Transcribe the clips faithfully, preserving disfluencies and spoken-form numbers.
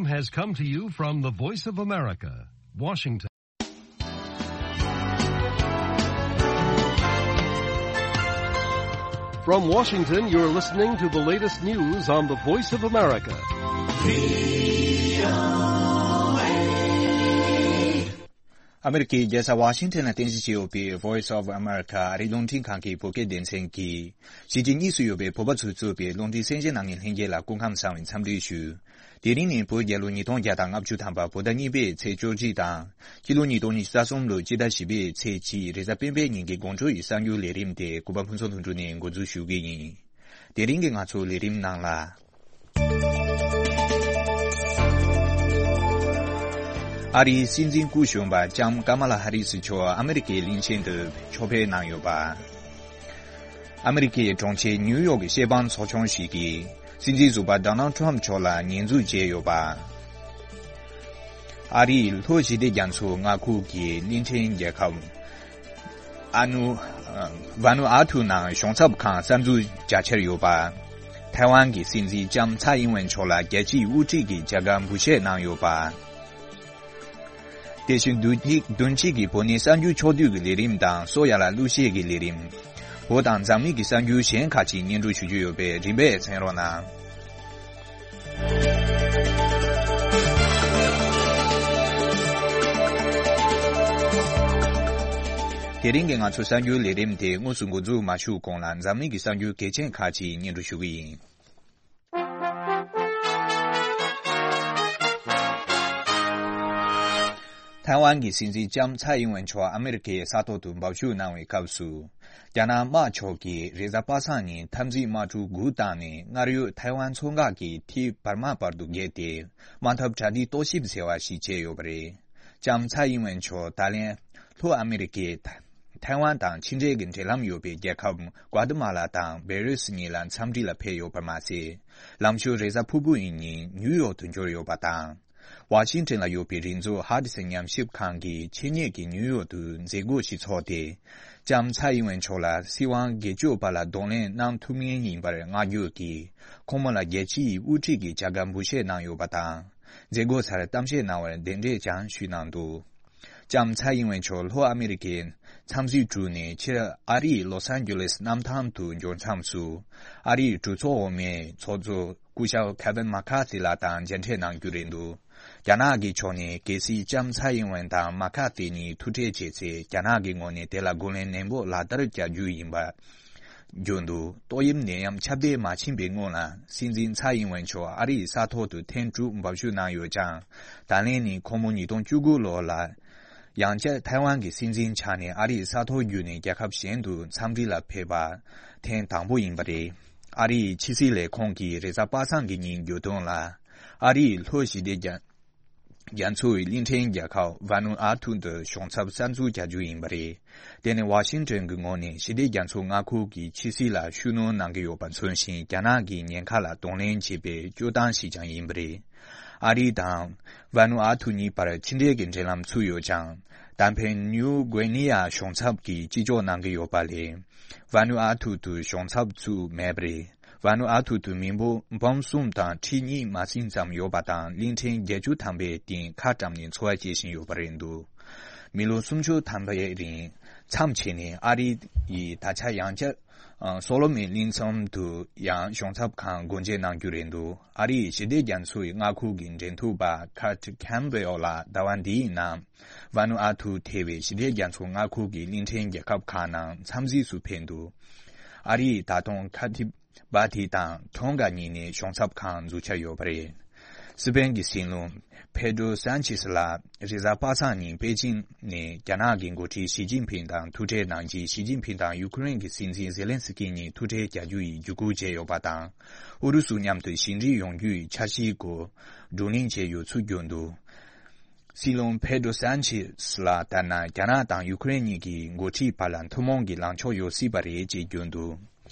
Has come to you from the Voice of America, Washington. From Washington, you're listening to the latest news on the Voice of America. ཨ་མེ་རི་ཀའི་རྒྱལ་ས་ཝ་ཤིང་ཊོན་ལ་རྟེན་གཞི་བྱས་ཡོད་པའི་Voice of America ཨ་རིའི་རླུང་འཕྲིན་ཁང་གི་བོད་སྐད་སྡེ་ཚན་གྱིས། གཞིས་བྱེས་གཉིས་སུ་ཡོད་པའི་བོད་པ་ཚོས་གཙོས་པའི་རླུང་འཕྲིན་གསན་མཁན་རྣམ་གཉིས་ལྷན་རྒྱས་ལ་སྐུ་ཁམས་བཟང་བའི་འཚམས་འདྲི་ཞུ། དེ་རིང་ནི་བོད་རྒྱལ་ལོ་ཉིས་སྟོང་བརྒྱ་དང་ལྔ་བཅུ་ཐམ་པ་བོད་ཟླ་གཉིས་པའི་ཚེས་བཅུ་གཅིག་དང་། སྤྱི་ལོ་ཉིས་སྟོང་ཉི་ཤུ་རྩ་གསུམ་ལོའི་སྤྱི་ཟླ་བཞི་པའི་ཚེས་གཅིག་རེས་གཟའ་སྤེན་པའི་ཉིན་གྱི་དགོང་དྲོ་ཡི་གསར་འགྱུར་ལས་རིམ་དེ་གུས་པ་ཕུན་ཚོགས་ལྷུན་གྲུབ་ནས་འགོ་འཛུགས་ཞུ་གི་ཡིན། དེ་རིང་གི་ང་ཚོའི་ལས་རིམ་ནང་ལ། ཨ་རིའི་སྲིད་འཛིན་སྐུ་གཞོན་པ་ལྕམ་ཀ་མ་ལ་ཧ་རི་སི་མཆོག་ཨ་མེ་རི་ཀའི་གླིང་ཆེན་དུ་ཕྱོགས་ཕེབས་གནང་ཡོད་པ། ཨ་མེ་རི་ཀའི་གྲོང་ཁྱེར་ནིའུ་ཡོག་གི་སྐྱེས་པ་ཚོགས་ཆུང་ཞིག་གིས་སྲིད་འཛིན་ཟུར་པ་ཌོ་ནལ་ཊམ་མཆོག་ལ་ཉེས་འཛུགས་བྱས་ཡོད་པ། ཨ་རིའི་ལྷོ་ཞི་བདེ་རྒྱ་མཚོའི་མངའ་ཁུལ་གྱི་གླིང་ཕྲན་རྒྱལ་ཁབ་ཨ་ནུ། ཝ་ནུ་ཨ་ཐུ་ནང་གཞུང་ཚབ་ཁང་གསར་འཛུགས་རྒྱག་འཆར་ཡོད་པ། ཐའེ་ཝན་གྱི་སྲིད་འཛིན་ལྕམ་ཚའེ་ཨིན་ཝེན་མཆོག་ལ་རྒྱལ་སྤྱིའི་དབུ་ཁྲིད་ཀྱི་བྱ་དགའ་འབུལ་བཞེས་གནང་ཡོད་པ། དེ་བཞིན་བདུན་གཅིག་བདུན་གཅིག་གི་བོད་གནས་གསར་འགྱུར་ཕྱོགས་བསྡུས་ཀྱི་ལས་རིམ་དང་སོགས་ཡ་ལ་གླུ་གཞས་ཀྱི་ལས་རིམ། བོད་དང་འཛམ་གླིང་གི་གསར་འགྱུར་གཞན་ཁག་ཅིག་སྙན་སྒྲོན་ཞུ་རྒྱུ་ཡོད་པས་རིམ་པས་གསན་རོགས་གནང་། དེ་རིང་གི་ང་ཚོའི་གསར་འགྱུར་ལས་རིམ་དེ་དངོས་སུ་འགོ་འཛུགས་མ་ཞུས་གོང་ལ་འཛམ་གླིང་གི་གསར་འགྱུར་གལ་ཆེན་ཁག་ཅིག་སྙན་སྒྲོན་ཞུ་གི་ཡིན། ཐའེ་ཝན་གྱི་སྲིད་འཛིན་ལྕམ་ཚའེ་ཨིན་ཝེན་མཆོག་ཨ་མེ་རི་ཁའི་ས་ཐོག་ཏུ་འབབ་ཞུགས་གནང་བའི་སྐབས་སུ། རྒྱ་ནག་དམག་ཕྱོགས་ཀྱིས་རེས་གཟའ་པ་སངས་ཉིན་འཐབ་འཛིང་དམག་གྲུ་དགུ་བཏང་ནས་སྔར་ཡོད་ཐའེ་ཝན་མཚོ་འགག་གི་ཐིག་བར་མ་བར་དུ་བརྒལ་ཏེ། དམག་འཐབ་གྲ་སྒྲིག་རྟོག་ཞིབ་ཟེར་བ་ཞིག་བྱས་ཡོད་པ་རེད། ལྕམ་ཚའེ་ཨིན་ཝེན་མཆོག་ད་ལན་ལྷོ་ཨ་མེ་རི་ཀའི་ཐའེ་ཝན་དང་ཕྱི་འབྲེལ་གྱི་འབྲེལ་ལམ་ཡོད་པའི་རྒྱལ་ཁབ་ཀོ་ཏི་མ་ལ་དང་བེ་རུ་སི་གཉིས་ལ་འཚམས་འདྲི་ལ་ཕེབས་ཡོད་པ་མ་ཟད། ལམ་ཞོར་རེས་གཟའ་ཕུར་བུ་ཡི་ཉིན་ནིའུ་ཡོག་ཏུ་འབྱོར་ཡོད་པ་དང་། ཝ་ཤིང་ཊོན་ལ་ཡོད་པའི་རིག་མཛོད་ཧ་ཏི་སན་ཉམས་ཞིབ་ཁང་གིས་ཆེད་གཉེར་གྱིས་ནིའུ་ཡོག་ཏུ་མཛད་སྒོ་ཞིག་འཚོགས་ཏེ། ལྕམ་ཚའེ་ཨིན་ཝེན་མཆོག་ལ་སྲིད་དབང་སྒེར་གཅོད་པ་ལ་གདོང་ལེན་གནང་ཐུབ་མཁན་ཡིན་པར་བསྔགས་བརྗོད་ཀྱིས་ཁོང་མོ་ལ་རྒྱལ་སྤྱིའི་དབུ་ཁྲིད་ཀྱི་བྱ་དགའ་འབུལ་བཞེས་གནང་ཡོད་པ་དང་། མཛད་སྒོ་སར་གཏམ་བཤད་གནང་བར་གདན་འདྲེན་ཀྱང་ཞུས་གནང་འདུག་ལྕམ་ཚའེ་ཨིན་ཝེན་མཆོག་ལྷོ་ཨ་མེ་རི་ཀའི་འཚམས་གཟིགས་གྲུ་ནས་ཕྱིར་ཨ་རིའི་ལོ་སན་ཇོ་ལེས་གནམ་ཐང་དུ་འབྱོར་མཚམས་སུ། ཨ་རིའི་གྲོས་ཚོགས་འོག་མའི་ཚོགས་གཙོ་སྐུ་ཞབས་ཁེ་ཝིན་མ་ཁ་ཐི་ལགས་དང་མཇལ་འཕྲད་གནང་རྒྱུ་རེད་འདུག་རྒྱ་ནག་གི་ཕྱོགས་ནས་གལ་སྲིད་ལྕམ་ཚའེ་ཨིན་ཝེན་དང་མ་ཁ་ཐི་གཉིས་ཐུག་འཕྲད་བྱས་ཚེ་རྒྱ་ནག་གི་ངོས་ནས་དེ་ལ་རྒོལ་ལན་ནན་པོ་ལག་བསྟར་བྱ་རྒྱུ་ཡིན་པ། བརྗོད་འདུག་ཏོག་དབྱིབས་ནད་ཡམས་ཁྱབ་གདལ་མ་ཕྱིན་པའི་སྔོན་ལ་སྲིད་འཛིན་ཚའེ་ཨིན་ཝེན་མཆོག་ཨ་རིའི་ས་ཐོག་ཏུ་ཐེངས་དྲུག་འབབ་ཞུགས་གནང་ཡོད་ཀྱང་། ད་ལན་ནི་ཁོང་མོ་ཉིས་སྟོང་བཅུ་དགུ་ལོ་ལ། ཡང་བསྐྱར་ཐའེ་ཝན་གྱི་སྲིད་འཛིན་ཆགས་ནས་ཨ་རིའི་ས་ཐོག་བརྒྱུད་ནས་རྒྱལ་ཁབ་གཞན་དུ་འཚམས་འདྲི་ལ་ཕེབས་པ་ཐེངས་དང་པོ་ཡིན་པ་རེད། ཨ་རིའི་ཕྱི་སྲིད་ལས་ཁུངས་ཀྱིས་རེས་གཟའ་པ་སངས་ཀྱི་ཉིན་བརྗོད་དོན་ལ། ཨ་རིའི་ལྷོ་ཞི་བདེ་རྒྱ་རྒྱ་མཚོའི་གླིང་ཕྲན་རྒྱལ་ཁབ་ཝ་ནུ་ཨ་ཐུ་དུ་གཞུང་ཚབ་གསར་འཛུགས་བྱ་རྒྱུ་ཡིན་པ་རེད། དེ་ནི་ཝ་ཤིང་ཊོན་གྱི་ངོས་ནས་ཞི་བདེ་རྒྱ་མཚོ་མངའ་ཁུལ་གྱི་ཕྱི་སྲིད་ལ་ཤུགས་སྣོན་གནང་གི་ཡོད་པ་མཚོན་ཞིང་རྒྱ་ནག་གི་ཉེན་ཁ་ལ་གདོང་ལེན་བྱེད་པའི་སྤྱོད་སྟངས་ཤིག་ཀྱང་ཡིན་པ་རེད། ཨ་རི་དང་ཝ་ནུ་ཨ་ཐུ་གཉིས་བར་ཕྱི་འབྲེལ་གྱི་འབྲེལ་ལམ་ཚུད་ཡོད་ཀྱང་། ད་ཕན་ནིའུ་གུའེ་ནི་ཡ་གཞུང་ཚབ་ཀྱིས་སྤྱི་འཇོག་གནང་གི་ཡོད་པ་ལས། ཝ་ནུ་ཨ་ཐུ་དུ་གཞུང་ཚབ་ཚུད་མེད་པ་རེད། ཝ་ནུ་ཨ་ཐུ་དུ་མི་འབོམ་གསུམ་དང་ཁྲི་གཉིས་མ་ཟིན་ཙམ་ཡོད་པ་དང་གླིང་ཕྲན་བརྒྱད་ཅུ་ཐམ་པའི་སྟེང་ཁ་བཀྲམ་ནས་འཚོ་བ་སྐྱེལ་བཞིན་ཡོད་པ་རེད་འདུག་མི་ལོ་སུམ་ཅུ་ཐམ་པའི་རིང་མཚམས་ཆད་ནས་ཨ་རི་ཡིས་ད་ཆ་ཡང་བསྐྱར་སོ་ལོ་མོན་གླིང་ཚོམ་དུ་ཡང་གཞུང་ཚབ་ཁང་སྒོ་འབྱེད་གནང་རྒྱུ་རེད་འདུག་ཨ་རིའི་ཞི་བདེ་རྒྱ་མཚོའི་མངའ་ཁུལ་གྱི་འབྲེལ་མཐུད་པ་ཁར་ཊི་ཁེམ་བྷེལ་ལ་ཟླ་བ་འདིའི་ནང་ཝ་ནུ་ཨ་ཐུ་ཐེ་བའི་ཞི་བདེ་རྒྱ་མཚོ་མངའ་ཁུལ་གྱི་གླིང་ཕྲན་རྒྱལ་ཁབ་ཁག་ནང་འཚམས་གཟིགས་སུ་ཕེབས་འདུག་ཨ་རིས་ད་དུང་ཁ་ཐི་བྷ་ཐི་དང་ཐོང་ག་གཉིས་ནས་གཞུང་ཚབ་ཁང་འཛུགས་འཆར་ཡོད་པ་རེད། སི་པན་གྱི་སྲིད་བློན་ཕེ་ཏྲོ་སན་ཆེས་ལགས་རེས་གཟའ་པ་སངས་ཉིན་པེ་ཅིན་ནས་རྒྱ་ནག་གི་འགོ་ཁྲིད་ཞི་ཅིན་ཕིང་དང་ཐུག་འཕྲད་གནང་རྗེས་ཞི་ཅིན་ཕིང་དང་ཡུ་ཁུ་རེན་གྱི་སྲིད་འཛིན་ཛེ་ལན་སི་ཀི་གཉིས་ཐུག་འཕྲད་བྱ་རྒྱུ་ཡི་བརྒྱུད་སྐུལ་བྱས་ཡོད་པ་དང་། ཨུ་རུ་སུ་མཉམ་དུ་ཞི་འགྲིག་ཡོང་རྒྱུའི་འཆར་གཞིའི་སྐོར་བགྲོ་གླེང་བྱས་ཡོད་ཚུལ་བརྗོད་འདུག་སྲིད་བློན་ཕེ་ཏྲོ་སན་ཆེས་ལགས་ལྟར་ན་རྒྱ་ནག་དང་ཡུ་ཁུ་རེན་གཉིས་ཀྱི་འགོ་ཁྲིད་བར་ལ་ཐུན་མོང་གི་ལངས་ཕྱོགས་ཡོད་སྲིད་པ་རེད་ཅེས་བརྗོད་འདུག་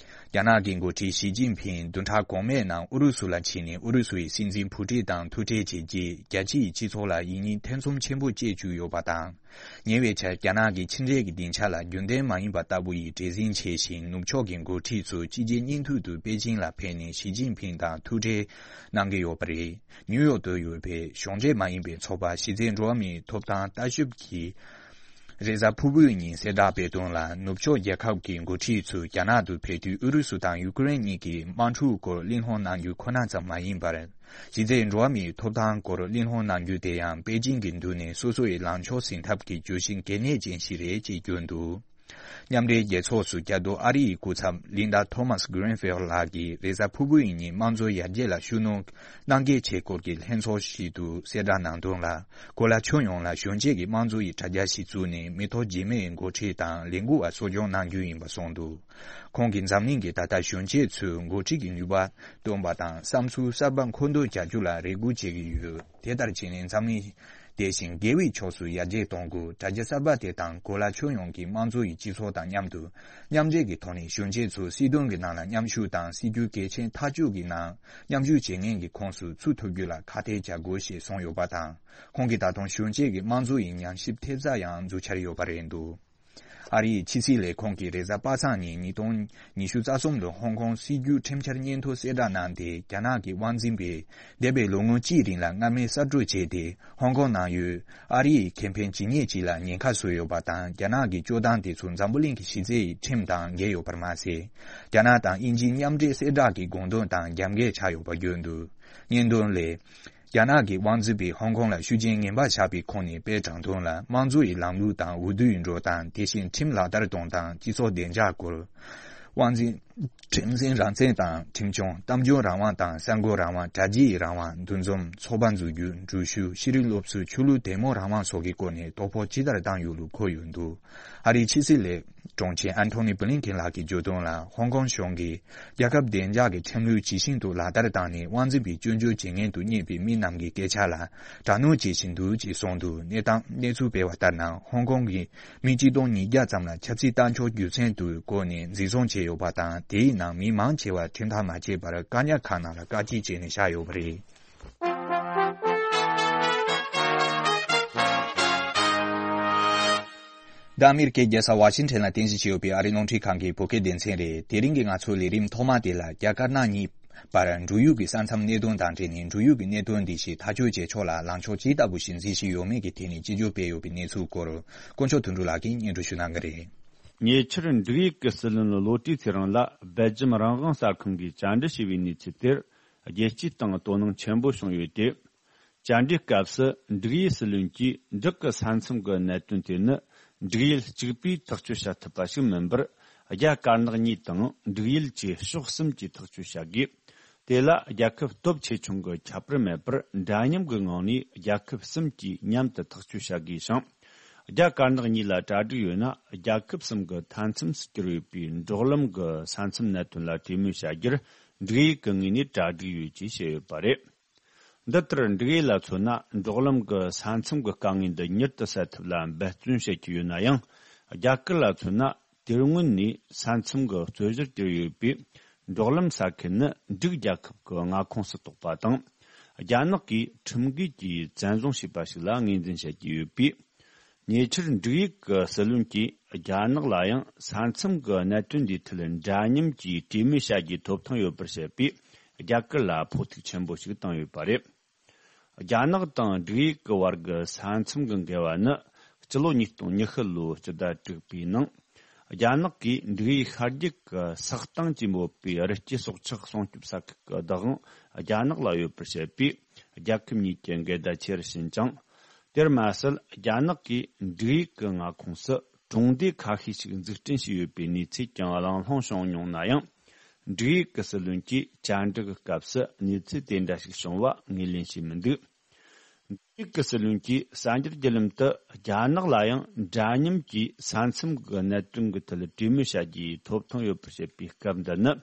རྒྱ་ནག་གི་འགོ་ཁྲིད་ཞི་ཅིན་ཕིང་བདུན་ཕྲག་གོང་མའི་ནང་ཨུ་རུ་སུ་ལ་ཕྱིན་ནས་ཨུ་རུ་སུ་ཡི་སྲིད་འཛིན་ཕུ་ཀྲིན་དང་ཐུག་འཕྲད་བྱས་རྗེས། རྒྱལ་སྤྱིའི་སྤྱི་ཚོགས་ལ་ཡིད་གཉིས་ཐེ་ཚོམ་ཆེན་པོ་སྐྱེས་བཅུག་ཡོད་པ་དང་། ཉེ་བའི་ཆར་རྒྱ་ནག་གི་ཕྱི་འབྲེལ་གྱི་སྡིངས་ཆ་ལ་རྒྱུན་ལྡན་མ་ཡིན་པ་ལྟ་བུ་ཡི་བྲེལ་ཟིང་ཆེ་ཞིང་། ནུབ་ཕྱོགས་ཀྱི་འགོ་ཁྲིད་ཚོ་ཕྱི་རྒྱལ་གཉིས་མཐུད་དུ་པེ་ཅིང་ལ་ཕེབས་ནས་ཞི་ཅིན་ཕིང་དང་ཐུག་འཕྲད་གནང་གི་ཡོད་པ་རེད། ནིའུ་ཡོག་ཏུ་ཡོད་པའི་གཞུང་འབྲེལ་མ་ཡིན་པའི་ཚོགས་པ་གཞི་རྩའི་འགྲོ་བ་མིའི་ཐོབ་ཐང་ལྟ་ཞིབ་ཀྱིས། རེས་གཟའ་ཕུར་བུའི་ཉིན་གསལ་བསྒྲགས་སྤེལ་དོན་ལ། ནུབ་ཕྱོགས་རྒྱལ་ཁབ་ཀྱི་འགོ་ཁྲིད་ཚོས་རྒྱ་ནག་ཏུ་ཕེབས་དུས་ཨུ་རུ་སུ་དང་ཡུ་ཀེ་རེན་གཉིས་ཀྱི་དམག་འཁྲུག་སྐོར་གླེང་སློང་གནང་རྒྱུ་ཁོ་ན་ཙམ་མ་ཡིན་པར། གཞི་རྩའི་འགྲོ་བ་མིའི་ཐོབ་ཐང་སྐོར་གླེང་སློང་གནང་རྒྱུ་དེ་ཡང་པེ་ཅིང་གི་མདུན་ནས་སོ་སོ་ཡི་ལངས་ཕྱོགས་ཟིན་ཐབས་ཀྱི་བརྗོད་གཞི་གལ་གནད་ཅན་ཞིག་རེད་ཅེས་བརྗོད་འདུག་མཉམ་འབྲེལ་རྒྱལ་ཚོགས་སུ་རྒྱ་སྟོད་ཨ་རི་ཡི་སྐུ་ཚབ་ལིན་ཌ་ཐོ་མཱས་གྷི་རིན་ཕིལ་ལགས་ཀྱིས་རེས་གཟའ་ཕུར་བུའི་ཉིན་དམངས་གཙོ་ཡར་རྒྱས་ལ་ཤུགས་སྣོན་གནང་གལ་ཆེ་སྐོར་གྱི་ལྷན་ཚོགས་ཤིག་ཏུ་གསལ་བསྒྲགས་གནང་དོན་ལ། གོ་ལ་ཁྱོན་ཡོངས་ལ་གཞོན་སྐྱེས་ཀྱི་དམངས་གཙོ་ཡི་དྲ་རྒྱ་ཞིག་བཙུགས་ནས་མི་ཐོག་རྗེས་མའི་འགོ་ཁྲིད་དང་ལས་འགུལ་བ་གསོ་སྐྱོང་གནང་རྒྱུ་ཡིན་པ་གསུངས་འདུག་ཁོང་གིས་འཛམ་གླིང་གི་ད་ལྟ་གཞོན་སྐྱེས་ཚོའི་འགོ་ཁྲིད་ཀྱི་ནུས་པ་འདོན་པ་དང་བསམ་ཚུལ་གསར་པ་མཁོ་འདོན་བྱ་རྒྱུ་ལ་རེ་སྒུག་བྱེད་ཀྱི་ཡོད། དེ་ལྟར་བྱས་ནས་འཛམ་གླིང་དེ་བཞིན་དགེ་བའི་ཕྱོགས་སུ་ཡར་རྒྱས་གཏོང་དགོས། དྲ་རྒྱ་གསར་པ་དེ་དང་གོ་ལ་ཁྱོན་ཡོངས་ཀྱི་དམངས་གཙོ་ཡི་སྤྱི་ཚོགས་དང་མཉམ་དུ་མཉམ་འབྲེལ་གྱི་ཐོག་ནས་གཞོན་སྐྱེས་ཚོ་སྲིད་དོན་གྱི་ནང་ལ་མཉམ་ཞུགས་དང་སྲིད་ཇུས་གལ་ཆེན་ཐག་གཅོད་ཀྱི་ནང་མཉམ་ཞུགས་བྱེད་མཁན་གྱི་ཁོངས་སུ་ཚུད་ཐུབ་རྒྱུ་ལ་ཁག་ཐེག་བྱ་དགོས་ཞེས་གསུངས་ཡོད་པ་དང་། ཁོང་གིས་ད་དུང་གཞོན་སྐྱེས་ཀྱི་དམངས་གཙོ་ཡི་ཉམས་ཞིབ་ཐེབས་རྩ་ཡང་འཛུགས་འཆར་ཡོད་པ་རེད་འདུག་ཨ་རིའི་ཕྱི་སྲིད་ལས་ཁུངས་ཀྱིས་རེས་གཟའ་པ་སངས་ཉིན་ཉིས་སྟོང་ཉི་ཤུ་རྩ་གསུམ་ལོའི་ཧོང་ཀོང་སྲིད་བསྒྱུར་ཁྲིམས་འཆར་སྙན་ཐོ་གསལ་བསྒྲགས་གནང་སྟེ། རྒྱ་ནག་གི་དབང་འཛིན་པས་འདས་པའི་ལོ་ངོ་གཅིག་རིང་ལ་སྔ་མའི་གསར་འགྲོས་བྱས་ཏེ། ཧོང་ཀོང་ནང་ཡོད་ཨ་རིའི་ཁེ་ཕན་ཇི་སྙེད་ཅིག་ལ་ཉེན་ཁ་བཟོས་ཡོད་པ་དང་། རྒྱ་ནག་གི་སྤྱོད་སྟངས་དེ་ཚོ་འཛམ་བུ་གླིང་གི་གཞི་རྩའི་ཁྲིམས་དང་འགལ་ཡོད་པར་མ་ཟད། རྒྱ་ནག་དང་དབྱིན་ཇིའི་མཉམ་འབྲེལ་གསལ་བསྒྲགས་ཀྱི་དགོངས་དོན་དང་རྒྱབ་འགལ་ཆགས་ཡོད་པ་བརྗོད་འདུག་སྙན་དོན་ལས། རྒྱ་ནག་གི་དབང་འཛིན་པས་ཧོང་ཀོང་ལ་ཤུགས་རྐྱེན་ངན་པ་བཞག་པའི་ཁོངས་ནས་དཔེ་དྲངས་དོན་ལ། དམངས་གཙོ་ཡི་ལམ་ལུགས་དང་འོས་བསྡུའི་འགྲོ་སྟངས། དེ་བཞིན་ཁྲིམས་ལག་བསྟར་གཏོང་སྟངས། སྤྱི་ཚོགས་བདེ་འཇགས་སྐོར། དབང་འཛིན། ཁྲིམས་འཛིན་རང་བཙན་དང་ཁྲིམས་སྐྱོང་། གཏམ་བརྗོད་རང་དབང་དང་གསར་འགོད་རང་དབང་། དྲ་རྒྱའི་རང་དབང་། འདུ་འཛོམས། ཚོགས་པ་འཛུགས་རྒྱུ། འགྲུལ་བཞུད། ཤེས་རིག་སློབ་གསོ། ཆོས་ལུགས་དད་མོས་རང་དབང་སོགས་ཀྱི་སྐོར་ནས་དོ་ཕོག་ཇི་ལྟར་བཏང་ཡོད་ལུགས་འཁོད་ཡོད་འདུག་ཨ་རིའི་ཕྱི་སྲིད་ལས་དྲུང་ཆེ་ཨན་ཐོ་ནི་བྷི་ལིན་ཁེན་ལགས་ཀྱིས་བརྗོད་དོན་ལ། ཧོང་ཀོང་གཞུང་གིས་རྒྱལ་ཁབ་བདེ་འཇགས་ཀྱི་ཁྲིམས་ལུགས་ཇི་བཞིན་དུ་ལག་བསྟར་བཏང་ནས། དབང་འཛིན་པའི་སྐྱོན་བརྗོད་བྱེད་མཁན་དུ་རྙེད་པའི་མི་རྣམས་ཀྱི་སྐད་ཆ་ལ་དྲག་གནོན་བྱེད་བཞིན་འདུག་ཅེས་གསུངས་འདུག་གནས་སྟངས། གནས་ཚུལ་སྤེལ་བ་ལྟར་ན། ཧོང་ཀོང་གི་མི་གཅིག་སྟོང་ཉིས་བརྒྱ་ཙམ་ལ་ཆབ་སྲིད་ལྟ་འཁྱོག་རྒྱུ་མཚན་དུ་བཀོད་ནས་འཛིན་བཟུང་བྱས་ཡོད་པ་དང་། དེའི་ནང་མི་མང་ཆེ་བ་ཁྲིམས་ཐག་མ་བཅད་པར་བཀག་ཉར་ཁང་ནང་ལ་བཀག་སྐྱིལ་བྱས་ནས་བཞག་ཡོད་པ་རེད། འདི་ཨ་མི་རི་ཀའི་རྒྱལ་ས་ཝ་ཤིང་ཊོན་ལ་རྟེན་གཞི་བྱས་ཡོད་པའི་ཨ་རིའི་རླུང་འཕྲིན་ཁང་གི་བོད་སྐད་སྡེ་ཚན་རེད། དེ་རིང་གི་ང་ཚོའི་ལས་རིམ་ཐོག་མ་དེ་ལ། རྒྱ་དཀར་ནག་གཉིས་བར་འབྲུག་ཡུལ་གྱི་ས་མཚམས་གནད་དོན་དང་འབྲེལ་ནས། འབྲུག་ཡུལ་གྱི་གནད་དོན་འདི་ཞིག་ཐག་གཅོད་བྱེད་ཕྱོགས་ལ་ལངས་ཕྱོགས་ཇི་ལྟ་བུ་ཞིག་འཛིན་བཞིན་ཡོད་མེད་ཀྱི་ཐད་ནས་དཔྱད་བརྗོད་སྤེལ་ཡོད་པའི་གནས་ཚུལ་སྐོར། དཀོན་མཆོག་དོན་གྲུབ་ལགས་ཀྱིས་སྙན་སྒྲོན་ཞུ་གནང་གི་རེད། ཉེ་ཆར་འབྲུག་ཡུལ་གྱི་སྲིད་བློན་བློ་གྲོས་ཚེ་རིང་ལགས་སྦེལ་ཇམ་རང་དབང་གསར་ཁང་གིས་བཅར་འདྲི་བྱས་པའི་གནས་ཚུལ་དེར། རྒྱལ་སྤྱིའི་སྟེང་དོ་སྣང་ཆེན་པོ་བྱུང་ཡོད་དེ། བཅར་འདྲིའི་སྐབས་སུ་འབྲུག་ཡུལ་སྲིད་བློན་གྱིས། འབྲུག་གི་ས་མཚམས་ཀྱི་གནད་དོན་དེ་ནི། འབྲུག་ཡུལ་གཅིག་པུས་ཐག་གཅོད་བྱ་ཐུབ་པ་ཞིག་མིན་པར། རྒྱ་དཀར་ནག་གཉིས་དང་འབྲུག་ཡུལ་བཅས་ཕྱོགས་གསུམ་གྱིས་ཐག་གཅོད་བྱ་དགོས། དེ་ལ་རྒྱལ་ཁབ་སྟོབས་ཆེ་ཆུང་གི་ཁྱད་པར་མེད་པར། འདྲ་མཉམ་གྱི་ངང་ནས་རྒྱལ་ཁབ་གསུམ་གྱིས་མཉམ་དུ་ཐག་གཅོད་བྱ་དགོས་ཤིང་། རྒྱ་དཀར་ནག་གཉིས་ལ་གྲ་སྒྲིག་ཡོད་ན། རྒྱལ་ཁབ་གསུམ་གྱི་མཐའ་མཚམས་སུ་གྱུར་ཡོད་པའི་འབྲོག་ལམ་གྱི་ས་མཚམས་གནད་དོན་ལ་གྲོས་མོལ་བྱ་རྒྱུར། འབྲུག་ཡུལ་གྱི་ངོས་ནས་གྲ་སྒྲིག་ཡོད་ཅེས་བཤད་ཡོད་པ་རེད། འདི་ལྟར། འབྲུག་ཡུལ་ལ་མཚོན་ན། འབྲོག་ལམ་གྱི་ས་མཚམས་ཀྱི་དཀའ་ངལ་འདི་མྱུར་དུ་སེལ་ཐབས་ལ་འབད་བརྩོན་བྱེད་ཀྱི་ཡོད་ན་ཡང་། རྒྱ་གར་ལ་མཚོན་ན། དེ་སྔོན་ནས་ས་མཚམས་ཀྱི་རྩོད་བཞིར་གྱུར་ཡོད་པའི་འབྲོག་ལམ་ས་ཁུལ་ནི་འབྲུག་རྒྱལ་ཁབ་ཀྱི་མངའ་ཁོངས་སུ་གཏོགས་པ་དང་། རྒྱ་ནག་གིས་ཁྲིམས་འགལ་གྱིས་བཙན་བཟུང་བྱས་པ་ཞིག་ལ་ངོས་འཛིན་བྱེད་ཀྱི་ཡོད་པས། ཉེ་ཆར་འབྲུག་ཡུལ་གྱི་སྲིད་བློན་གྱིས་རྒྱ་ནག་ལ་ཡང་ས་མཚམས་ཀྱི་གནད་དོན་འདིའི་ཐད་འདྲ་མཉམ་གྱིས་གྲོས་མོལ་བྱ་རྒྱུའི་ཐོབ་ཐང་ཡོད་པར་བཤད་པས། རྒྱ་གར་ལ་ཕོག་ཐུག་ཆེན་པོ་ཞིག་བཏང་ཡོད་པ་རེད། རྒྱ་ནག་དང་འབྲུག་ཡུལ་གྱི་བར་གྱི་ས་མཚམས་ཀྱི་འགལ་བ་ནི། སྤྱི་ལོ་ཉིས་སྟོང་ཉི་ཤུ་ལོའི་སྤྱི་ཟླ་དྲུག་པའི་ནང་། རྒྱ་ནག་གིས་འབྲུག་ཡུལ་ཤར་རྒྱུད་ཀྱི་སག་སྟེང་ཅེས་འབོད་པའི་རི་སྐྱེས་སྲོག་ཆགས་སྲུང་སྐྱོབ་ས་ཁུལ་གྱི་བདག་དབང་རྒྱ་ནག་ལ་ཡོད་པར་བཤད་པས། རྒྱལ་ཁབ་གཉིས་ཀྱི་འགལ་ཟླ་ཆེ་རུ་ཕྱིན་ཅིང་། དེར་མ་ཟད། རྒྱ་ནག་གིས་འབྲུག་ཡུལ་གྱི་མངའ་ཁོངས་སུ་གྲོང་སྡེ་ཁ་ཤས་ཤིག་འཛུགས་སྐྲུན་བྱས་ཡོད་པའི་གནས་ཚུལ་ཀྱང་གླེང་སློང་བྱུང་མྱོང་ན་ཡང་། འབྲུག་ཡུལ་གྱི་སྲིད་བློན་གྱིས་བཅར་འདྲི་གི་སྐབས་སུ་གནས་ཚུལ་དེ་འདྲ་ཞིག་བྱུང་བ་ངོས་ལེན་བྱས་མི་འདུག་འབྲུག་ཡུལ་གྱི་སྲིད་བློན་གྱིས་གསར་འགྱུར་བརྒྱུད་ལམ་དུ། རྒྱ་ནག་ལ་ཡང་འདྲ་མཉམ་གྱིས་ས་མཚམས་ཀྱི་གནད་དོན་གྱི་ཐད་གྲོས་མོལ་བྱ་རྒྱུའི་ཐོབ་ཐང་ཡོད་པར་བཤད་པའི་སྐབས་འདི་ནི།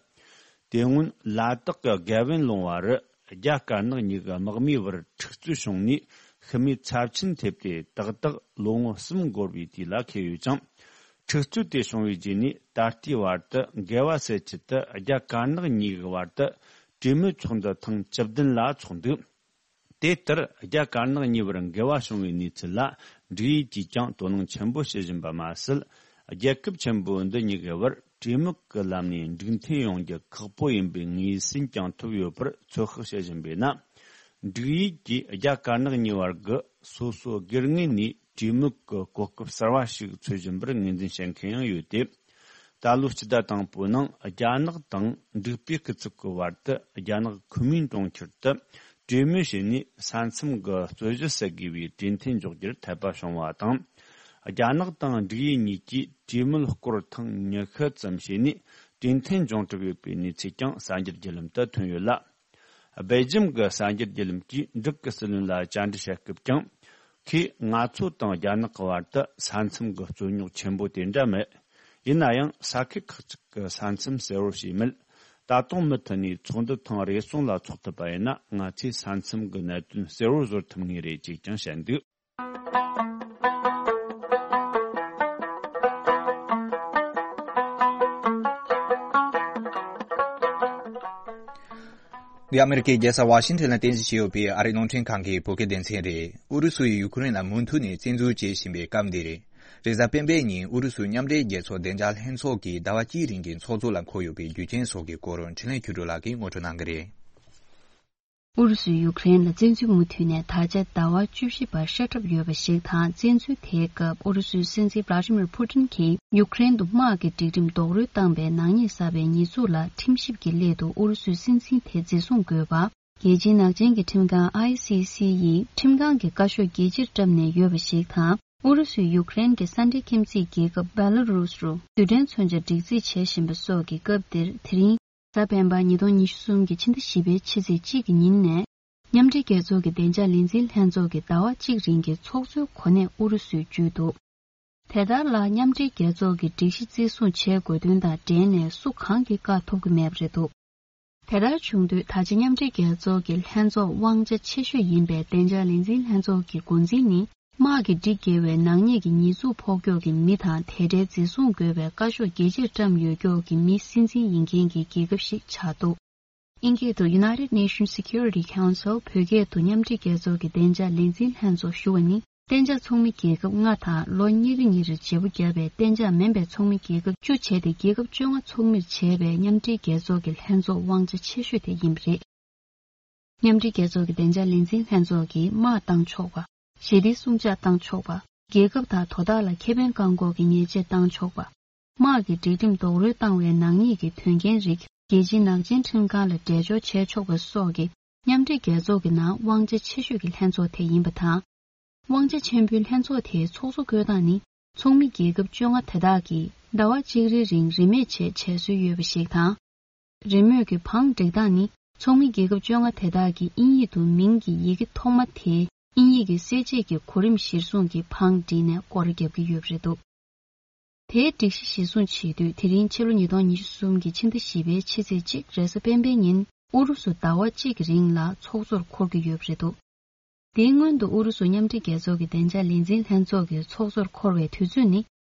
དེ་སྔོན་ལ་དྭགས་ཀྱི་རྒྱལ་བོན་ལུང་བ་རུ། རྒྱ་དཀར་ནག་གཉིས་ཀྱི་དམག་མིའི་བར་འཁྲུག་རྩོད་བྱུང་ནས་ཤི་རྨས་ཚབས་ཆེན་ཐེབས་ཏེ། ཏག་ཏག་ལོ་ངོ་གསུམ་འགོར་བའི་དུས་ལ་འཁེལ་ཡོད་ཅིང་། འཁྲུག་རྩོད་དེ་བྱུང་བའི་རྗེས་ནས་ད་ལྟའི་བར་དུ་འགལ་བ་སེལ་ཆེད་དུ་རྒྱ་དཀར་ནག་གཉིས་ཀྱི་བར་དུ་གྲོས་མོལ་ཚོགས་འདུ་ཐེངས་བཅུ་བདུན་ལ་ཚོགས་འདུག་དེ་ལྟར་རྒྱ་དཀར་ནག་གཉིས་བར་འགལ་བ་བྱུང་བའི་གནས་ཚུལ་ལ་འབྲུག་ཡུལ་གྱིས་ཀྱང་དོ་སྣང་ཆེན་པོ་བྱེད་བཞིན་པ་མ་ཟད། རྒྱལ་ཁབ་ཆེན་པོ་འདི་གཉིས་ཀྱི་བར་གྲོས་མོལ་གྱི་ལམ་ནས་འགྲིག་མཐུན་ཡོང་རྒྱུ་ཁག་པོ་ཡིན་པའི་ངོས་ཟིན་ཀྱང་ཐོབ་ཡོད་པར་ཚོད་དཔག་བྱེད་བཞིན་པས་ན། འབྲུག་ཡུལ་གྱིས་རྒྱ་དཀར་ནག་གཉིས་བར་གྱི་སོ་སོ་སྒེར་ངོས་ནས་གྲོས་མོལ་གྱི་གོ་སྐབས་གསར་བ་ཞིག་འཚོལ་བཞིན་པར་ངོས་འཛིན་བྱེད་མཁན་ཡང་ཡོད་དེ། ད་ལོའི་སྤྱི་ཟླ་དང་པོའི་ནང་རྒྱ་ནག་དང་འབྲུག་པའི་སྐུ་ཚབ་ཀྱི་བར་དུ་རྒྱ་ནག་ཁུན་མིང་གྲོང་ཁྱེར་དུ་གྲོས་མོལ་བྱས་ནས་ས་མཚམས་ཀྱི་རྩོད་གཞི་སེལ་དགོས་པའི་གྲོས་མཐུན་འཇོག་རྒྱུར་འཐད་པ་བྱུང་བ་དང་། རྒྱ་ནག་དང་འབྲུག་ཡུལ་གཉིས་ཀྱིས་གྲོས་མོལ་སྐོར་ཐེངས་ཉི་ཤུ་ཙམ་བྱས་ནས་གྲོས་མཐུན་འབྱུང་གྲུབ་ཡོད་པའི་གནས་ཚུལ་ཀྱང་གསར་འགྱུར་བརྒྱུད་ལམ་དུ་ཐོན་ཡོད་ལ། སྦེལ་ཇམ་གྱི་གསར་འགྱུར་བརྒྱུད་ལམ་གྱིས་འབྲུག་གི་སྲིད་བློན་ལ་བཅར་འདྲི་བྱ་སྐབས་ཀྱང་། ཁོས་ང་ཚོ་དང་རྒྱ་ནག་གི་བར་དུ་ས་མཚམས་ཀྱི་རྩོད་རྙོག་ཆེན་པོ་དེ་འདྲ་མེད། ཡིན་ན་ཡང་ས་ཁུལ་ཁག་ཅིག་གི་ས་མཚམས་གསལ་བོར་ཤེས་མེད། ད་དུང་མུ་མཐུད་ནས་ཚོགས་འདུ་ཐེངས་རེ་ཟུང་ལ་འཚོགས་ཐུབ་པ་ཡིན་ན་ང་ཚོས་ས་མཚམས་ཀྱི་གནད་དོན་གསལ་བོར་བཟོ་ཐུབ་ངེས་རེད་ཅེས་ཀྱང་བཤད་འདུག་འདི་ཨ་མེ་རི་ཀའི་རྒྱལ་ས་ཝ་ཤིང་ཊོན་ལ་རྟེན་གཞི་བྱས་ཡོད་པའི་ཨ་རིའི་རླུང་འཕྲིན་ཁང་གི་བོད་སྐད་སྡེ་ཚན་རེད། ཨུ་རུ་སུ་ཡིས་ཡུ་ཁུ་རེན་ལ་མུ་མཐུད་ནས་བཙན་འཛུལ་བྱེད་བཞིན་པའི་སྐབས་འདིར། རེས་གཟའ་སྤེན་པའི་ཉིན་ཨུ་རུ་སུ་མཉམ་འབྲེལ་རྒྱལ་ཚོགས་བདེ་འཇགས་ལྷན་ཚོགས་ཀྱིས་ཟླ་བ་གཅིག་རིང་གི་ཚོགས་གཙོ་ལ་འཁོད་ཡོད་པའི་རྒྱུ་རྐྱེན་སོགས་ཀྱི་སྐོར་འཕྲིན་ལས་ཆོས་སྒྲོན་ལགས་ཀྱིས་ངོ་སྤྲོད་གནང་གི་རེད། ཨུ་རུ་སུས་ཡུ་ཁུ་རེན་ལ་བཙན་འཛུལ་མུ་མཐུད་ནས་ད་ཆ་ཟླ་བ་བཅུ་བཞི་བར་ཤ་ཁྲབ་ཡོད་པ་ཞིག་དང་། བཙན་འཛུལ་དེའི་སྐབས་ཨུ་རུ་སུའི་སྲིད་འཛིན་ཝླ་ཌི་མིར་ཕུ་ཏིན་གྱིས་ཡུ་ཁུ་རེན་དུ་དམག་གི་སྒྲིག་ཁྲིམས་རྡོག་རོལ་བཏང་བའི་ནག་ཉེས་བསགས་པའི་ཉེས་འཛུགས་ལ་ཁྲིམས་ཞིབ་ཀྱི་སླད་དུ་ཨུ་རུ་སུའི་སྲིད་འཛིན་དེ་འཛིན་བཟུང་དགོས་པ། རྒྱལ་སྤྱིའི་ནག་ཅན་གྱི་ཁྲིམས་ཁང་ཨའི་སི་སི་ཡིས་ཁྲིམས་ཁང་གི་བཀའ་ཤོག་རྒྱལ་སྤྱིར་བཀྲམ་ནས་ཡོད་པ་ཞིག་དང་། ཨུ་རུ་སུས་ཡུ་ཁུ་རེན་གྱི་ས་འབྲེལ་ཁྱིམ་མཚེས་རྒྱལ་ཁབ་བེ་ལ་རུས་རུ་རྡུལ་ཕྲན་མཚོན་ཆ་སྒྲིག་རྩིས་བྱེད་བཞིན་པ་སོགས་ཀྱི་སྐབས་འདིར། དེ་རིང་གཟའ་སྤེན་པ་ཉིས་སྟོང་ཉི་ཤུ་གསུམ་གྱི་ཕྱི་ཟླ་བཞི་པའི་ཕྱི་ཚེས་གཅིག་གི་ཉིན་ནས། མཉམ་འབྲེལ་རྒྱལ་ཚོགས་ཀྱི་བདེ་འཇགས་ལས་འཛིན་ལྷན་ཚོགས་ཀྱི་ཟླ་བ་གཅིག་རིང་གི་ཚོགས་གཙོའི་གོ་གནས་ཨུ་རུ་སུས་བརྒྱུད་འདུག་དེ་ལྟར་ལ་མཉམ་འབྲེལ་རྒྱལ་ཚོགས་ཀྱི་སྒྲིག་གཞི་བརྩི་སྲུང་བྱེད་དགོས་དོན་དང་འབྲེལ་ནས་སུ་གང་གིས་བཀག་ཐུབ་ཀྱི་མེད་པ་རེད་འདུག་དེ་ལྟར་བྱུང་དུས་ད་ཆ་མཉམ་འབྲེལ་རྒྱལ་ཚོགས་ཀྱི་ལྷན་ཚོགས་དབང་ཆ་ཆེ་ཤོས་ཡིན་པའི་བདེ་འཇགས་ལས་འཛིན་ལྷན་ཚོགས་ཀྱི་འགོ་འཛིན་ནི། དམག་གིས་སྒྲིག་འགལ་བའི་ནག་ཉེས་ཀྱི་ཉེས་འཛུགས་ཕོག་ཀྱོག་གི་མི་དང་དེ་འབྲེལ་འཛིན་བཟུང་དགོས་པའི་བཀའ་ཤོག་རྒྱལ་སྤྱིར་བཀྲམ་ཡོད་ཀྱོག་གི་མི་སྲིད་འཛིན་ཡིན་མཁན་གྱི་རྒྱལ་ཁབ་ཞིག་ཆགས་འདུག་དབྱིན་སྐད་དུ་United Nations Security Council། བོད་སྐད་དུ་མཉམ་འབྲེལ་རྒྱལ་ཚོགས་ཀྱི་བདེ་འཇགས་ལས་འཛིན་ལྷན་ཚོགས་ཞུ་བ་ནི། གཏན་འཇགས་ཚོགས་མི་རྒྱལ་ཁབ་ལྔ་དང་ལོ་གཉིས་རེ་གཉིས་རེར་བརྗེ་པོ་བརྒྱབ་པའི་གཏན་འཇགས་མིན་པའི་ཚོགས་མི་རྒྱལ་ཁབ་བཅུ་བྱས་ཏེ། རྒྱལ་ཁབ་བཅོ་ལྔ་ཚོགས་མིར་བྱས་པའི་མཉམ་འབྲེལ་རྒྱལ་ཚོགས་ཀྱི་ལྷན་ཚོགས་དབང་ཆ་ཆེ་ཤོས་དེ་ཡིན་པ་རེད། མཉམ་འབྲེལ་རྒྱལ་ཚོགས་ཀྱི་བདེ་འཇགས་ལས་འཛིན་ལྷན་ཚོགས་ཀྱིས་དམག་བཏང་ཆོག་པ། ཞི་བདེའི་སྲུང་བྱ་བཏང་ཆོག་པ། རྒྱལ་ཁབ་དང་དོ་བདག་ལ་ཁེ་ཕན་བཀག་འགོག་གི་ཉེས་ཆད་བཏང་ཆོག་པ། དམག་གི་སྒྲིག་ཁྲིམས་རྡོག་རོལ་བཏང་བའི་ནག་ཉེས་ཀྱི་དོན་རྐྱེན་རིགས་རྒྱལ་སྤྱིའི་ནག་ཅན་ཁྲིམས་ཁང་ལ་འགྲེལ་བརྗོད་བྱས་ཆོག་པ་སོགས་ཀྱི་མཉམ་འབྲེལ་རྒྱལ་ཚོགས་ཀྱི་ནང་དབང་ཆ་ཆེ་ཤོས་ཀྱི་ལྷན་ཚོགས་དེ་ཡིན་པ་དང་། དབང་ཆ་ཆེན་པོའི་ལྷན་ཚོགས་དེའི་ཚོགས་གཙོ་བསྐོས་སྟངས་ནི། ཚོགས་མི་རྒྱལ་ཁབ་བཅོ་ལྔ་དེ་དག་གིས་ཟླ་བ་གཅིག་རེའི་རིང་རིན་མེད་ཆེད་བྱེད་སྲོལ་ཡོད་པ་ཞིག་དང་། རེས་མོས་ཀྱི་བང་སྒྲིག་སྟངས་ནི། ཚོགས་མི་རྒྱལ་ཁབ་བཅོ་ལྔ་དེ་དག་གིས་དབྱིན་ཡིག་ཏུ་མིང་གི་ཡི་གེ་ཐོག་མ་དེའི་དབྱིན་ཡིག་གི་གསལ་བྱེད་ཀྱི་གོ་རིམ་གཞིར་བཟུང་གིས་བང་བསྒྲིགས་ནས་སྐོར་ར་བརྒྱབ་ཀྱི་ཡོད་པ་རེད་འདུག་དེའི་སྒྲིག་གཞི་གཞིར་བཟུང་བྱེད་དུས། དེ་རིང་ཕྱི་ལོ་ཉིས་སྟོང་ཉི་ཤུ་གསུམ་གྱི་ཕྱི་ཟླ་བཞི་པའི་ཕྱི་ཚེས་གཅིག་རེས་གཟའ་སྤེན་པའི་ཉིན་ཨུ་རུ་སུ་ཟླ་བ་གཅིག་གི་རིང་ལ་ཚོགས་གཙོར་འཁོར་གྱི་ཡོད་པ་རེད་འདུག་དེའི་སྔོན་དུ་ཨུ་རུ་སུ་མཉམ་འབྲེལ་རྒྱལ་ཚོགས་ཀྱི་བདེ་འཇགས་ལས་འཛིན་ལྷན་ཚོགས་ཀྱི་ཚོགས་གཙོར་འཁོར་བའི་དུས་ཚོད་ནི།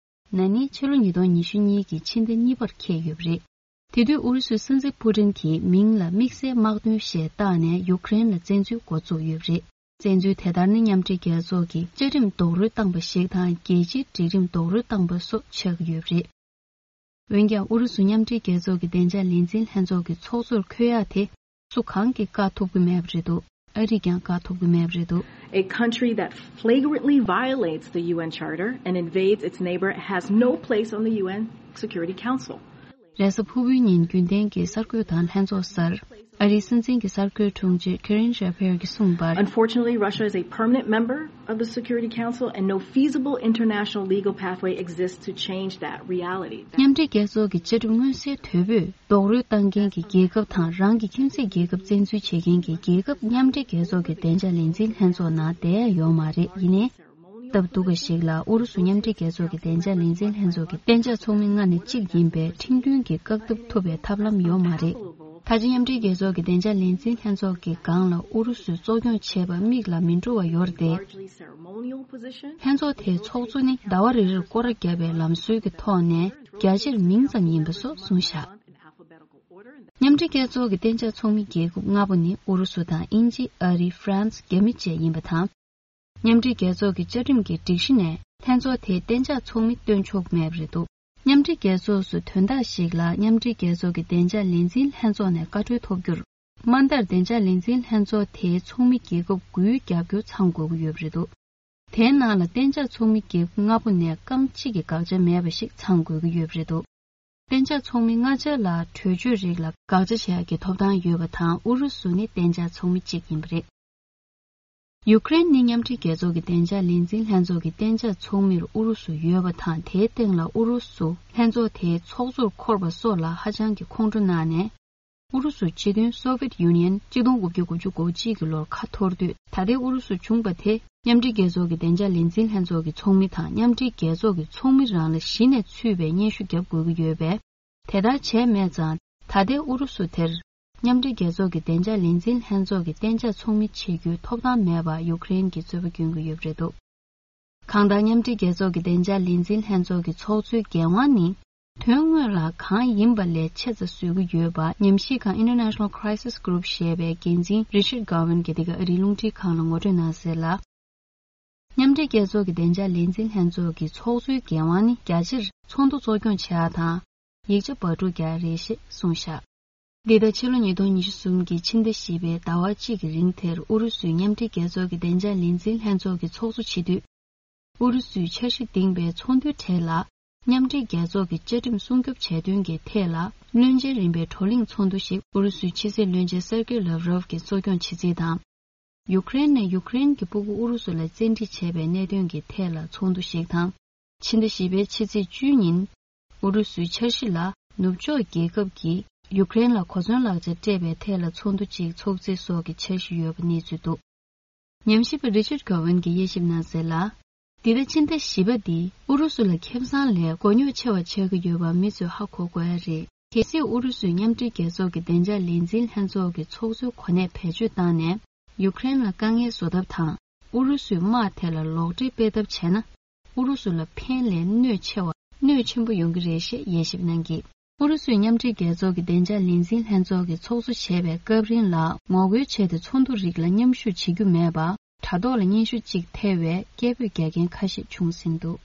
ན་ནིང་ཕྱི་ལོ་ཉིས་སྟོང་ཉི་ཤུ་གཉིས་ཀྱི་ཕྱི་ཟླ་གཉིས་པར་འཁེལ་ཡོད་པ་རེད། དེ་དུས་ཨུ་རུ་སུའི་སྲིད་འཛིན་ཕུ་ཏིན་གྱིས་མིང་ལ་དམིགས་བསལ་དམག་དོན་ཞེས་བཏགས་ནས་ཡུ་ཀེ་རེན་ལ་བཙན་འཛུལ་འགོ་བཙུགས་ཡོད་པ་རེད། བཙན་འཛུལ་དེ་ལྟར་ནི་མཉམ་འབྲེལ་རྒྱལ་ཚོགས་ཀྱི་བཅའ་ཁྲིམས་རྡོག་རོལ་བཏང་པ་ཞིག་དང་། རྒྱལ་སྤྱིའི་སྒྲིག་ཁྲིམས་རྡོག་རོལ་བཏང་པ་སོགས་ཆགས་ཀྱི་ཡོད་པ་རེད། འོན་ཀྱང་ཨུ་རུ་སུ་མཉམ་འབྲེལ་རྒྱལ་ཚོགས་ཀྱི་བདེ་འཇགས་ལས་འཛིན་ལྷན་ཚོགས་ཀྱི་ཚོགས་གཙོར་འཁོད་ཡག་དེ་སུ་གང་གིས་བཀག་ཐུབ་ཀྱི་མེད་པ་རེད་འདུག་ཨ་རིས་ཀྱང་བཀག་ཐུབ་ཀྱི་མེད་པ་རེད་འདུག A country that flagrantly violates the U N Charter and invades its neighbor has no place on the U N Security Council. རེས་གཟའ་ཕུར་བུའི་ཉིན་རྒྱུན་ལྡན་གྱི་གསར་འགོད་དང་ལྷན་ཚོགས་སར། ཨ་རིའི་སྲིད་འཛིན་གྱི་གསར་འགོད་དྲུང་ཆེ་ཁེ་རིན་ཇཱ་ཕེར་གྱིས་གསུངས་པར། Unfortunately, Russia is a permanent member of the Security Council, and no feasible international legal pathway exists to change that reality. མཉམ་འབྲེལ་རྒྱལ་ཚོགས་ཀྱི་བཅའ་ཁྲིམས་མངོན་གསལ་དོད་པོས་རྡོག་རོལ་བཏང་མཁན་གྱི་རྒྱལ་ཁབ་དང་། རང་གི་ཁྱིམ་མཚེས་རྒྱལ་ཁབ་བཙན་འཛུལ་བྱེད་མཁན་གྱི་རྒྱལ་ཁབ་མཉམ་འབྲེལ་རྒྱལ་ཚོགས་ཀྱི་བདེ་འཇགས་ལས་འཛིན་ལྷན་ཚོགས་ནང་བསྡད་ཡ་ཡོད་མ་རེད། ཡིན་ནའི། སྟབས་སྡུག་པ་ཞིག་ལ་ཨུ་རུ་སུ་མཉམ་འབྲེལ་རྒྱལ་ཚོགས་ཀྱི་བདེ་འཇགས་ལས་འཛིན་ལྷན་ཚོགས་ཀྱི་གཏན་འཇགས་ཚོགས་མི་ལྔ་ནས་གཅིག་ཡིན་པས་ཁྲིམས་མཐུན་གྱི་བཀག་སྡོམ་ཐུབ་པའི་ཐབས་ལམ་ཡོད་མ་རེད། ད་ཆ་མཉམ་འབྲེལ་རྒྱལ་ཚོགས་ཀྱི་བདེ་འཇགས་ལས་འཛིན་ལྷན་ཚོགས་ཀྱི་སྒང་ལ་ཨུ་རུ་སུས་གཙོ་སྐྱོང་བྱས་པ་མིག་ལ་མི་འགྲོ་བ་ཡོད་རེད་དེ། ལྷན་ཚོགས་དེའི་ཚོགས་གཙོ་ནི་ཟླ་བ་རེ་རེར་སྐོར་ར་བརྒྱབ་པའི་ལམ་སྲོལ་གྱི་ཐོག་ནས་རྒྱ་ཆེར་མིང་ཙམ་ཡིན་པ་སོགས་གསུངས་བཞག་མཉམ་འབྲེལ་རྒྱལ་ཚོགས་ཀྱི་གཏན་འཇགས་ཚོགས་མི་རྒྱལ་ཁབ་ལྔ་པོ་ནི་ཨུ་རུ་སུ་དང་དབྱིན་ཇི། ཨ་རི། ཧྥ་རན་སི། རྒྱ་མི་བཅས་ཡིན་པ་དང་། མཉམ་འབྲེལ་རྒྱལ་ཚོགས་ཀྱི་བཅའ་ཁྲིམས་ཀྱི་སྒྲིག་གཞི་ནས་ལྷན་ཚོགས་དེའི་གཏན་འཇགས་ཚོགས་མི་བཏོན་ཆོག་མེད་པ་རེད་འདུག་མཉམ་འབྲེལ་རྒྱལ་ཚོགས་སུ་དོན་དག་ཞིག་ལ་མཉམ་འབྲེལ་རྒྱལ་ཚོགས་ཀྱི་བདེ་འཇགས་ལས་འཛིན་ལྷན་ཚོགས་ནས་བཀའ་འཁྲོལ་ཐོབ་རྒྱུར། དམའ་མཐར་བདེ་འཇགས་ལས་འཛིན་ལྷན་ཚོགས་དེའི་ཚོགས་མི་རྒྱལ་ཁབ་དགུའི་རྒྱབ་སྐྱོར་ཚང་དགོས་ཀྱི་ཡོད་པ་རེད་འདུག་དེའི་ནང་ལ་གཏན་འཇགས་ཚོགས་མི་རྒྱལ་ཁབ་ལྔ་པོ་ནས་རྐང་གཅིག་གི་དགག་བྱ་མེད་པ་ཞིག་ཚང་དགོས་ཀྱི་ཡོད་པ་རེད་འདུག་གཏན་འཇགས་ཚོགས་མི་ལྔ་ཆ་ལ་གྲོས་ཆོད་རིགས་ལ་དགག་བྱ་བྱེད་ཡག་གི་ཐོབ་ཐང་ཡོད་པ་དང་། ཨུ་རུ་སུ་ནི་གཏན་འཇགས་ཚོགས་མི་གཅིག་ཡིན་པ་རེད། ཡུ་ཀེ་རེན་ནི་མཉམ་འབྲེལ་རྒྱལ་ཚོགས་ཀྱི་བདེ་འཇགས་ལས་འཛིན་ལྷན་ཚོགས་ཀྱི་གཏན་འཇགས་ཚོགས་མིར་ཨུ་རུ་སུ་ཡོད་པ་དང་། དེའི་སྟེང་ལ་ཨུ་རུ་སུ་ལྷན་ཚོགས་དེའི་ཚོགས་གཙོར་འཁོར་བ་སོགས་ལ་ཧ་ཅང་གི་ཁོང་ཁྲོ་གནང་ནས། ཨུ་རུ་སུ་སྤྱི་མཐུན་སོ་ཝེད་ཡུ་ནི་ཡན་སྤྱི་སྟོང་དགུ་བརྒྱ་དགུ་བཅུ་གོ་གཅིག་གི་ལོར་ཁ་འཐོར་དུས། ད་ལྟའི་ཨུ་རུ་སུ་བྱུང་བ་དེ་མཉམ་འབྲེལ་རྒྱལ་ཚོགས་ཀྱི་བདེ་འཇགས་ལས་འཛིན་ལྷན་ཚོགས་ཀྱི་ཚོགས་མི་དང་། མཉམ་འབྲེལ་རྒྱལ་ཚོགས་ཀྱི་ཚོགས་མི་རང་ལ་གཞི་ནས་ཚུད་པའི་སྙན་ཞུ་བརྒྱབ་དགོས་ཀྱི་ཡོད་པས། དེ་ལྟར་བྱས་མེད་ཙང་། ད་ལྟའི་ཨུ་རུ་སུ་དེར་མཉམ་འབྲེལ་རྒྱལ་ཚོགས་ཀྱི་བདེ་འཇགས་ལས་འཛིན་ལྷན་ཚོགས་ཀྱི་གཏན་འཇགས་ཚོགས་མི་བྱེད་རྒྱུའི་ཐོབ་ཐང་མེད་པར་ཡུ་ཀེ་རེན་གྱིས་རྩོད་པ་སྐྱོན་གྱི་ཡོད་པ་རེད་འདུག་གང་ལྟར། མཉམ་འབྲེལ་རྒྱལ་ཚོགས་ཀྱི་བདེ་འཇགས་ལས་འཛིན་ལྷན་ཚོགས་ཀྱི་ཚོགས་གཙོའི་འགན་དབང་ནི། དོན་དངོས་ལ་གང་ཡིན་པ་ལས་ཆེ་ཙམ་བཟོ་གི་ཡོད་པ། ཉམས་ཞིབ་ཁང་International Crisis Group ཞེས་པའི་འགན་འཛིན་Richard Gowan གྱིས་འདི་ག་ཨ་རིའི་རླུང་འཕྲིན་ཁང་ལ་ངོ་སྤྲོད་གནང་གསལ་ལ། མཉམ་འབྲེལ་རྒྱལ་ཚོགས་ཀྱི་བདེ་འཇགས་ལས་འཛིན་ལྷན་ཚོགས་ཀྱི་ཚོགས་གཙོའི་འགན་དབང་ནི་རྒྱ་ཆེར་ཚོགས་འདུ་གཙོ་སྐྱོང་བྱེད་ཡག་དང་། ཡིག་ཆ་པར་སྒྲིག་རྒྱག་རེད་ཞེས་གསུངས་བཞག་འདི་ལྟར་ཕྱི་ལོ་ཉིས་སྟོང་ཉི་ཤུ་གསུམ་གྱི་ཕྱི་ཟླ་བཞི་པའི་ཟླ་བ་གཅིག་གི་རིང་དེར་ཨུ་རུ་སུས་མཉམ་འབྲེལ་རྒྱལ་ཚོགས་ཀྱི་བདེ་འཇགས་ལས་འཛིན་ལྷན་ཚོགས་ཀྱི་ཚོགས་གཙོ་བྱེད་དུས། ཨུ་རུ་སུས་འཆར་གཞི་འདིང་བའི་ཚོགས་འདུའི་གྲས་ལ། མཉམ་འབྲེལ་རྒྱལ་ཚོགས་ཀྱི་བཅའ་ཁྲིམས་སྲུང་སྐྱོབ་བྱས་དོན་གྱི་ཐད་ལ། བློན་ཆེན་རིམ་པའི་བགྲོ་གླེང་ཚོགས་འདུ་ཞིག་ཨུ་རུ་སུའི་ཕྱི་སྲིད་བློན་ཆེན་སེར་ཀེ་ལབ་རོབ་ཀྱིས་གཙོ་སྐྱོང་བྱེད་རྩིས་དང་། ཡུ་ཀེ་རེན་ནས་ཡུ་ཀེ་རེན་གྱི་སྤུ་གུ་ཨུ་རུ་སུ་ལ་བཙན་ཁྲིད་བྱས་པའི་གནད་དོན་གྱི་ཐད་ལ་ཚོགས་འདུ་ཞིག་དང་། ཕྱི་ཟླ་བཞི་པའི་ཕྱི་ཚེས་བཅུ་ཉིན། ཨུ་རུ་སུའི་འཆར་གཞི་ལ་ནུབ་ཕྱོགས་རྒྱལ་ཁབ་ཀྱིས་ཡུ་ཀེ་རེན་ལ་གོ་མཚོན་ལག་ཆ་སྤྲད་པའི་ཐད་ལ་ཚོགས་འདུ་གཅིག་འཚོགས་རྩིས་སོགས་ཀྱི་འཆར་གཞི་ཡོད་པ་གནས་ཚུལ་འདུག་ཉམས་ཞིབ་པ་Richard Gowan གྱིས་དབྱེ་ཞིབ་གནང་གསལ་ལ། འདི་ལྟར་ཕྱི་ཟླ་བཞི་པ་འདི་ཨུ་རུ་སུ་ལ་ཁེ་བཟང་ལས་མགོ་རྙོག་ཆེ་བ་ཆགས་ཀྱི་ཡོད་པ་མི་ཚོས་ཧ་གོ་དགོས་ཡ་རེད། གལ་སྲིད་ཨུ་རུ་སུས་མཉམ་འབྲེལ་རྒྱལ་ཚོགས་ཀྱི་བདེ་འཇགས་ལས་འཛིན་ལྷན་ཚོགས་ཀྱི་ཚོགས་གཙོའི་གོ་གནས་བེད་སྤྱོད་བཏང་ནས་ཡུ་ཀེ་རེན་ལ་དཀའ་ངལ་བཟོ་ཐབས་དང་། ཨུ་རུ་སུའི་དམག་དེ་ལ་ལོག་འགྲེལ་སྤེལ་ཐབས་བྱས་ན། ཨུ་རུ་སུ་ལ་ཕན་ལས་གནོད་ཆེ་བ། གནོད་ཆེན་པོ་ཡོང་གི་རེད་ཞེས་དབྱེ་ཞིབ་གནང་གིས། ཨུ་རུ་སུས་མཉམ་འབྲེལ་རྒྱལ་ཚོགས་ཀྱི་བདེ་འཇགས་ལས་འཛིན་ལྷན་ཚོགས་ཀྱི་ཚོགས་གཙོ་བྱས་པའི་སྐབས་རིང་ལ་ངོ་རྒོལ་བྱས་ཏེ་ཚོགས་འདུ་རིགས་ལ་མཉམ་ཞུགས་བྱེད་རྒྱུ་མེད་པ། དྲ་ཐོག་ལ་སྙན་ཞུ་གཅིག་ཐེ་བའི་སྐད་འབོད་རྒྱག་མཁན་ཁ་ཤས་བྱུང་ཟིན་འདུག་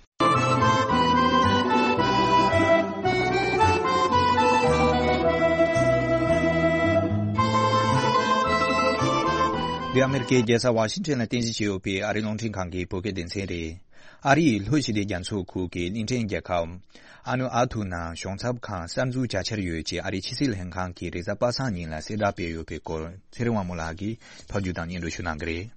འདི་ཨ་མེ་རི་ཀའི་རྒྱལ་ས་ཝ་ཤིང་ཊོན་ལ་རྟེན་གཞི་བྱས་ཡོད་པའི་ཨ་རིའི་རླུང་འཕྲིན་ཁང་གི་བོད་སྐད་སྡེ་ཚན་རེད། ཨ་རི་ཡི་ལྷོ་ཞི་བདེ་རྒྱ་མཚོ་ཁུལ་གྱི་གླིང་ཕྲན་རྒྱལ་ཁབ་ཨ་ནུ་ཨ་ཐུ་ནང་གཞུང་ཚབ་ཁང་གསར་འཛུགས་བྱ་འཆར་ཡོད་ཅེས་ཨ་རིའི་ཕྱི་སྲིད་ལྷན་ཁང་གིས་རེས་གཟའ་པ་སངས་ཉིན་ལ་གསལ་བསྒྲགས་སྤེལ་ཡོད་པའི་སྐོར་ཚེ་རིང་དབང་མོ་ལགས་ཀྱིས་ཕབ་སྒྱུར་དང་སྙན་སྒྲོན་ཞུ་གནང་གི་རེད།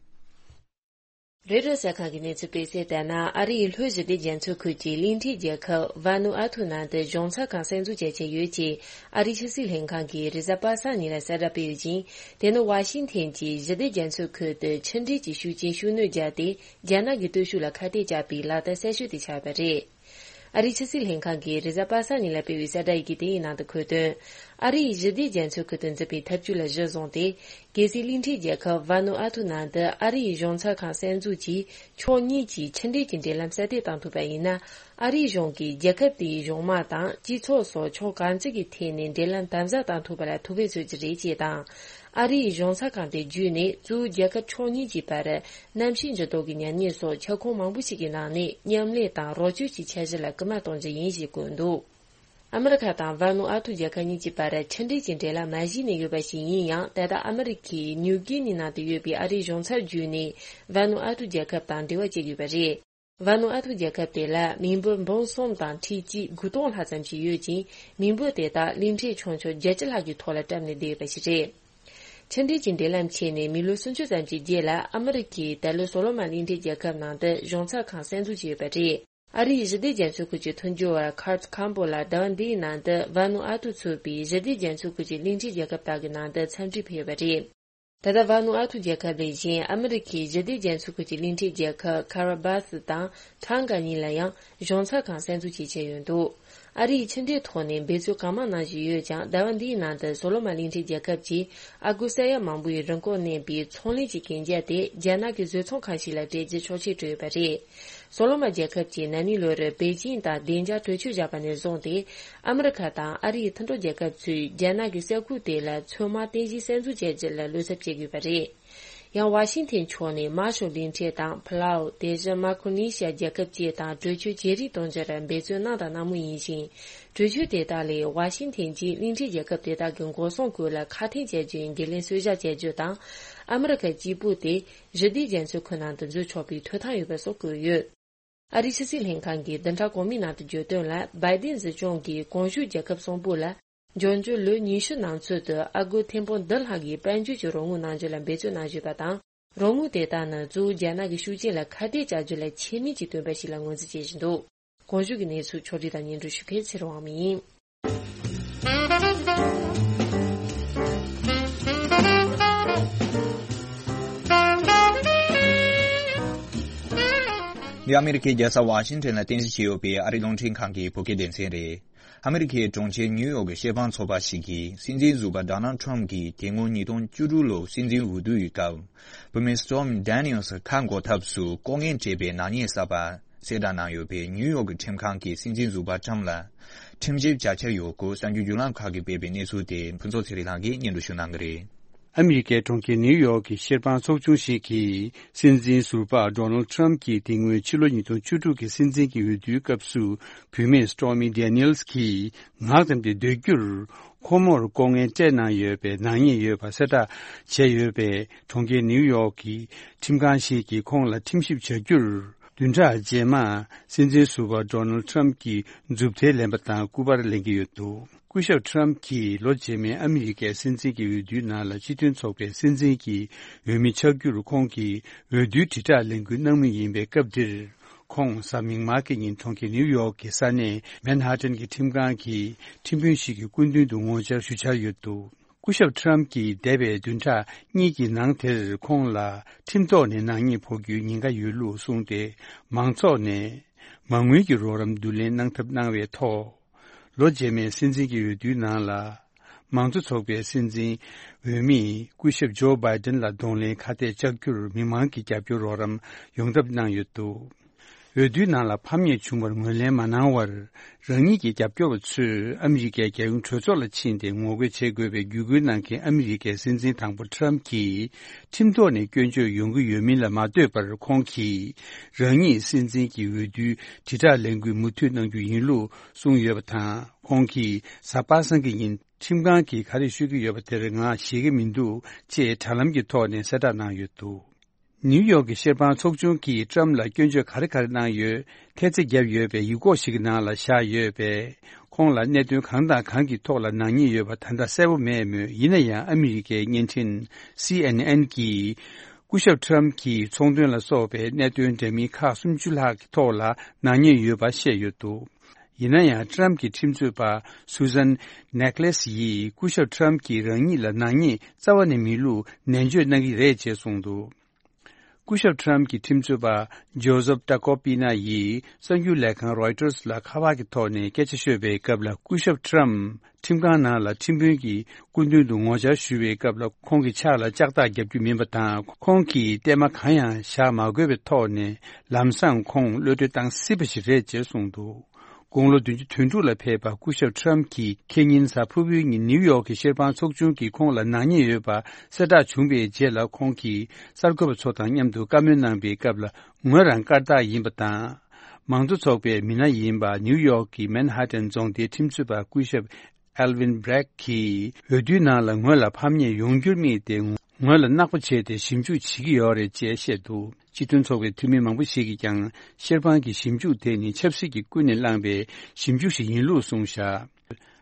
རོའི་ཊར་གསར་ཁང་གིས་གནས་ཚུལ་སྤེལ་གསལ་ལྟར་ན། ཨ་རི་ཡི་ལྷོ་ཞི་བདེ་རྒྱ་མཚོ་ཁུལ་གྱི་གླིང་ཕྲན་རྒྱལ་ཁབ་ཝ་ནུ་ཨ་ཐུ་ནང་དུ་གཞུང་ཚབ་ཁང་གསར་འཛུགས་བྱ་འཆར་ཡོད་ཅེས་ཨ་རིའི་ཕྱི་སྲིད་ལྷན་ཁང་གིས་རེས་གཟའ་པ་སངས་ཉིན་ལ་གསལ་བསྒྲགས་སྤེལ་ཡོད་ཅིང་། དེ་ནི་ཝ་ཤིང་ཐན་གྱིས་ཞི་བདེ་རྒྱ་མཚོ་ཁུལ་དུ་ཕྱི་འབྲེལ་གྱི་ཤུགས་རྐྱེན་ཤུགས་སྣོན་བརྒྱབ་སྟེ། རྒྱ་ནག་གི་སྟོབས་ཤུགས་ལ་ཁ་གཏད་བཅག་པའི་ལག་བསྟར་གསར་ཤོས་དེ་ཆགས་པ་རེད། ཨ་རིའི་ཕྱི་སྲིད་ལྷན་ཁང་གིས་རེས་གཟའ་པ་སངས་ཉིན་ལ་སྤེལ་བའི་གསལ་བསྒྲགས་ཡི་གེ་དེའི་ནང་དུ་འཁོད་དོན། ཨ་རི་ཡིས་ཞི་བདེ་རྒྱ་མཚོ་ཁུལ་དུ་འཛིན་པའི་ཐབས་ཇུས་ལ་གཞི་བཟུང་སྟེ། གལ་སྲིད་གླིང་ཕྲན་རྒྱལ་ཁབ་ཝ་ནུ་ཨ་ཐུ་ནང་དུ་ཨ་རི་ཡི་གཞུང་ཚབ་ཁང་གསར་འཛུགས་ཀྱིས་ཕྱོགས་གཉིས་ཀྱིས་ཕྱི་འབྲེལ་གྱི་འབྲེལ་ལམ་གསར་གཏོད་གཏོང་ཐུབ་པ་ཡིན་ན། ཨ་རིའི་གཞུང་གིས་རྒྱལ་ཁབ་དེའི་གཞུང་དམངས་དང་སྤྱི་ཚོགས་སོགས་ཕྱོགས་གང་ཅི་གི་ཐད་ནས་འབྲེལ་ལམ་དམ་ཟབ་གཏོང་ཐུབ་པ་ལ་ཐུགས་ཕན་གསོས་ཀྱི་རེད་ཅེས་དང་། ཨ་རི་ཡི་གཞུང་ཚབ་ཁང་དེ་བརྒྱུད་ནས་གཙོ་བོ་རྒྱལ་ཁབ་ཕྱོགས་གཉིས་ཀྱི་བར་གནམ་གཤིས་འགྱུར་ལྡོག་གི་ཉམས་ཉེས་སོགས་ཁྱབ་ཁོངས་མང་པོ་ཞིག་གི་ནང་ནས་མཉམ་ལས་དང་རོགས་སྐྱོར་གྱི་འཆར་གཞི་ལ་སྐུལ་མ་གཏོང་རྒྱུ་ཡིན་ཞེས་བཀོད་འདུག་ཨ་མི་རི་ཁ་དང་ཝ་ནུ་ཨ་ཐུ་རྒྱལ་ཁབ་གཉིས་ཀྱི་བར་ཕྱི་འབྲེལ་གྱི་འབྲེལ་ལམ་མ་གཞི་ནས་ཡོད་པ་ཞིག་ཡིན་ཡང་། ད་ལྟ་ཨ་མི་རི་ཁའི་ནིའུ་གི་ནི་ནང་དུ་ཡོད་པའི་ཨ་རིའི་གཞུང་ཚབ་བརྒྱུད་ནས་ཝ་ནུ་ཨ་ཐུ་རྒྱལ་ཁབ་དང་འབྲེལ་བ་བྱེད་ཀྱི་ཡོད་པ་རེད། ཝ་ནུ་ཨ་ཐུ་རྒྱལ་ཁབ་དེ་ལ་མི་འབོར་འབུམ་གསུམ་དང་ཁྲི་གཅིག་དགུ་སྟོང་ལྷག་ཙམ་ཞིག་ཡོད་ཅིང་། མི་འབོར་དེ་དག་གླིང་ཕྲན་ཆུང་ཆུང་བརྒྱད་ཅུ་ལྷག་གི་ཐོག་ལ་བཀྲམ་ནས་བསྡད་ཡོད་པ་ཞིག་རེད། ཕྱི་འབྲེལ་གྱི་འབྲེལ་ལམ་ཆད་ནས་མི་ལོ་སུམ་ཅུ་ཙམ་གྱི་རྗེས་ལ་ཨ་མི་རི་ཁས་ད་ལོ་སོ་ལོ་མོན་གླིང་ཕྲན་རྒྱལ་ཁབ་ནང་དུ་གཞུང་ཚབ་ཁང་གསར་འཛུགས་བྱས་ཡོད་པ་རེད། ཨ་རིའི་ཞི་བདེ་རྒྱ་མཚོ་ཁུལ་གྱི་མཐུན་སྦྱོར་བ་Kurt Campbell ལ་ཟླ་བ་འདིའི་ནང་དུ་ཝ་ནུ་ཨ་ཐུ་ཚུད་པའི་ཞི་བདེ་རྒྱ་མཚོ་ཁུལ་གྱི་གླིང་ཕྲན་རྒྱལ་ཁབ་དག་གི་ནང་དུ་འཚམས་འདྲིར་ཕེབས་ཡོད་པ་རེད། ད་ལྟ་ཝ་ནུ་ཨ་ཐུ་རྒྱལ་ཁབ་ལས་གཞན་ཨ་མི་རི་ཁའི་ཞི་བདེ་རྒྱ་མཚོ་ཁུལ་གྱི་གླིང་ཕྲན་རྒྱལ་ཁབ་ཁ་ར་བྷ་སི་དང་ཁྲང་ག་གཉིས་ལ་ཡང་གཞུང་ཚབ་ཁང་གསར་འཛུགས་བྱེད་འཆར་ཡོད་འདུག་ཨ་རིའི་ཕྱི་འབྲེལ་ཐོག་ནས་འབད་བརྩོན་གང་མང་གནང་བཞིན་ཡོད་ཀྱང་། ཟླ་བ་འདིའི་ནང་དུ་སོ་ལོ་མ་གླིང་ཕྲན་རྒྱལ་ཁབ་ཀྱིས་ཨ་སྒོར་ས་ཡ་མང་པོའི་རིན་གོང་གནས་པའི་ཚོང་ལས་ཀྱི་གན་རྒྱ་དེ་རྒྱ་ནག་གི་བཟོ་ཚོང་ཁང་ཞིག་ལ་སྤྲད་རྒྱུ་ཆོག་མཆན་སྤྲོད་ཡོད་པ་རེད། སོ་ལོ་མ་རྒྱལ་ཁབ་ཀྱིས་ན་ནིང་ལོར་པེ་ཅིང་དང་བདེ་འཇགས་གྲོས་ཆོད་བཞག་པ་ནས་བཟུང་སྟེ། ཨ་མི་རི་ཁ་དང་ཨ་རིའི་མཐུན་གྲོགས་རྒྱལ་ཁབ་ཚོས་རྒྱ་ནག་གི་ས་ཁུལ་དེ་ལ་ཚོད་དམག་རྟེན་གཞི་གསར་འཛུགས་བྱ་རྒྱུ་ལ་བློ་འཚབ་བྱེད་དགོས་པ་རེད། ཡང་ཝ་ཤིང་ཐན་ཕྱོགས་ནས་མར་ཤལ་གླིང་ཕྲན་དང་ཕ་ལའུ། དེ་བཞིན་མཱ་ཀོ་ནི་ཤི་ཡ་རྒྱལ་ཁབ་བཅས་དང་གྲོས་ཆོད་བརྗེ་རེས་གཏོང་རྒྱུར་འབད་བརྩོན་གནང་དང་གནང་མུས་ཡིན་ཞིང་། གྲོས་ཆོད་དེ་དག་ལས་ཝ་ཤིང་ཐན་གྱིས་གླིང་ཕྲན་རྒྱལ་ཁབ་དེ་དག་གི་འགོག་སྲུང་ཁུལ་ལ་ཁ་འཐེན་བྱ་རྒྱུའི་འགན་ལེན་གསོལ་བཞག་བྱ་རྒྱུ་དང་། ཨ་མི་རི་ཁ་གཅིག་པུ་དེ་གཞི་བདེ་རྒྱ་མཚོའི་ཁུལ་ནང་དུ་འཛུལ་ཆོག་པའི་ཐོབ་ཐང་ཡོད་པ་སོགས་བཀོད་ཡོད། ཨ་རིའི་ཕྱི་སྲིད་ལྷན་ཁང་གིས་བདུན་ཕྲག་གོང་མའི་ནང་དུ་བརྗོད་དོན་ལ། བའི་ཏིན་སྲིད་སྐྱོང་གིས་གོང་ཞུས་རྒྱལ་ཁབ་གསུམ་པོ་ལ་འབྱུང་འགྱུར་ལོ་ཉི་ཤུ་ནང་ཚུད་དུ་ཨ་སྒོར་ཐེར་འབུམ་བདུན་ལྷག་གི་དཔལ་འབྱོར་གྱི་རོགས་དངུལ་གནང་རྒྱུ་ལ་འབད་བརྩོན་གནང་བཞིན་པ་དང་། རོགས་དངུལ་དེ་དག་ནི་གཙོ་བོ་རྒྱ་ནག་གི་ཤུགས་རྐྱེན་ལ་ཁ་གཏད་བཅག་རྒྱུ་ལ་ཆེད་དམིགས་ཀྱིས་བཏོན་པ་ཞིག་ལ་ངོས་འཛིན་བྱེད་བཞིན་འདུག། གོང་ཞུས་ཀྱི་གནས་ཚུལ་ཕྱོགས་སྒྲིག་དང་སྙན་སྒྲོན་ཞུ་མཁན་ཚེ་རིང་དབང་མོ་ཡིན། འདི་ཨ་མི་རི་ཀའི་རྒྱལ་ས་ཝ་ཤིང་ཊོན་ལ་རྟེན་གཞི་བྱས་ཡོད་པའི་ཨ་རིའི་རླུང་འཕྲིན་ཁང་གི་བོད་སྐད་སྡེ་ཚན་རེད། ཨ་མི་རི་ཀའི་གྲོང་ཁྱེར་ནིའུ་ཡོག་གི་བཤེར་དཔང་ཚོགས་པ་ཞིག་གིས་སྲིད་འཛིན་ཟུར་པ་ཌོ་ནལ་ཊམ་གྱིས་དེ་སྔོན་ཉིས་སྟོང་བཅུ་དྲུག་ལོར་སྲིད་འཛིན་འོས་བསྡུ་ཡི་སྐབས། བུད་མེད་སི་ཊོར་མི་ཌེ་ནིལ་སི་ཁ་འགོག་ཐབས་སུ་ལྐོག་རྔན་སྤྲད་པའི་ནག་ཉེས་བསགས་པ་གསལ་བསྒྲགས་གནང་ཡོད་པས། ནིའུ་ཡོག་གི་ཁྲིམས་ཁང་གིས་སྲིད་འཛིན་ཟུར་པ་ཊམ་ལ་ཁྲིམས་ཞིབ་བྱ་འཆར་ཡོད་སྐོར་གསར་འགྱུར་བརྒྱུད་ལམ་ཁག་གིས་སྤེལ་བའི་གནས་ཚུལ་དེ་ཕུན་ཚོགས་ཚེ་རིང་ལགས་ཀྱིས་སྙན་སྒྲོན་ཞུ་གནང་གི་རེད། ཨ་མི་རི་ཀའི་གྲོང་ཁྱེར་ནིའུ་ཡོག་གི་བཤེར་དཔང་ཚོགས་ཆུང་ཞིག་གིས་སྲིད་འཛིན་ཟུར་པ་ཌོ་ནལ་ཊམ་གྱིས་དེ་སྔོན་ཕྱི་ལོ་ཉིས་སྟོང་བཅུ་དྲུག་གི་སྲིད་འཛིན་གྱི་འོས་བསྡུའི་སྐབས་སུ་བུད་མེད་སི་ཊོར་མི་ཌེ་ནིལ་སི་གིས་ངག་བརྡུངས་ཏེ་སྡོད་རྒྱུར། ཁོ་མོར་ལྐོག་རྔན་སྤྲད་གནང་ཡོད་པའི་ནག་ཉེས་ཡོད་པ་གསལ་བསྒྲགས་བྱས་ཡོད་པས། གྲོང་ཁྱེར་ནིའུ་ཡོག་གི་ཁྲིམས་ཁང་ཞིག་གིས་ཁོང་ལ་ཁྲིམས་ཞིབ་བྱ་རྒྱུར། བདུན་ཕྲག་རྗེས་མ་སྲིད་འཛིན་ཟུར་པ་ཌོ་ནལ་ཊམ་གྱི་མཛུབ་ཐེལ་ལེན་པ་དང་སྐུ་པར་ལེན་གྱི་ཡོད་འདུག། སྐུ་ཞབས་ཊམ་གྱིས་ལོ་རྗེས་མའི་ཨ་མི་རི་ཀའི་སྲིད་འཛིན་གྱི་འོས་བསྡུའི་ནང་ལ་སྤྱི་མཐུན་ཚོགས་པའི་སྲིད་འཛིན་གྱི་འོས་མི་ཆགས་རྒྱུར་ཁོང་གིས་འོས་བསྡུའི་དྲིལ་བསྒྲགས་ལས་འགུལ་གནང་མུས་ཡིན་པའི་སྐབས་འདིར། ཁོང་གཟའ་མིག་དམར་གྱི་ཉིན་གྲོང་ཁྱེར་ནིའུ་ཡོག་གི་ས་གནས་མན་ཧ་ཏན་གྱི་ཁྲིམས་ཁང་གི་ཁྲིམས་དཔོན་ཞིག་གི་སྐུ་མདུན་དུ་ངོ་བཅར་ཞུ་འཆར་ཡོད་འདུག། སྐུ་ཞབས་ཊམ་གྱིས་འདས་པའི་བདུན་ཕྲག་གཉིས་ཀྱི་ནང་དེར་ཁོང་ལ་ཁྲིམས་ཐོག་ནས་ནག་ཉེས་ཕོག་རྒྱུའི་ཉེན་ཁ་ཡོད་ལུགས་གསུངས་ཏེ། མང་ཚོགས་ནས་མ་དངུལ་གྱི་རོགས་རམ་བསྡུ་ལེན་གནང་ཐབས་གནང་བའི་ཐོག། ལོ་རྗེས་མའི་སྲིད་འཛིན་གྱི་འོས་བསྡུའི་ནང་ལ། མང་གཙོ་ཚོགས་པའི་སྲིད་འཛིན་འོས་མིས་སྐུ་ཞབས་ཇོ་བྷའི་ཏན་ལ་གདོང་ལེན་ཁ་གཏད་བཅག་རྒྱུར་མི་མང་གི་རྒྱབ་སྐྱོར་རོགས་རམ་ཡོང་ཐབས་གནང་ཡོད་འདུག། འོས་བསྡུའི་ནང་ལ་ཕམ་ཉེས་བྱུང་བར་ངོས་ལེན་མ་གནང་བར། རང་ཉིད་ཀྱི་རྒྱབ་སྐྱོར་བ་ཚོས་ཨ་མི་རི་ཀའི་རྒྱལ་ཡོངས་གྲོས་ཚོགས་ལ་ཕྱིན་ཏེ་ངོ་རྒོལ་བྱེད་དགོས་པའི་བརྒྱུད་སྐུལ་གནང་མཁན་ཨ་མི་རི་ཀའི་སྲིད་འཛིན་དང་པོ་ཊམ་གྱིས་ཁྲིམས་ཐོག་ནས་སྐྱོན་བརྗོད་ཡོང་གི་ཡོད་མིན་ལ་མ་ལྟོས་པར། ཁོང་གིས་རང་ཉིད་སྲིད་འཛིན་གྱི་འོས་བསྡུའི་དྲིལ་བསྒྲགས་ལས་འགུལ་མུ་མཐུད་གནང་རྒྱུ་ཡིན་ལུགས་གསུངས་ཡོད་པ་དང་། ཁོང་གིས་གཟའ་པ་སངས་ཀྱི་ཉིན་ཁྲིམས་ཁང་གིས་ག་རེ་ཤོད་ཀྱི་ཡོད་པ་དེར་ང་ཤེས་ཀྱི་མི་འདུག་ཅེས་དྲ་ལམ་གྱི་ཐོག་ནས་གསལ་བསྒྲགས་གནང་ཡོད་འདུག། ནིའུ་ཡོག་གི་བཤེར་དཔང་ཚོགས་ཆུང་གིས་ཊམ་ལ་སྐྱོན་བརྗོད་ག་རེ་ག་རེ་གནང་ཡོད། ཐེལ་ཙེ་བརྒྱབ་ཡོད་པའི་ཡིག་སྐོགས་ཤིག་གི་ནང་ལ་བཞག་ཡོད་པས། ཁོང་ལ་གནད་དོན་གང་དང་གང་གི་ཐོག་ལ་ནག་ཉེས་ཡོད་པ་ད་ལྟ་གསལ་པོ་མེད་མོད། ཡིན་ན་ཡང་ཨ་མི་རི་ཀའི་བརྙན་འཕྲིན་སི་ཨེན་ཨེན་གྱིས། སྐུ་ཞབས་ཊམ་གྱིས་ཚོང་དོན་ལ་སོགས་པའི་གནད་དོན་འདྲ་མིན་ཁག་སུམ་ཅུ་ལྷག་གི་ཐོག་ལ་ནག་ཉེས་ཡོད་པ་བཤད་ཡོད་འདུག། ཡིན་ན་ཡང་ཊམ་གྱི་ཁྲིམས་རྩོད་པ་སུ་ཟན་ནེག་ལེ་སི་ཡིས་སྐུ་ཞབས་ཊམ་གྱིས་རང་ཉིད་ལ་ནག་ཉེས་རྩ་བ་ནས་མེད་ལུགས་ནན་བརྗོད་གནང་གི་རེད་ཅེས་གསུངས་འདུག། སྐུ་ཞབས་ཊམ་གྱི་ཁྲིམས་རྩོད་པ་ཇོ་སབ་ཏ་ཀོ་པི་ན་ཡིས་གསར་འགྱུར་ལས་ཁང་རོའི་ཊར་ལ་ཁ་པར་གྱི་ཐོག་ནས་སྐད་ཆ་ཤོད་པའི་སྐབས་ལ། སྐུ་ཞབས་ཊམ་ཁྲིམས་ཁང་ནང་ལ་ཁྲིམས་དཔོན་གྱི་སྐུ་མདུན་དུ་ངོ་བཅར་ཞུ་བའི་སྐབས་ལ། ཁོང་གི་ཕྱག་ལ་ལྕགས་ཐག་བརྒྱབ་རྒྱུ་མིན་པ་དང་། ཁོང་གིས་གཏའ་མ་གང་ཡང་བཞག་མ་དགོས་པའི་ཐོག་ནས་ལམ་སང་ཁོང་གློད་གྲོལ་བཏང་སྲིད་པ་ཞིག་རེད་ཅེས་གསུངས་འདུག། དགུང་ལོ་བདུན་ཅུ་དོན་དྲུག་ལ་ཕེབས་པ་སྐུ་ཞབས་ཊམ་གྱིས་ཁེ་ཉིན་གཟའ་ཕུར་བུའི་ཉིན་ནིའུ་ཡོག་གི་བཤེར་དཔང་ཚོགས་ཆུང་གིས་ཁོང་ལ་ནག་ཉེས་ཡོད་པ་གསལ་བསྒྲགས་བྱུང་བའི་རྗེས་ལ། ཁོང་གིས་གསར་འགོད་པ་ཚོ་དང་མཉམ་དུ་བཀའ་མོལ་གནང་པའི་སྐབས་ལ། ངོས་རང་སྐར་རྟགས་ཡིན་པ་དང་། མང་གཙོ་ཚོགས་པའི་མི་སྣ་ཡིན་པ་ནིའུ་ཡོག་གི་མན་ཧ་ཏན་རྫོང་སྡེའི་ཁྲིམས་རྩོད་པ་སྐུ་ཞབས་ཨེལ་ཝིན་བྷི་རེག་གིས། འོས་བསྡུའི་ནང་ལ་ངོས་ལ་ཕམ་ཉེས་ཡོང་རྒྱུར་དམིགས་ཏེ། ངོས་ལ་མནག་པ་བྱས་ཏེ་ཞིབ་འཇུག་བྱེད་ཀྱི་ཡོད་རེད་ཅེས་བཤད་འདུག། སྤྱི་མཐུན་ཚོགས་པའི་འཐུས་མི་མང་པོ་ཞིག་གིས་ཀྱང་། བཤེར་དཔང་གི་ཞིབ་འཇུག་དེ་ནི་ཆབ་སྲིད་ཀྱིས་ཀུན་ནས་བསླངས་པའི་ཞིབ་འཇུག་ཞིག་ཡིན་ལུགས་གསུངས་བཞག།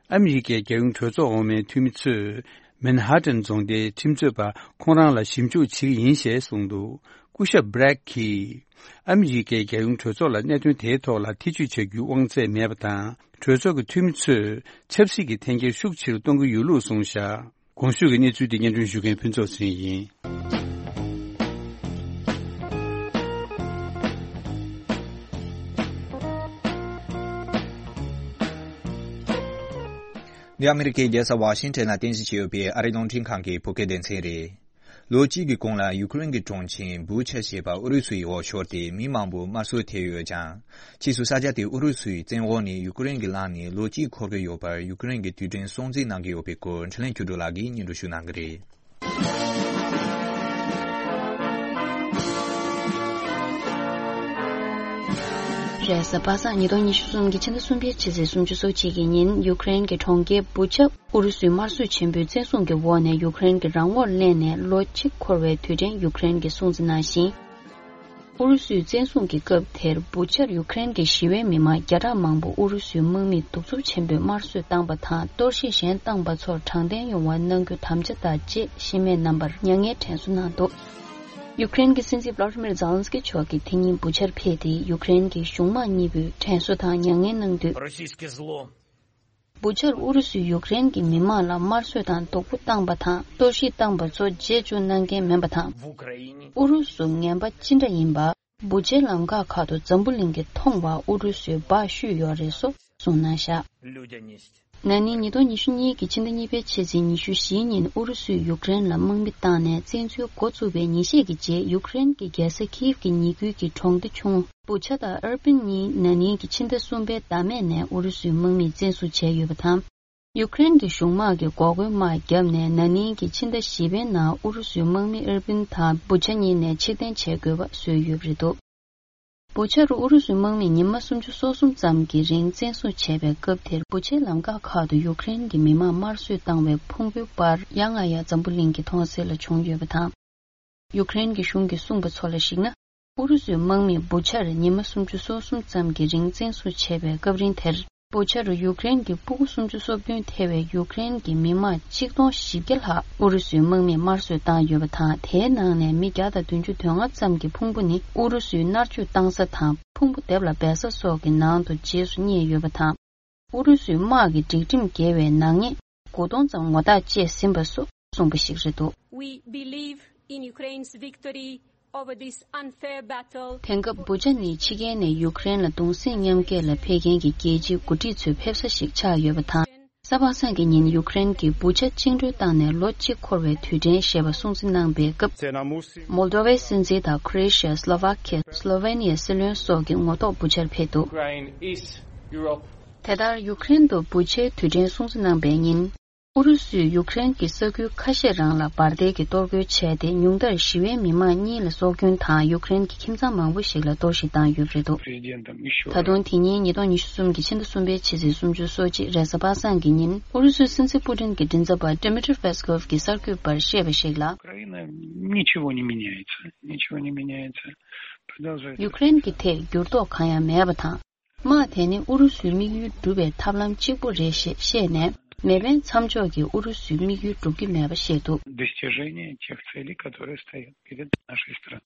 ཨ་མི་རི་ཀའི་རྒྱལ་ཡོངས་གྲོས་ཚོགས་འོག་མའི་འཐུས་མི་ཚོས། མན་ཧ་ཏན་རྫོང་སྡེའི་ཁྲིམས་རྩོད་པ་ཁོང་རང་ལ་ཞིབ་འཇུག་བྱེད་ཀྱི་ཡིན་ཞེས་གསུངས་འདུག། སྐུ་ཞབས་བྷི་རེག་གིས། ཨ་མི་རི་ཀའི་རྒྱལ་ཡོངས་གྲོས་ཚོགས་ལ་གནད་དོན་དེའི་ཐོག་ལ་ཐེ་བྱུས་བྱ་རྒྱུའི་དབང་ཚད་མེད་པ་དང་། གྲོས་ཚོགས་ཀྱི་འཐུས་མི་ཚོས་ཆབ་སྲིད་ཀྱི་འཐེན་འཁྱེར་ཤུགས་ཆེ་རུ་གཏོང་གི་ཡོད་ལུགས་གསུངས་བཞག། གོང་ཞུས་ཀྱི་གནས་ཚུལ་དེ་སྙན་སྒྲོན་ཞུ་མཁན་ཕུན་ཚོགས་ཚེ་རིང་ཡིན། འདི་ཨ་མི་རི་ཀའི་རྒྱལ་ས་ཝ་ཤིང་ཊོན་ལ་རྟེན་གཞི་བྱས་ཡོད་པའི་ཨ་རིའི་རླུང་འཕྲིན་ཁང་གི་བོད་སྐད་སྡེ་ཚན་རེད། ལོ་གཅིག་གི་གོང་ལ་ཡུ་ཀེ་རེན་གྱི་གྲོང་ཁྱེར་བུ་ཆ་ཞེས་པ་ཨུ་རུ་སུའི་འོག་ཤོར་ཏེ་མི་མང་པོ་དམར་གསོད་ཐེབས་ཡོད་ཀྱང་། ཕྱིས་སུ་ས་ཆ་དེ་ཨུ་རུ་སུའི་བཙན་འོག་ནས་ཡུ་ཀེ་རེན་གྱིས་བླངས་ནས་ལོ་གཅིག་འཁོར་གྱི་ཡོད་པར་ཡུ་ཀེ་རེན་གྱི་དུས་དྲན་སྲུང་བརྩི་གནང་གི་ཡོད་པའི་སྐོར་འཕྲིན་ལས་ཆོས་སྒྲོན་ལགས་ཀྱིས་སྙན་སྒྲོན་ཞུ་གནང་གི་རེད། རེས་གཟའ་པ་སངས་ཉིས་སྟོང་ཉི་ཤུ་གསུམ་གྱི་ཕྱི་ཟླ་གསུམ་པའི་ཕྱི་ཚེས་སུམ་ཅུ་སོ་གཅིག་གི་ཉིན་ཡུ་ཀེ་རེན་གྱི་གྲོང་ཁྱེར་བུ་ཆ་ཨུ་རུ་སུའི་དམར་གསོད་ཆེན་པོའི་བཙན་བཟུང་གི་འོག་ནས་ཡུ་ཀེ་རེན་གྱི་རང་དབང་ལེན་ནས་ལོ་གཅིག་འཁོར་བའི་དུས་དྲན་ཡུ་ཀེ་རེན་གྱིས་སྲུང་བརྩི་གནང་ཞིང་། ཨུ་རུ་སུའི་བཙན་བཟུང་གི་སྐབས་དེར་བུ་ཆར་ཡུ་ཀེ་རེན་གྱི་ཞི་བའི་མི་མང་བརྒྱ་ཕྲག་མང་པོ་ཨུ་རུ་སུའི་དམག་མིས་གདུག་རྩུབ་ཆེན་པོས་དམར་གསོད་བཏང་པ་དང་གཏོར་བཤིག་གཞན་བཏང་པ་ཚོར་དྲང་བདེན་ཡོང་བ་གནང་རྒྱུ་དམ་བཅའ་དང་བཅས་ཤི་རྨས་རྣམ་པར་མྱ་ངན་དྲན་གསོ་གནང་འདུག་ཡུ་ཀེ་རེན་གྱི་སྲིད་འཛིན་བླ་ཏི་མིར་ཛེ་ལན་སི་ཀི་མཆོག་གིས་དེ་ཉིན་བུ་ཆར་ཕེབས་ཏེ་ཡུ་ཀེ་རེན་གྱི་གཞུང་དམངས་གཉིས་པོས་དྲན་གསོ་དང་མྱ་ངན་གནང་དུས། Российский зло. བུ་ཆར་ཨུ་རུ་སུས་ཡུཀ་རེན་གྱི་མི་མང་ལ་དམར་གསོད་དང་སྡུག་པོ་བཏང་པ་དང་གཏོར་བཤིག་བཏང་པ་ཚོ་རྗེས་འཇུག་གནང་མཁན་མིན་པ་དང་། ཨུ་རུ་སུ་ངན་པ་ཅི་འདྲ་ཡིན་པ། བུ་ཆའི་ལམ་ཁ་ཁག་ཏུ་འཛམ་བུ་གླིང་གིས་མཐོང་བ་ཨུ་རུ་སུས་སྦ་ཞུས་ཡོད་རེད་སོགས་གསུངས་གནང་བཞག་ན་ནིང་ཉིས་སྟོང་ཉི་ཤུ་གཉིས་ཀྱི་ཕྱི་ཟླ་གཉིས་པའི་ཕྱི་ཚེས་ཉི་ཤུ་བཞི་ཉིན་ཨུ་རུ་སུས་ཡུཀ་རེན་ལ་དམག་མི་བཏང་ནས་བཙན་འཛུལ་འགོ་བཙུགས་པའི་ཉིན་ཤས་ཀྱི་རྗེས་ཡུཀ་རེན་གྱི་རྒྱལ་ས་ཁིབ་ཀྱི་ཉེ་ཁུལ་གྱི་གྲོང་སྡེ་ཆུང་བུ་ཆ་དང་ཨར་པིན་གཉིས་ན་ནིང་གི་ཕྱི་ཟླ་གསུམ་པའི་ཟླ་སྨད་ནས་ཨུ་རུ་སུའི་དམག་མིས་བཙན་བཟུང་བྱས་ཡོད་པ་དང་། ཡུཀ་རེན་གྱི་གཞུང་དམག་གིས་འགོག་རྒོལ་དམག་བརྒྱབ་ནས་ན་ནིང་གི་ཕྱི་ཟླ་བཞི་པའི་ནང་ཨུ་རུ་སུའི་དམག་མི་ཨར་པིན་དང་བུ་ཆ་གཉིས་ནས་ཕྱིར་འཐེན་བྱེད་དགོས་པ་བཟོས་ཡོད་པ་རེད་འདུག་བུ་ཆ་རུ་ཨུ་རུ་སུའི་དམག་མིས་ཉི་མ་སུམ་ཅུ་སོ་གསུམ་ཙམ་གྱི་རིང་བཙན་བཟུང་བྱས་པའི་སྐབས་དེར་བུ་ཆའི་ལམ་ཁ་ཁག་ཏུ་ཡུཀ་རེན་གྱི་མི་མང་དམར་གསོད་བཏང་བའི་ཕུང་པོའི་པར་ཡང་ང་ཡང་འཛམ་བུ་གླིང་གི་མཐོང་གསལ་ལ་བྱུང་ཡོད་པ་དང་། ཡུཀ་རེན་གྱི་གཞུང་གིས་གསུངས་པ་ཚོ་ལ་གཞིགས་ན། ཨུ་རུ་སུའི་དམག་མིས་བུ་ཆར་ཉི་མ་སུམ་ཅུ་སོ་གསུམ་ཙམ་གྱི་རིང་བཙན་བཟུང་བྱས་པའི་སྐབས་རིང་དེར། བུ་ཆ་རུ་ཡུཀ་རེན་གྱི་སྤུ་གུ་སུམ་ཅུ་སོ་བདུན་ཐེ་བའི་ཡུཀ་རེན་གྱི་མི་དམངས་ཆིག་སྟོང་བཞི་བརྒྱ་ལྷག་ཨུ་རུ་སུའི་དམག་མིས་དམར་གསོད་བཏང་ཡོད་པ་དང་། དེའི་ནང་ནས་མི་བརྒྱ་དང་བདུན་ཅུ་དོན་ལྔ་ཙམ་གྱི་ཕུང་པོ་ནི་ཨུ་རུ་སུའི་མནར་གཅོད་བཏང་ས་དང་ཕུང་པོ་སྡེབ་ལ་སྦས་ས་སོགས་ཀྱི་ནང་དུ་རྗེས་སུ་རྙེད་ཡོད་པ་དང་། ཨུ་རུ་སུའི་དམག་གི་སྒྲིག་ཁྲིམས་འགལ་བའི་ནག་ཉེས་དགུ་སྟོང་ཙམ་ངོ་རྟགས་བཅད་ཟིན་པ་སོགས་གསུངས་པ་ཞིག་རེད་འདུག We believe in Ukraine's victory over this unfair battle. དེང་སྐབས་བུ་ཆ་ནི་ཕྱི་རྒྱལ་ནས་ཡུཀ་རེན་ལ་གདུང་སེམས་མཉམ་སྐྱེད་ལ་ཕེབས་མཁན་གྱི་རྒྱལ་སྤྱིའི་འགོ་ཁྲིད་ཚོའི་ཕེབས་ས་ཞིག་ཆགས་ཡོད་པ་དང་། གཟའ་པ་སངས་ཀྱི་ཉིན་ཡུཀ་རེན་གྱིས་བུ་ཆ་བཅིངས་འགྲོལ་བཏང་ནས་ལོ་གཅིག་འཁོར་བའི་དུས་དྲན་ཞེས་པ་སྲུང་བརྩི་གནང་པའི་སྐབས། མོལ་དོ་ཝའི་སྲིད་འཛིན་དང་ཁོ་རེ་ཤི་ཡ། སློ་ཝ་ཁི་ཡ། སློ་ཝེ་ནི་ཡའི་སྲིད་བློན་སོགས་ཀྱི་ངོ་ཐོག་བུ་ཆར་ཕེབས་འདུག Ukraine is Europe. དེ་ལྟར་ཡུཀ་རེན་དུ་བུ་ཆའི་དུས་དྲན་སྲུང་བརྩི་གནང་པའི་ཉིན། ཨུ་རུ་སུས་ཡུཀ་རེན་གྱི་ས་ཁུལ་ཁ་ཤས་རང་ལ་འབར་མདེལ་གྱིས་གཏོར་རྒོལ་བྱས་ཏེ། ཉུང་མཐར་ཞི་བའི་མི་མང་གཉིས་ལ་སྲོག་སྐྱོན་དང་། ཡུཀ་རེན་གྱི་ཁྱིམ་ཚང་མང་པོ་ཞིག་ལ་གཏོར་བཤིག་བཏང་ཡོད་པ་རེད་འདུག་ད་དུང་དེ་ཉིན་ཉིས་སྟོང་ཉི་ཤུ་གསུམ་གྱི་ཕྱི་ཟླ་གསུམ་པའི་ཕྱི་ཚེས་སུམ་ཅུ་སོ་གཅིག་རེས་གཟའ་པ་སངས་ཀྱི་ཉིན་ཨུ་རུ་སུའི་སྲིད་འཛིན་པུ་ཏིན་གྱི་མགྲིན་ཚབ་པ་Dmitry Peskov གྱིས་གསར་འགོད་པར་བཤད་པ་ཞིག་ལ། Украина ничего не меняется, ничего не меняется. Продолжает. ཡུཀ་རེན་གྱི་ཐད་འགྱུར་ལྡོག་གང་ཡང་མེད་པ་དང་། དམག་དེ་ནི་ཨུ་རུ་སུའི་དམིགས་ཡུལ་སྒྲུབ་པའི་ཐབས་ལམ་གཅིག་པུ་རེད་ཞེས་བཤད་ནས། མེ་འཕེན་མཚམས་འཇོག་གིས་ཨུ་རུ་སུའི་དམིགས་ཡུལ་སྒྲུབ་ཀྱི་མེད་པ་བཤད་འདུག Достижение тех целей, которые стоят перед нашей страной.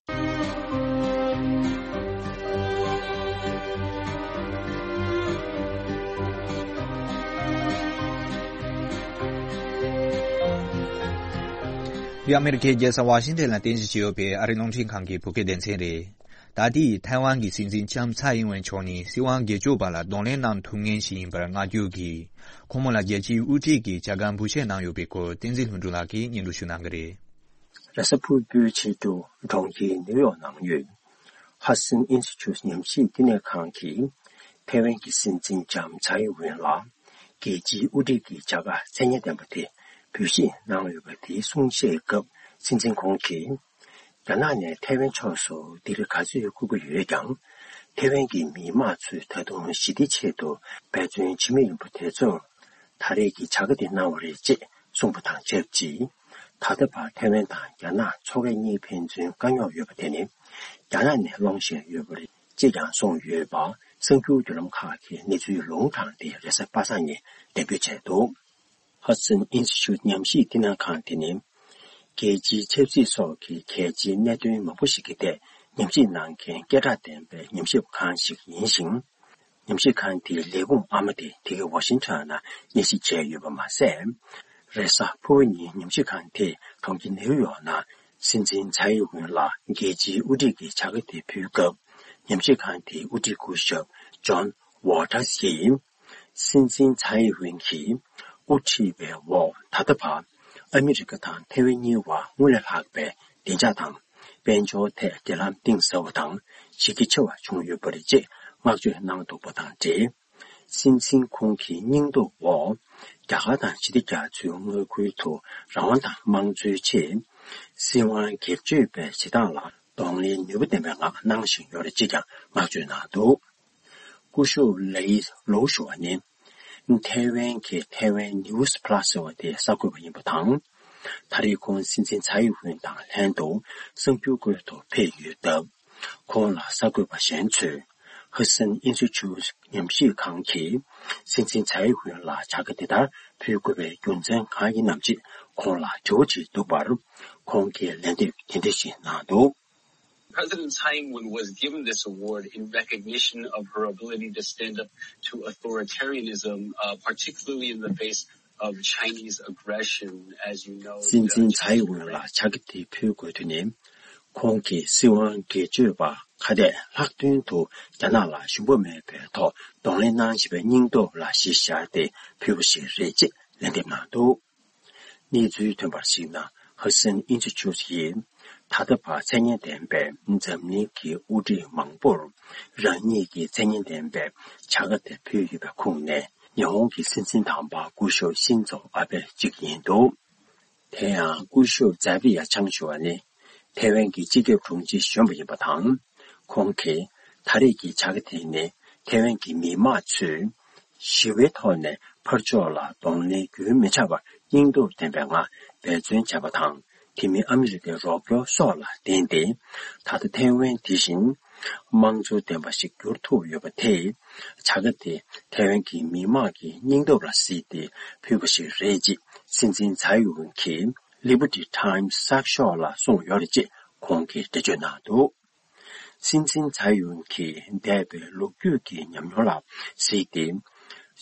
འདི་ཨ་མེ་རི་ཁའི་རྒྱལ་ས་ཝ་ཤིང་ཏན་ལ་རྟེན་གཞི་བྱས་ཡོད་པའི་ཨ་རིའི་རླུང་འཕྲིན་ཁང་གི་བོད་སྐད་སྡེ་ཚན་རེད། ད་ལྟའི་ཐའེ་ཝན་གྱི་སྲིད་འཛིན་ལྕམ་ཚའེ་ཨིན་ཝེན་མཆོག་ནི་སྲིད་དབང་སྒེར་གཅོད་པ་ལ་གདོང་ལེན་གནང་ཐུབ་མཁན་ཞིག་ཡིན་པར་བསྔགས་བརྗོད་ཀྱིས། ཁོང་མོ་ལ་རྒྱལ་སྤྱིའི་དབུ་ཁྲིད་ཀྱི་བྱ་དགའ་འབུལ་བཞེས་གནང་ཡོད་པའི་སྐོར་བསྟན་འཛིན་ལྷུན་གྲུབ་ལགས་ཀྱིས་སྙན་སྒྲོན་ཞུ་གནང་གི་རེད། རེས་གཟའ་ཕུར་བུའི་ཆེད་དུ་གྲོང་ཁྱེར་ནིའུ་ཡོག་ནང་ཡོད། ཧ་སན་ཨིན་སི་ཊི་ཊུཊ་ཉམས་ཞིབ་བསྟི་གནས་ཁང་གིས་ཐའེ་ཝན་གྱི་སྲིད་འཛིན་ལྕམ་ཚའེ་ཨིན་ཝེན་ལ་རྒྱལ་སྤྱིའི་དབུ་ཁྲིད་ཀྱི་བྱ་དགའ་མཚན་སྙན་ལྡན་པ་དེ་འབུལ་བཞེས་གནང་ཡོད་པ་དེའི་གསུང་བཤད་སྐབས་སྲིད་འཛིན་ཁོང་གིས། རྒྱ་ནག་ནས་ཐའེ་ཝན་ཕྱོགས་སུ་ལྡི་རི་ག་ཚོད་བསྐུར་གྱི་ཡོད་ཀྱང་། ཐའེ་ཝན་གྱི་མི་དམངས་ཚོས་ད་དུང་ཞི་བདེའི་ཆེད་དུ་འབད་བརྩོན་བྱེད་མུས་ཡིན་པ་དེ་ཚོར་ད་རེས་ཀྱི་བྱ་དགའ་དེ་གནང་བ་རེད་ཅེས་གསུངས་པ་དང་ཆབས་ཅིག་ད་ལྟ་བར་ཐའེ་ཝན་དང་རྒྱ་ནག་མཚོ་ཁ་གཉིས་ཕན་ཚུན་དཀའ་རྙོག་ཡོད་པ་དེ་ནི་རྒྱ་ནག་ནས་སློང་བཞིན་ཡོད་པ་རེད་ཅེས་ཀྱང་གསུངས་ཡོད་པ་གསར་འགྱུར་བརྒྱུད་ལམ་ཁག་གིས་གནས་ཚུལ་ལུང་དྲངས་ཏེ་རེས་གཟའ་པ་སངས་ཉིན་འགྲེམས་སྤེལ་བྱས་འདུག་ཧ་སན་ཨིན་སི་ཊི་ཊུཊ་ཉམས་ཞིབ་བསྟི་གནས་ཁང་དེ་ནི། རྒྱལ་སྤྱིའི་ཆབ་སྲིད་སོགས་ཀྱི་གལ་ཆེའི་གནད་དོན་མང་པོ་ཞིག་གི་ཐད་ཉམས་ཞིབ་གནང་མཁན་སྐད་གྲགས་ལྡན་པའི་ཉམས་ཞིབ་ཁང་ཞིག་ཡིན་ཞིང་། ཉམས་ཞིབ་ཁང་དེའི་ལས་ཁུངས་ཨ་མ་དེ་དེ་གའི་ཝ་ཤིང་ཊོན་ནང་གཉེར་སྒྲིག་བྱས་ཡོད་པ་མ་ཟད། རེས་གཟའ་ཕུར་བུ་ཉིན་ཉམས་ཞིབ་ཁང་དེས་གྲོང་ཁྱེར་ནེའུ་ཡོག་ནང་སྲིད་འཛིན་ཚའེ་ཨིན་ཝེན་ལ་རྒྱལ་སྤྱིའི་དབུ་ཁྲིད་ཀྱི་བྱ་དགའ་དེ་ཕུལ་སྐབས། ཉམས་ཞིབ་ཁང་དེའི་དབུ་ཁྲིད་སྐུ་ཞབས་ཇོན་ཝོ་ཊར་སི་ཡིས། སྲིད་འཛིན་ཚའེ་ཨིན་ཝེན་གྱིས་ དབུ་ཁྲིད་པའི་འོག་ད་ལྟ་བར་ཨ་མི་རི་ཀ་དང་ཐེ་ཝན་གཉིས་བར་སྔར་ལས་ལྷག་པའི་བདེ་འཇགས་དང་དཔལ་འབྱོར་ཐད་འབྲེལ་ལམ་གཏིང་ཟབ་པ་དང་གཞི་རྒྱ་ཆེ་བ་བྱུང་ཡོད་པ་རེད་ཅེས་བསྔགས་བརྗོད་གནང་འདུག་པ་དང་འབྲེལ། སྲིད་འཛིན་ཁོང་གི་སྙིང་སྟོབས་འོག་རྒྱ་གར་དང་ཞི་བདེ་རྒྱ་མཚོའི་མངའ་ཁུལ་དུ་རང་དབང་དང་དམངས་གཙོའི་ཆེད་སྲིད་དབང་སྒེར་གཅོད་པའི་བྱེད་སྟངས་ལ་གདོང་ལེན་ནུས་པ་ལྡན་པའི་ངང་གནང་བཞིན་ཡོད་རེད་ཅེས་ཀྱང་བསྔགས་བརྗོད་གནང་འདུག་སྐུ་ཞབས་ལའི་ལོའུ་ཞུ་བ་ནི། ཐའེ་ཝན་གྱི་ཐའེ་ཝན་ནིའུ་སི་ཕ་ལ་སི་ཟེར་བ་དེ་གསར་འགོད་པ་ཡིན་པ་དང་། ད་རེས་ཁོང་སྲིད་འཛིན་ཚའེ་ཝེན་དང་ལྷན་དུ་གསར་འགྱུར་སྐོར་དུ་ཕེབས་ཡོད་སྟབས། ཁོང་ལ་གསར་འགོད་པ་གཞན་ཚོས་ཧ་སན་ཨིན་སི་ཊི་ཊུཊ་ཉམས་ཞིབ་ཁང་གིས་སྲིད་འཛིན་ཚའེ་ཝེན་ལ་བྱ་དགའ་དེ་ལྟར་ཕུལ་དགོས་པའི་རྒྱུ་མཚན་གང་ཡིན་ནམ་ཅེས་ཁོང་ལ་དྲི་བ་དྲིས་འདུག་པར། ཁོང་གིས་ལན་འདེབས་དེ་འདྲ་ཞིག་གནང་འདུག President Tsai Ing-wen was given this award in recognition of her ability to stand up to authoritarianism, uh, particularly in the face of Chinese aggression, as you know. སྲིད་འཛིན་ཚའེ་ཝེན་ལ་བྱ་དགའ་དེ་ཕུལ་དགོས་དོན་ནི། ཁོང་གིས་སྲིད་དབང་སྒེར་གཅོད་པ་ཁ་གཏད་ལྷག་དོན་དུ་རྒྱ་ནག་ལ་ཞུམ་པ་མེད་པའི་ཐོག་གདོང་ལེན་གནང་བཞིན་པའི་སྙིང་སྟོབས་ལ་གཞི་བཞག་སྟེ་ཕུལ་བ་ཞིག་རེད་ཅེས་ལན་འདེབས་གནང་འདུག་གནས་ཚུལ་ཐོན་པར་གཞིགས་ན། ཧ་སན་ཨིན་སི་ཊི་ཊུཊ་ཡིས་ད་ལྟ་བར་མཚན་སྙན་ལྡན་པའི་འཛམ་གླིང་གི་དབུ་ཁྲིད་མང་པོར་རང་ཉིད་ཀྱི་མཚན་སྙན་ལྡན་པའི་བྱ་དགའ་དེ་ཕུལ་ཡོད་པའི་ཁོངས་ནས། ཉི་ཧོང་གི་སྲིད་འཛིན་དམ་པ་སྐུ་ཞབས་ཤིན་ཛོ་ཨ་བྷེ་གཅིག་ཡིན་འདུག་དེ་ཡང་སྐུ་ཞབས་ཛ་བི་ཡ་ཆང་ཞུ་བ་ནི་ཐའེ་ཝན་གྱི་སྤྱི་ཁྱབ་དྲུང་ཆེ་གཞོན་པ་ཡིན་པ་དང་། ཁོང་གིས་ད་རེས་ཀྱི་བྱ་དགའ་དེ་ནི་ཐའེ་ཝན་གྱི་མི་དམངས་ཚོས་ཞི་བའི་ཐོག་ནས་ཕར་ཕྱོགས་ལ་གདོང་ལེན་རྒྱུན་མི་ཆད་པར་སྙིང་སྟོབས་ལྡན་པའི་ངང་འབད་བརྩོན་བྱས་པ་དང་། དེ་མིན་ཨ་མི་རི་ཀའི་རོགས་སྐྱོར་སོགས་ལ་བརྟེན་ཏེ། ད་ལྟ་ཐའེ་ཝན་དེ་བཞིན་དམངས་གཙོ་ལྡན་པ་ཞིག་འགྱུར་ཐུབ་ཡོད་པ་དེས། བྱ་དགའ་དེ་ཐའེ་ཝན་གྱི་མི་དམངས་ཀྱི་སྙིང་སྟོབས་ལ་གཟིགས་ཏེ་ཕུལ་བ་ཞིག་རེད་ཅེས་སྲིད་འཛིན་ཚའེ་ཝེན་གྱིས་Liberty Times གསར་ཤོག་ལ་གསུངས་ཡོད་རེད་ཅེས་ཁོང་གིས་འགྲེལ་བརྗོད་གནང་འདུག་སྲིད་འཛིན་ཚའེ་ཝེན་གྱིས་འདས་པའི་ལོ་རྒྱུས་ཀྱི་ཉམས་མྱོང་ལ་གཟིགས་ཏེ།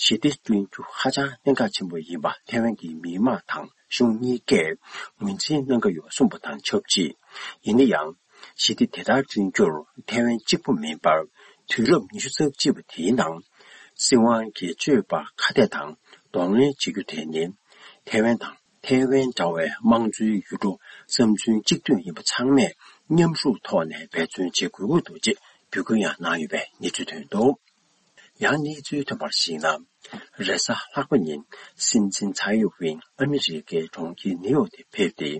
ཞི་བདེ་བསྐྲུན་རྒྱུ་ཧ་ཅང་གནད་འགག་ཆེན་པོ་ཡིན་པ་ཐའེ་ཝན་གྱི་མི་དམངས་དང་གཞུང་གཉིས་ཀས་ངོས་འཛིན་གནང་གི་ཡོད་གསུངས་པ་དང་ཆབས་ཅིག་ཡིན་ན་ཡང་། ཞི་བདེ་དེ་ལྟར་བསྐྲུན་རྒྱུར་ཐའེ་ཝན་གཅིག་པུ་མིན་པར། དུས་རབས་ཉི་ཤུ་རྩ་གཅིག་པ་དེའི་ནང་སྲིད་དབང་སྒེར་གཅོད་པ་ཁ་གཏད་དང་གདོང་ལེན་བྱེད་རྒྱུ་དེ་ནི། ཐའེ་ཝན་དང་ཐའེ་ཝན་འདྲ་བའི་དམངས་གཙོའི་ཡུལ་གྲུ་བསམ་ཚུལ་གཅིག་མཐུན་ཡིན་པ་ཚང་མས་མཉམ་ཞུགས་ཐོག་ནས་འབད་བརྩོན་བྱེད་དགོས་ཀྱི་འདུག་ཅེས་འབོད་སྐུལ་ཡང་གནང་ཡོད་པའི་གནས་ཚུལ་ཐོན་འདུག་ཡང་གནས་ཚུལ་ཐོན་པར་གཞིགས་ན། རེས་གཟའ་ལྷག་པ་ཉིན་སྲིད་འཛིན་ཚའེ་ཝེན་ཨ་མི་རི་ཀའི་གྲོང་ཁྱེར་ནིའུ་ཡོག་ཏུ་ཕེབས་ཏེ།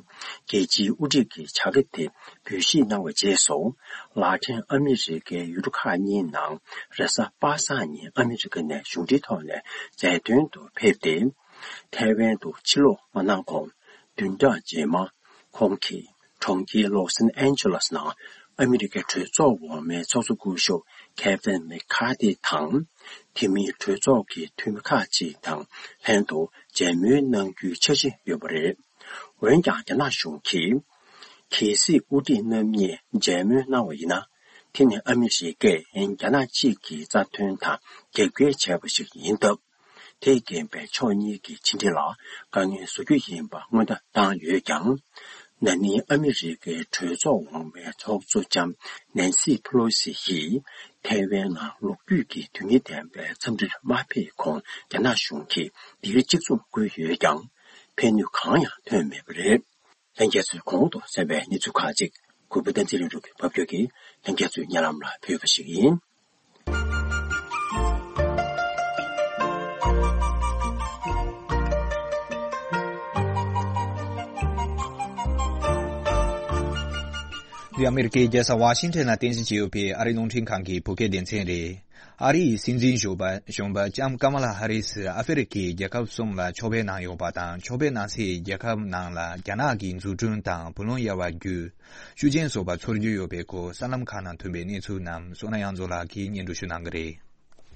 རྒྱལ་སྤྱིའི་དབུ་ཁྲིད་ཀྱི་བྱ་དགའ་དེ་འབུལ་བཞེས་གནང་བའི་རྗེས་སུ། ལག་འཕྲིན་ཨ་མི་རི་ཀའི་ཡུལ་གྲུ་ཁག་གཉིས་ནང་རེས་གཟའ་པ་སངས་ཉིན་ཨ་མི་རི་ཀ་ནས་གཞུང་འབྲེལ་ཐོག་ནས་མཛད་དོན་དུ་ཕེབས་ཏེ། ཐའེ་ཝན་དུ་ཕྱིར་ལོག་མ་གནང་གོང་། བདུན་ཕྲག་རྗེས་མ། ཁོང་གིས་གྲོང་ཁྱེར་ལོ་སན་ཨན་ཇེ་ལོས་ནང་ཨ་མི་རི་ཀའི་གྲོས་ཚོགས་འོག་མའི་ཚོགས་གཙོ་སྐུ་ཞབས་ཁེ་ཝིན་མེ་ཁ་ཐི་དང་། དེ་མིན་གྲོས་ཚོགས་ཀྱི་འཐུས་མི་ཁག་ཅིག་དང་ལྷན་དུ་མཇལ་མོལ་གནང་རྒྱུའི་འཆར་གཞི་ཡོད་པ་རེད། འོན་ཀྱང་རྒྱ་ནག་གཞུང་གིས། གལ་སྲིད་དབུ་ཁྲིད་རྣམ་གཉིས་མཇལ་མོལ་གནང་བ་ཡིན་ན། དེ་ནི་ཨ་མི་རི་ཀས་རྒྱ་ནག་གཅིག་གི་རྩ་དོན་དང་རྒྱབ་འགལ་བྱས་པ་ཞིག་ཡིན་སྟབས། དེས་རྐྱེན་པས་ཕྱོགས་གཉིས་ཀྱི་ཕྱི་འབྲེལ་ལ་དཀའ་ངལ་བཟོ་རྒྱུ་ཡིན་པ་སྔོན་བརྡ་བཏང་ཡོད་ཀྱང་། ན་ནིང་ཨ་མི་རི་ཀའི་གྲོས་ཚོགས་འོག་མའི་ཚོགས་གཙོ་ལྕམ་ནན་སི་ཕེ་ལོ་སི་ཡིས་ཐའེ་ཝན་ནང་ལོ་རྒྱུས་ཀྱི་དོན་སྙིང་ལྡན་པའི་འཚམས་འདྲིར་མ་ཕེབས་གོང་རྒྱ་ནག་གཞུང་གིས་འདིར་གཅིག་མཚུངས་བསྐུལ་ཡོད་ཀྱང་། ཕན་ནུས་གང་ཡང་ཐོན་མེད་པ་རེད། ལྷན་རྒྱས་ཚོས་གོང་དུ་གསན་པའི་གནས་ཚུལ་ཁག་ཅིག་གུས་པ་བསྟན་འཛིན་ལྷུན་གྲུབ་ཀྱིས་ཕབ་སྒྱུར་གྱིས་ལྷན་རྒྱས་ཚོའི་སྙན་ལམ་ལ་ཕུལ་བ་ཞིག་ཡིན། འདི་ཨ་མི་རི་ཀའི་རྒྱལ་ས་ཝ་ཤིང་ཊོན་ལ་རྟེན་གཞི་བྱས་ཡོད་པའི་ཨ་རིའི་རླུང་འཕྲིན་ཁང་གི་བོད་སྐད་སྡེ་ཚན་རེད། ཨ་རིའི་སྲིད་འཛིན་གཞོན་པ་གཞོན་པ་ལྕམ་ཀ་མ་ལ་ཧ་རིས་ཨ་ཧྥེ་རི་ཁའི་རྒྱལ་ཁབ་གསུམ་ལ་ཕྱོགས་ཕེབས་གནང་ཡོད་པ་དང་། ཕྱོགས་ཕེབས་གནང་སའི་རྒྱལ་ཁབ་ནང་ལ་རྒྱ་ནག་གི་འཛུགས་སྐྲུན་དང་བུ་ལོན་གཡར་བ་བརྒྱུད་ཤུགས་རྐྱེན་བཟོ་བ་ཚོར་རྒྱུ་ཡོད་པའི་སྐོར་གསར་ལམ་ཁག་ནང་ཐོན་པའི་གནས་ཚུལ་རྣམས་བསོད་ནམས་དབྱངས་མཚོ་ལགས་ཀྱིས་སྙན་སྒྲོན་ཞུ་གནང་གི་རེད།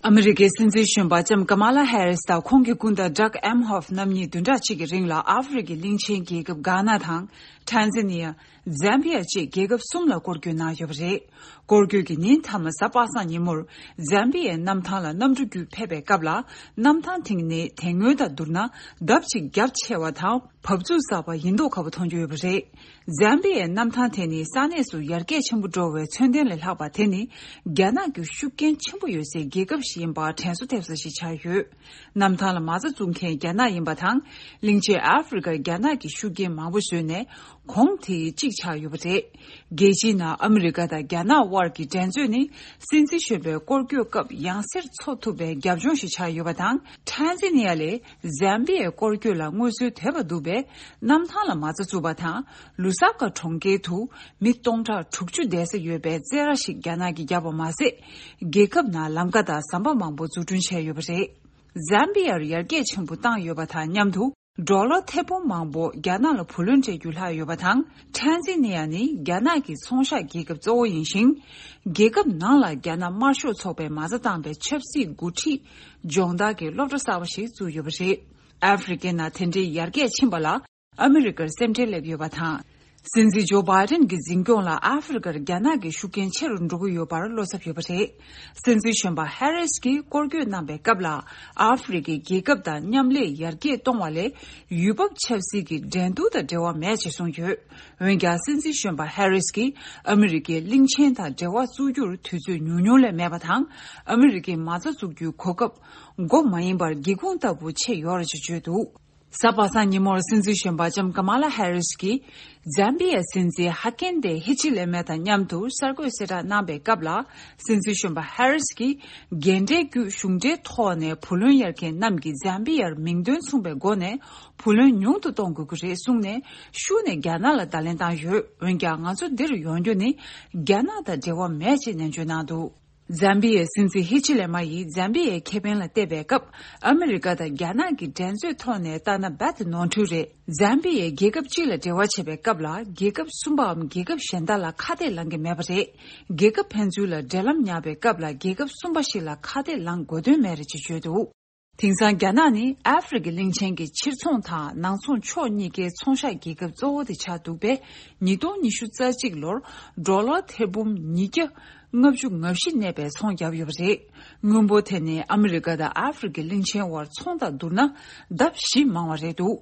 ཨ་མི་རི་ཀའི་སྲིད་འཛིན་གཞོན་པ་ལྕམ་ཀ་མ་ལ་ཧེ་རིས་དང་ཁོང་གི་སྐུ་ཟླ་ཌག་ཨེམ་ཧོབ་རྣམ་གཉིས་བདུན་ཕྲག་གཅིག་གི་རིང་ལ་ཨ་ཧྥེ་རི་ཁའི་གླིང་ཆེན་རྒྱལ་ཁབ་གྷ་ན་དང་། ཊན་ཛ་ནི་ཡ། ཛམ་བི་ཡ་བཅས་རྒྱལ་ཁབ་གསུམ་ལ་སྐོར་སྐྱོད་གནང་ཡོད་པ་རེད། སྐོར་སྐྱོད་ཀྱི་ཉིན་མཐའ་མ་གཟའ་པ་སངས་ཉིན་མོར་ཛམ་བི་ཡའི་གནམ་ཐང་ལ་གནམ་གྲུ་བརྒྱུད་ཕེབས་པའི་སྐབས་ལ། གནམ་ཐང་དེ་ནི་དེ་སྔོན་དང་བསྡུར་ན་ལྡབ་གཅིག་རྒྱ་ཆེ་བ་དང་ བབས་ཚུགས་གསར་པ་ཡིན་མདོག་ཁ་པོ་མཐོང་རྒྱུ་ཡོད་པ་རེད། ཛམ་བི་ཡའི་གནམ་ཐང་དེ་ནི་ས་གནས་སུ་ཡར་རྒྱས་ཆེན་པོ་འགྲོ་བའི་མཚོན་རྟེན་ལས་ལྷག་པ། དེ་ནི་རྒྱ་ནག་གི་ཤུགས་རྐྱེན་ཆེན་པོ་ཡོད་སའི་རྒྱལ་ཁབ་ཞིག་ཡིན་པར་དྲན་གསོ་ཐེབས་ས་ཞིག་ཆགས་ཡོད། གནམ་ཐང་ལ་མ་རྩ་བཙུགས་མཁན་རྒྱ་ནག་ཡིན་པ་དང་། གླིང་ཆེན་ཨ་ཧྥེ་རི་ཁར་རྒྱ་ནག་གི་ཤུགས་རྐྱེན་མང་པོ་བཟོས་ནས་གོང་དེའི་གཅིག་ཆགས་ཡོད་པ་རེད། རྒྱལ་སྤྱིའི་ནང་ཨ་མི་རི་ཀ་དང་རྒྱ་ནག་དབར་གྱི་འགྲན་རྩོད་ནི་སྲིད་འཛིན་གཞོན་པའི་སྐོར་སྐྱོད་སྐབས་ཡང་སེར་འཚོ་ཐུབ་པའི་རྒྱབ་ལྗོངས་ཤིག་ཆགས་ཡོད་པ་དང་། ཊན་ཛི་ནི་ཡ་ལས་ཛམ་བི་ཡའི་སྐོར་སྐྱོད་ལ་སྔོན་སྲོལ་དོད་པ་འདུག་པས། གནམ་ཐང་ལ་མ་རྩ་བཙུགས་པ་དང་། ལུ་ས་ཀ་གྲོང་ཁྱེར་དུ་མི་སྟོང་ཕྲག་དྲུག་ཅུ་བསྡད་ས་ཡོད་པའི་རྩེད་ར་ཞིག་རྒྱ་ནག་གིས་བརྒྱབ་པ་མ་ཟད། རྒྱལ་ཁབ་ནང་ལམ་ཁ་དང་ཟམ་པ་མང་པོ་འཛུགས་སྐྲུན་བྱས་ཡོད་པ་རེད། ཛམ་བི་ཡར་ཡར་རྒྱས་ཆེན་པོ་བཏང་ཡོད་པ་དང་མཉམ་དུ། ཌོ་ལར་ཐེར་འབུམ་མང་པོ་རྒྱ་ནག་ལ་བུ་ལོན་སྤྲད་རྒྱུ་ལྷག་ཡོད་པ་དང་། ཊན་ཛི་ནི་ཡ་ནི་རྒྱ་ནག་གི་ཚོང་ཤག་རྒྱལ་ཁབ་གཙོ་བོ་ཡིན་ཞིང་། རྒྱལ་ཁབ་ནང་ལ་རྒྱ་ནག་དམར་ཤོག་ཚོགས་པས་མ་རྩ་བཏང་པའི་ཆབ་སྲིད་འགོ་ཁྲིད་སྦྱོང་བརྡར་གྱི་སློབ་གྲྭ་གསར་པ་ཞིག་བཙུགས་ཡོད་པ་རེད། ཨ་ཧྥེ་རི་ཁའི་ནང་དེ་འདྲའི་ཡར་རྒྱས་ཕྱིན་པ་ལ་ཨ་མི་རི་ཀར་སེམས་ཁྲལ་སླེབས་ཡོད་པ་དང་། སྲིད་འཛིན་ཇོ་བྷའི་ཌེན་གྱི་འཛིན་སྐྱོང་ལ་ཨ་ཧྥེ་རི་ཁར་རྒྱ་ནག་གི་ཤུགས་རྐྱེན་ཆེ་རུ་འགྲོ་གི་ཡོད་པར་བློ་འཚབ་ཡོད་པ་རེད། སྲིད་འཛིན་གཞོན་པ་ཧེ་རིས་ཀྱིས་སྐོར་སྐྱོད་གནང་པའི་སྐབས་ལ། ཨ་ཧྥེ་རི་ཁའི་རྒྱལ་ཁབ་དང་མཉམ་ལས་ཡར་རྒྱས་གཏོང་བ་ལས་ཡུལ་བབ་ཆབ་སྲིད་ཀྱི་འགྲན་བསྡུར་དང་འབྲེལ་བ་མེད་ཅེས་གསུངས་ཡོད། འོན་ཀྱང་། སྲིད་འཛིན་གཞོན་པ་ཧེ་རིས་ཀྱིས་ཨ་མི་རི་ཀའི་གླིང་ཆེན་དང་འབྲེལ་བ་བཙུགས་རྒྱུར་དུས་ཚོད་ཉུང་ཉུང་ལས་མེད་པ་དང་། ཨ་མི་རི་ཀའི་མ་རྩ་བཙུགས་རྒྱུའི་གོ་སྐབས་མགོ་མ་ཡིན་པར་སྒེའུ་ཁུང་ལྟ་བུ་ཕྱེ་ཡོད་རེད་ཅེས་བརྗོད་འདུག། གཟའ་པ་སངས་ཉིན་མོར་སྲིད་འཛིན་གཞོན་པ་ལྕམ་ཀ་མ་ལ་ཧེ་རིས་ཀྱིས། ཛམ་བི་ཡའི་སྲིད་འཛིན་ཧ་ཀེན་ཏེ་ཧི་ཆི་ལེ་མེ་དང་མཉམ་དུ་གསར་འགོད་གསལ་བསྒྲགས་གནང་པའི་སྐབས་ལ། སྲིད་འཛིན་གཞོན་པ་ཧེ་རིས་ཀྱིས། རྒན་གྲས་བརྒྱུད་གཞུང་འབྲེལ་ཐོག་ནས་བུ་ལོན་གཡར་མཁན་རྣམས་ཀྱིས་ཛམ་བི་ཡར་མིང་དོན་མཚུངས་པའི་སྒོ་ནས་བུ་ལོན་ཉུང་དུ་གཏོང་དགོས་ཀྱི་རེད་གསུངས་ནས། ཤུགས་ནས་རྒྱ་ནག་ལ་བརྡ་ལན་བཏང་ཡོད། འོན་ཀྱང་། ང་ཚོ་འདིར་ཡོང་རྒྱུ་ནི་རྒྱ་ནག་དང་འབྲེལ་བ་མེད་ཅེས་ནན་བརྗོད་གནང་འདུག། ཛམ་བི་ཡའི་སྲིད་འཛིན་ཧི་ཆི་ལེ་མ་ཡིས་ཛམ་བི་ཡའི་ཁེ་ཕན་ལ་བལྟས་པའི་སྐབས། ཨ་མི་རི་ཀ་དང་རྒྱ་ནག་གི་འགྲན་རྩོད་ཐོག་ནས་ལྟ་ན་རྦད་དེ་ནོར་འཁྲུལ་རེད། ཛམ་བི་ཡས་རྒྱལ་ཁབ་གཅིག་ལ་འབྲེལ་བ་བྱེད་པའི་སྐབས་ལ། རྒྱལ་ཁབ་གསུམ་པའམ་རྒྱལ་ཁབ་གཞན་དག་ལ་ཁ་གཏད་ལངས་ཀྱི་མེད་པ་རེད། རྒྱལ་ཁབ་ཕན་ཚུན་ལ་འབྲེལ་ལམ་ཉར་བའི་སྐབས་ལ། རྒྱལ་ཁབ་གསུམ་པ་ཞིག་ལ་ཁ་གཏད་ལངས་དགོས་དོན་མེད་རེད་ཅེས་བརྗོད་འདུག། དེང་སང་རྒྱ་ནག་ནི་ཨ་ཧྥེ་རི་ཁའི་གླིང་ཆེན་གྱི་ཕྱིར་ཚོང་དང་ནང་ཚོང་ཕྱོགས་གཉིས་ཀའི་ཚོང་ཤག་རྒྱལ་ཁབ་གཙོ་བོ་དེ་ཆགས་འདུག་པས། ཉིས་སྟོང་ཉི་ཤུ་རྩ་གཅིག་ལོར་ཌོ་ལར་ཐེར་འབུམ་ཉིས་བརྒྱ་ལྔ་བཅུ་ང་བཞི་གནས་པའི་ཚོང་བརྒྱབ་ཡོད་པ་རེད། དངུལ་འབོར་དེ་ནི་ཨ་མི་རི་ཀ་དང་ཨ་ཧྥེ་རི་ཁའི་གླིང་ཆེན་དབར་ཚོང་དང་བསྡུར་ན་ལྡབ་བཞི་མང་བ་རེད་འདུག།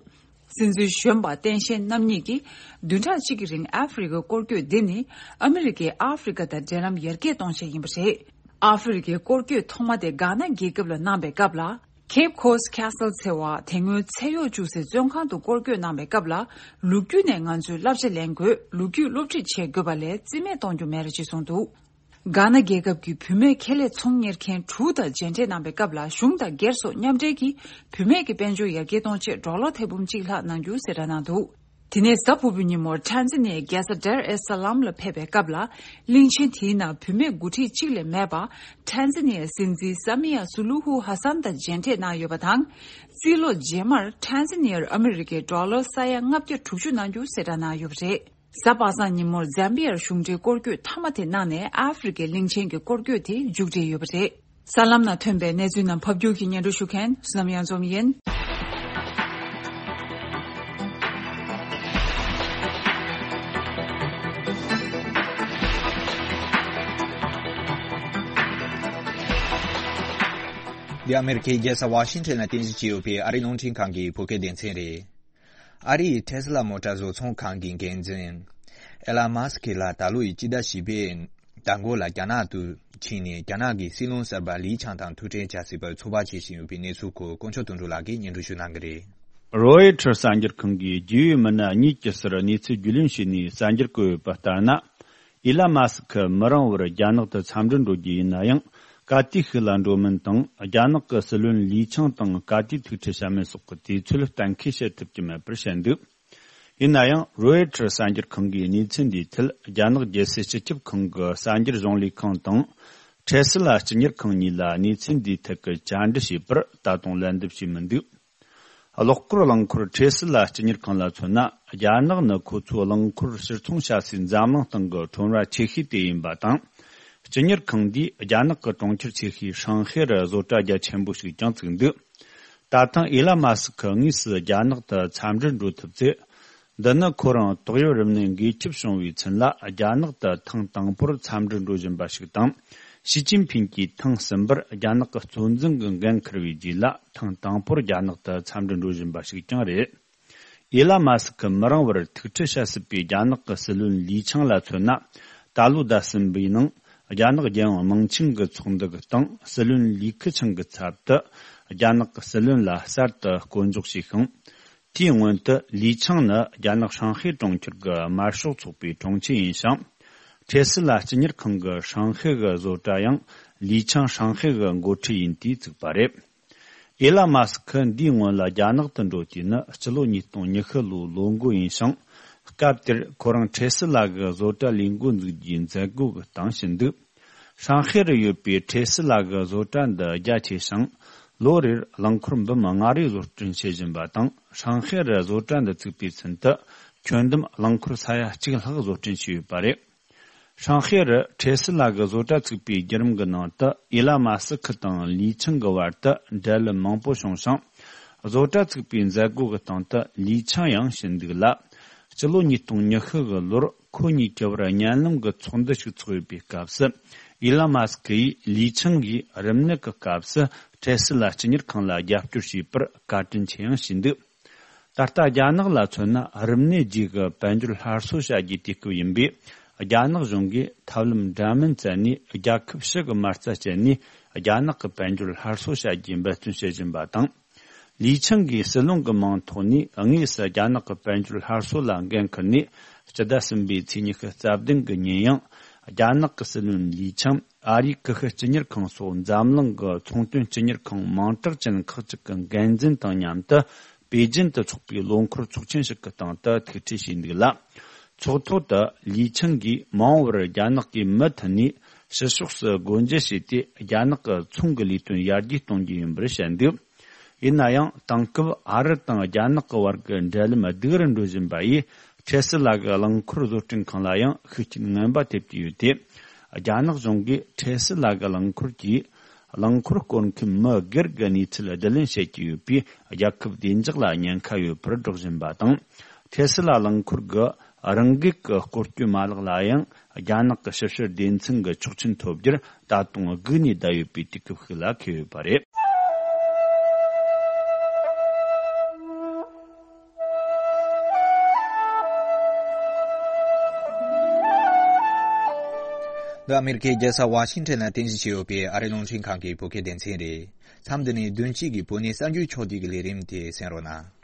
སྲིད་འཛིན་གཞོན་པ་སྟངས་དཔྱལ་རྣམ་གཉིས་ཀྱིས་བདུན་ཕྲག་གཅིག་གི་རིང་ཨ་ཧྥེ་རི་ཁའི་སྐོར་སྐྱོད་འདི་ནི་ཨ་མི་རི་ཀས་ཨ་ཧྥེ་རི་ཁ་དང་འབྲེལ་ལམ་ཡར་རྒྱས་གཏོང་ཆེད་ཡིན་པ་རེད། ཨ་ཧྥེ་རི་ཁའི་སྐོར་སྐྱོད་ཐོག་མ་དེ་གྷ་ན་རྒྱལ་ཁབ་ལ་གནང་པའི་སྐབས་ལ། Cape Coast Castle ཟེར་བ་དེ་སྔོན་ཚད་གཡོག་བཅུག་སའི་བཙོན་ཁང་དུ་སྐོར་སྐྱོད་གནང་པའི་སྐབས་ལ། ལོ་རྒྱུས་ནས་ང་ཚོས་བསླབ་བྱ་ལེན་དགོས། ལོ་རྒྱུས་སློབ་ཁྲིད་བྱེད་དགོས་པ་ལས་རྩིས་མེད་གཏོང་རྒྱུ་མེད་རེད་ཅེས་གསུངས་འདུག། གྷ་ན་རྒྱལ་ཁབ་ཀྱི་བུད་མེད་ཁེ་ལས་ཚོང་གཉེར་མཁན་དྲུག་དང་མཇལ་འཕྲད་གནང་པའི་སྐབས་ལ། གཞུང་དང་སྒེར་སོགས་མཉམ་འབྲེལ་གྱིས་བུད་མེད་ཀྱི་དཔལ་འབྱོར་ཡར་རྒྱས་གཏོང་ཆེད་ཌོ་ལར་ཐེར་འབུམ་གཅིག་ལྷག་གནང་རྒྱུ་གསལ་བསྒྲགས་གནང་འདུག། དེ་ནས་གཟའ་ཕུར་བུའི་ཉིན་མོར་ཊན་ཛི་ནི་ཡའི་རྒྱལ་ས་ཌར་ཨེ་ས་ལམ་ལ་ཕེབས་པའི་སྐབས་ལ། གླིང་ཆེན་དེའི་ནང་བུད་མེད་འགོ་ཁྲིད་གཅིག་ལས་མེད་པ། ཊན་ཛི་ནི་ཡའི་སྲིད་འཛིན་ས་མི་ཡ་སུ་ལུ་ཧུ་ཧ་སན་དང་མཇལ་འཕྲད་གནང་ཡོད་པ་དང་། རྩིས་ལོ་རྗེས་མར་ཊན་ཛི་ནི་ཡར་ཨ་མི་རི་ཀའི་ཌོ་ལར་ས་ཡ་ལྔ་བརྒྱ་དྲུག་ཅུ་གནང་རྒྱུ་གསལ་བསྒྲགས་གནང་ཡོད་པ་རེད། གཟའ་པ་སངས་ཉིན་མོར་ཛམ་བི་ཡར་གཞུང་འབྲེལ་སྐོར་སྐྱོད་མཐའ་མ་དེ་གནང་ནས། ཨ་ཧྥེ་རི་ཁའི་གླིང་ཆེན་གྱི་སྐོར་སྐྱོད་དེ་མཇུག་སྒྲིལ་ཡོད་པ་རེད། གསར་ལམ་ནང་ཐོན་པའི་གནས་ཚུལ་རྣམས་ཕབ་སྒྱུར་གྱིས་སྙན་སྒྲོན་ཞུ་མཁན་བསོད་ནམས་གཡང་འཛོམས་ཡིན། འདི་ཨ་མེ་རི་ཁའི་རྒྱལ་ས་ཝ་ཤིང་ཊོན་ལ་རྟེན་གཞི་བྱས་ཡོད་པའི་ཨ་རིའི་རླུང་འཕྲིན་ཁང་གི་བོད་སྐད་སྡེ་ཚན་རེད། ཨ་རིའི་ཊེ་སི་ལ་མོ་ཊར་བཟོ་ཚོང་ཁང་གི་འགན་འཛིན་ཨེ་ལན་མཱ་སི་ཁི་ལགས་ད་ལོ་ཡི་སྤྱི་ཟླ་བཞི་པའི་ཟླ་མགོ་ལ་རྒྱ་ནག་ཏུ་ཕྱིན་ནས། རྒྱ་ནག་གི་སྲིད་བློན་གསར་པ་ལི་ཆང་དང་ཐུག་འཕྲད་བྱ་སྲིད་པར་ཚོད་དཔག་བྱེད་བཞིན་ཡོད་པའི་གནས་ཚུལ་སྐོར་དཀོན་མཆོག་དོན་གྲུབ་ལགས་ཀྱིས་སྙན་སྒྲོན་ཞུ་གནང་གི་རེད། རོའི་ཊར་གསར་འགྱུར་ཁང་གིས་རྒྱུས་ཡོད་མི་སྣ་གཉིས་ཀྱི་སར་གནས་ཚུལ་རྒྱུས་ལོན་བྱས་ནས་གསར་འགྱུར་བཀོད་ཡོད་པ་ལྟར་ན། ཨི་ལན་མཱ་སི་ཁི་མི་རིང་བར་རྒྱ་ནག་ཏུ་འཚམས་འདྲིར་འགྲོ་རྒྱུ་ཡིན་ན་ཡང་། ག་དུས་ཤིག་ལ་འགྲོ་མིན་དང་། རྒྱ་ནག་གི་སྲིད་བློན་ལི་ཆང་དང་ག་དུས་ཐུག་འཕྲད་བྱ་མིན་སོགས་ཀྱི་དུས་ཚོད་གཏན་འཁེལ་བྱེད་ཐུབ་ཀྱི་མེད་པར་བཤད་འདུག། ཡིན་ན་ཡང་། རོའི་ཊར་གསར་འགྱུར་ཁང་གིས་གནས་ཚུལ་འདིའི་ཐད་རྒྱ་ནག་རྒྱལ་སྲིད་སྤྱི་ཁྱབ་ཁང་གི་གསར་འགྱུར་གཞུང་ལས་ཁང་དང་། ཊེ་སི་ལ་སྤྱི་གཉེར་ཁང་གཉིས་ལ་གནས་ཚུལ་འདིའི་ཐད་ཀྱི་བཅར་འདྲི་བྱས་པར་ད་དུང་ལན་འདེབས་བྱས་མི་འདུག། གློག་སྐོར་རླངས་འཁོར་ཊེ་སི་ལ་སྤྱི་གཉེར་ཁང་ལ་མཚོན་ན། རྒྱ་ནག་ནི་ཁོ་ཚོའི་རླངས་འཁོར་ཕྱིར་ཚོང་བྱ་སའི་འཛམ་གླིང་སྟེང་གི་ཁྲོམ་ར་ཆེ་ཤོས་དེ་ཡིན་པ་དང་། སྤྱི་གཉེར་ཁང་འདིས་རྒྱ་ནག་གི་གྲོང་ཁྱེར་ཆེ་ཤོས་ཧྲང་ཧའེ་རུ་བཟོ་གྲྭ་རྒྱ་ཆེན་པོ་ཞིག་ཀྱང་བཙུགས་འདུག། ད་ཐེངས་ཨི་ལན་མཱ་སི་ཁི་དངོས་སུ་རྒྱ་ནག་ཏུ་འཚམས་འདྲིར་འགྲོ་ཐུབ་ཚེ། འདི་ནི་ཁོ་རང་ཏོག་དབྱིབས་རིམས་ནད་འགོས་ཁྱབ་བྱུང་བའི་ཚུན་ལ་རྒྱ་ནག་ཏུ་ཐེངས་དང་པོར་འཚམས་འདྲིར་འགྲོ་བཞིན་པ་ཞིག་དང་། ཞི་ཅིན་ཕིང་གིས་ཐེངས་གསུམ་པར་རྒྱ་ནག་གི་གཙོ་འཛིན་གྱི་འགན་འཁུར་བའི་རྗེས་ལ་ཐེངས་དང་པོར་རྒྱ་ནག་ཏུ་འཚམས་འདྲིར་འགྲོ་བཞིན་པ་ཞིག་ཀྱང་རེད། ཨེ་ལ་མ་སི་ཁི་མི་རིང་བར་ཐུག་འཕྲད་བྱ་སྲིད་པའི་རྒྱ་ནག་གི་སྲིད་བློན་ལི་ཆང་ལ་མཚོན་ན། ད་ལོ་ཟླ་གསུམ་པའི་ནང་རྒྱ་ནག་རྒྱལ་ཡོངས་དམངས་ཆེན་གྱི་ཚོགས་འདུ་གི་སྟེང་སྲིད་བློན་ལི་ཁི་ཆང་གི་ཚབ་ཏུ་རྒྱ་ནག་གི་སྲིད་བློན་ལ་གསར་དུ་བསྐོ་འཇོག་བྱས་ཤིང་། དེའི་སྔོན་དུ་ལི་ཆང་ནི་རྒྱ་ནག་ཧྲང་ཧའེ་གྲོང་ཁྱེར་གྱི་དམར་ཤོག་ཚོགས་པའི་དྲུང་ཆེ་ཡིན་ཞིང་། ཁྲེ་སི་ལ་སྤྱི་གཉེར་ཁང་གི་ཧྲང་ཧའེ་གི་བཟོ་གྲྭ་ཡང་ལི་ཆང་ཧྲང་ཧའེ་གི་འགོ་ཁྲིད་ཡིན་དུས་བཙུགས་པ་རེད། ཨེ་ལ་མ་སི་ཁི་འདིའི་སྔོན་ལ་རྒྱ་ནག་ཏུ་འགྲོ་དུས་ནི་སྤྱི་ལོ་ཉིས་སྟོང་ཉི་ཤུ་ལོའི་ལོ་འགོ་ཡིན་ཞིང་། སྐབས་དེར་ཁོ་རང་ཁྲེ་སི་ལ་གི་བཟོ་གྲྭ་ལས་འགོ་འཛུགས་རྒྱུའི་མཛད་སྒོ་གི་སྟེང་ཕྱིན་འདུག་ཧྲང་ཧའེ་རུ་ཡོད་པའི་ཁྲེ་སི་ལ་གི་བཟོ་གྲྭ་འདི་རྒྱ་ཆེ་ཞིང་། ལོ་རེར་རླངས་འཁོར་འབུམ་ལྔ་རེ་བཟོ་སྐྲུན་བྱེད་བཞིན་པ་དང་། ཧྲང་ཧའེ་རུ་བཟོ་གྲྭ་འདི་བཙུགས་པའི་ཚུན་དུ་ཁྱོན་བསྡོམས་རླངས་འཁོར་ས་ཡ་གཅིག་ལྷག་བཟོ་སྐྲུན་བྱས་ཡོད་པ་རེད། ཧྲང་ཧའེ་རུ་ཁྲེ་སི་ལ་གི་བཟོ་གྲྭ་བཙུགས་པའི་བརྒྱུད་རིམ་གྱི་ནང་དུ་ཨེ་ལ་མ་སི་ཁི་དང་ལི་ཆང་གི་བར་དུ་འབྲེལ་ལམ་མང་པོ་བྱུང་ཞིང་། བཟོ་གྲྭ་བཙུགས་པའི་མཛད་སྒོ་གི་སྟེང་དུ་ལི་ཆང་ཡང་ཕྱིན་འདུག་ལ། སྤྱི་ལོ་ཉིས་སྟོང་ཉི་ཤུ་གི་ལོར་ཁོ་གཉིས་ཀྱི་བར་བརྙན་ལམ་གྱི་ཚོགས་འདུ་ཞིག་ཚོགས་ཡོད་པའི་སྐབས་སུ། ཨེ་ལ་མ་སི་ཁི་ཡིས་ལི་ཆང་གིས་རིམས་ནད་ཀྱི་སྐབས་སུ་ཁྲེ་སི་ལ་སྤྱི་གཉེར་ཁང་ལ་རྒྱབ་སྐྱོར་བྱས་པར་བཀའ་དྲིན་ཆེ་ཡང་ཞུས་འདུག་ད་ལྟ་རྒྱ་ནག་ལ་མཚོན་ན། རིམས་ནད་རྗེས་ཀྱི་དཔལ་འབྱོར་སླར་གསོ་བྱ་རྒྱུའི་དུས་སྐབས་ཡིན་པས། རྒྱ་ནག་གཞུང་གིས་ཐབས་ལམ་འདྲ་མིན་བཙལ་ནས། རྒྱལ་ཁབ་ཕྱི་གི་མ་རྩ་སྤྱད་ནས་རྒྱ་ནག་གི་དཔལ་འབྱོར་སླར་གསོ་བྱ་རྒྱུའི་འབད་བརྩོན་བྱེད་བཞིན་པ་དང་། ལི་ཆང་གིས་སྲིད་བློན་གྱི་མིང་ཐོག་ནས་དངོས་སུ་རྒྱ་ནག་གི་དཔལ་འབྱོར་སླར་གསོ་ལ་འགན་འཁུར་ནས། སྤྱི་ཟླ་གསུམ་པའི་ཚེས་ཉི་ཤུ་རྩ་བདུན་གྱི་ཉིན་ཡང་། རྒྱ་ནག་གི་སྲིད་བློན་ལི་ཆང་ཨ་རིའི་ཀི་ཤུ་སྤྱི་གཉེར་ཁང་སོགས་འཛམ་གླིང་གི་ཚོང་དོན་སྤྱི་གཉེར་ཁང་མིང་གྲགས་ཅན་ཁག་ཅིག་གི་འགན་འཛིན་དང་མཉམ་དུ། པེ་ཅིན་དུ་འཚོགས་པའི་ལོ་འཁོར་ཚོགས་ཆེན་ཞིག་གི་སྟེང་དུ་ཐུག་འཕྲད་བྱས་འདུག་ལ། ཚོགས་ཐོག་ཏུ་ལི་ཆང་གིས་མ་འོངས་པར་རྒྱ་ནག་གིས་མུ་མཐུད་ནས་ཕྱི་ཕྱོགས་སུ་སྒོ་འབྱེད་བྱས་ཏེ། རྒྱ་ནག་གི་ཚོང་གི་ལས་དོན་ཡར་རྒྱས་གཏོང་རྒྱུ་ཡིན་པར་བཤད་འདུག་ཡིན་ན་ཡང་། དེང་སྐབས་ཨ་རི་དང་རྒྱ་ནག་གི་བར་གྱི་འབྲེལ་ལམ་སྡུག་རུ་འགྲོ་བཞིན་པ་ཡིས། ཁྲེ་སི་ལ་གི་རླངས་འཁོར་བཟོ་སྐྲུན་ཁང་ལ་ཡང་ཤུགས་རྐྱེན་ངན་པ་ཐེབས་ཀྱི་ཡོད་དེ། རྒྱ་ནག་གཞུང་གིས་ཁྲེ་སི་ལ་གི་རླངས་འཁོར་གྱིས། རླངས་འཁོར་བསྐོར་མཁན་མི་སྒེར་གྱི་གནས་ཚུལ་བསྡུ་ལེན་བྱེད་ཀྱི་ཡོད་པས། རྒྱལ་ཁབ་བདེ་འཇགས་ལ་ཉེན་ཁ་ཡོད་པར་སྒྲོག་བཞིན་པ་དང་། ཁྲེ་སི་ལ་རླངས་འཁོར་གྱི་རང་འགུལ་གྱི་སྐོར་སྐྱོད་མ་ལག་ལ་ཡང་རྒྱ་ནག་གི་ཞིབ་བཤེར་སྡེ་ཚན་གྱི་ཆོག་མཆན་ཐོབ་རྒྱུར་ད་དུང་སྒུག་ནས་བསྡད་ཡོད་པའི་དུས་སྐབས་ཤིག་ལ་འཁེལ་ཡོད་པ་རེད། འདི་ཨ་མེ་རི་ཁའི་རྒྱལ་ས་ཝ་ཤིང་ཊོན་ལ་རྟེན་གཞི་བྱས་ཡོད་པའི་ཨ་རིའི་རླུང་འཕྲིན་ཁང་གི་བོད་སྐད་སྡེ་ཚན་རེད། མཚམས་འདི་ནས་བདུན་གཅིག་གི་བོད་གནས་གསར་འགྱུར་ཕྱོགས་བསྡུས་ཀྱི་ལས་རིམ་དེ་གསན་རོགས་གནང་།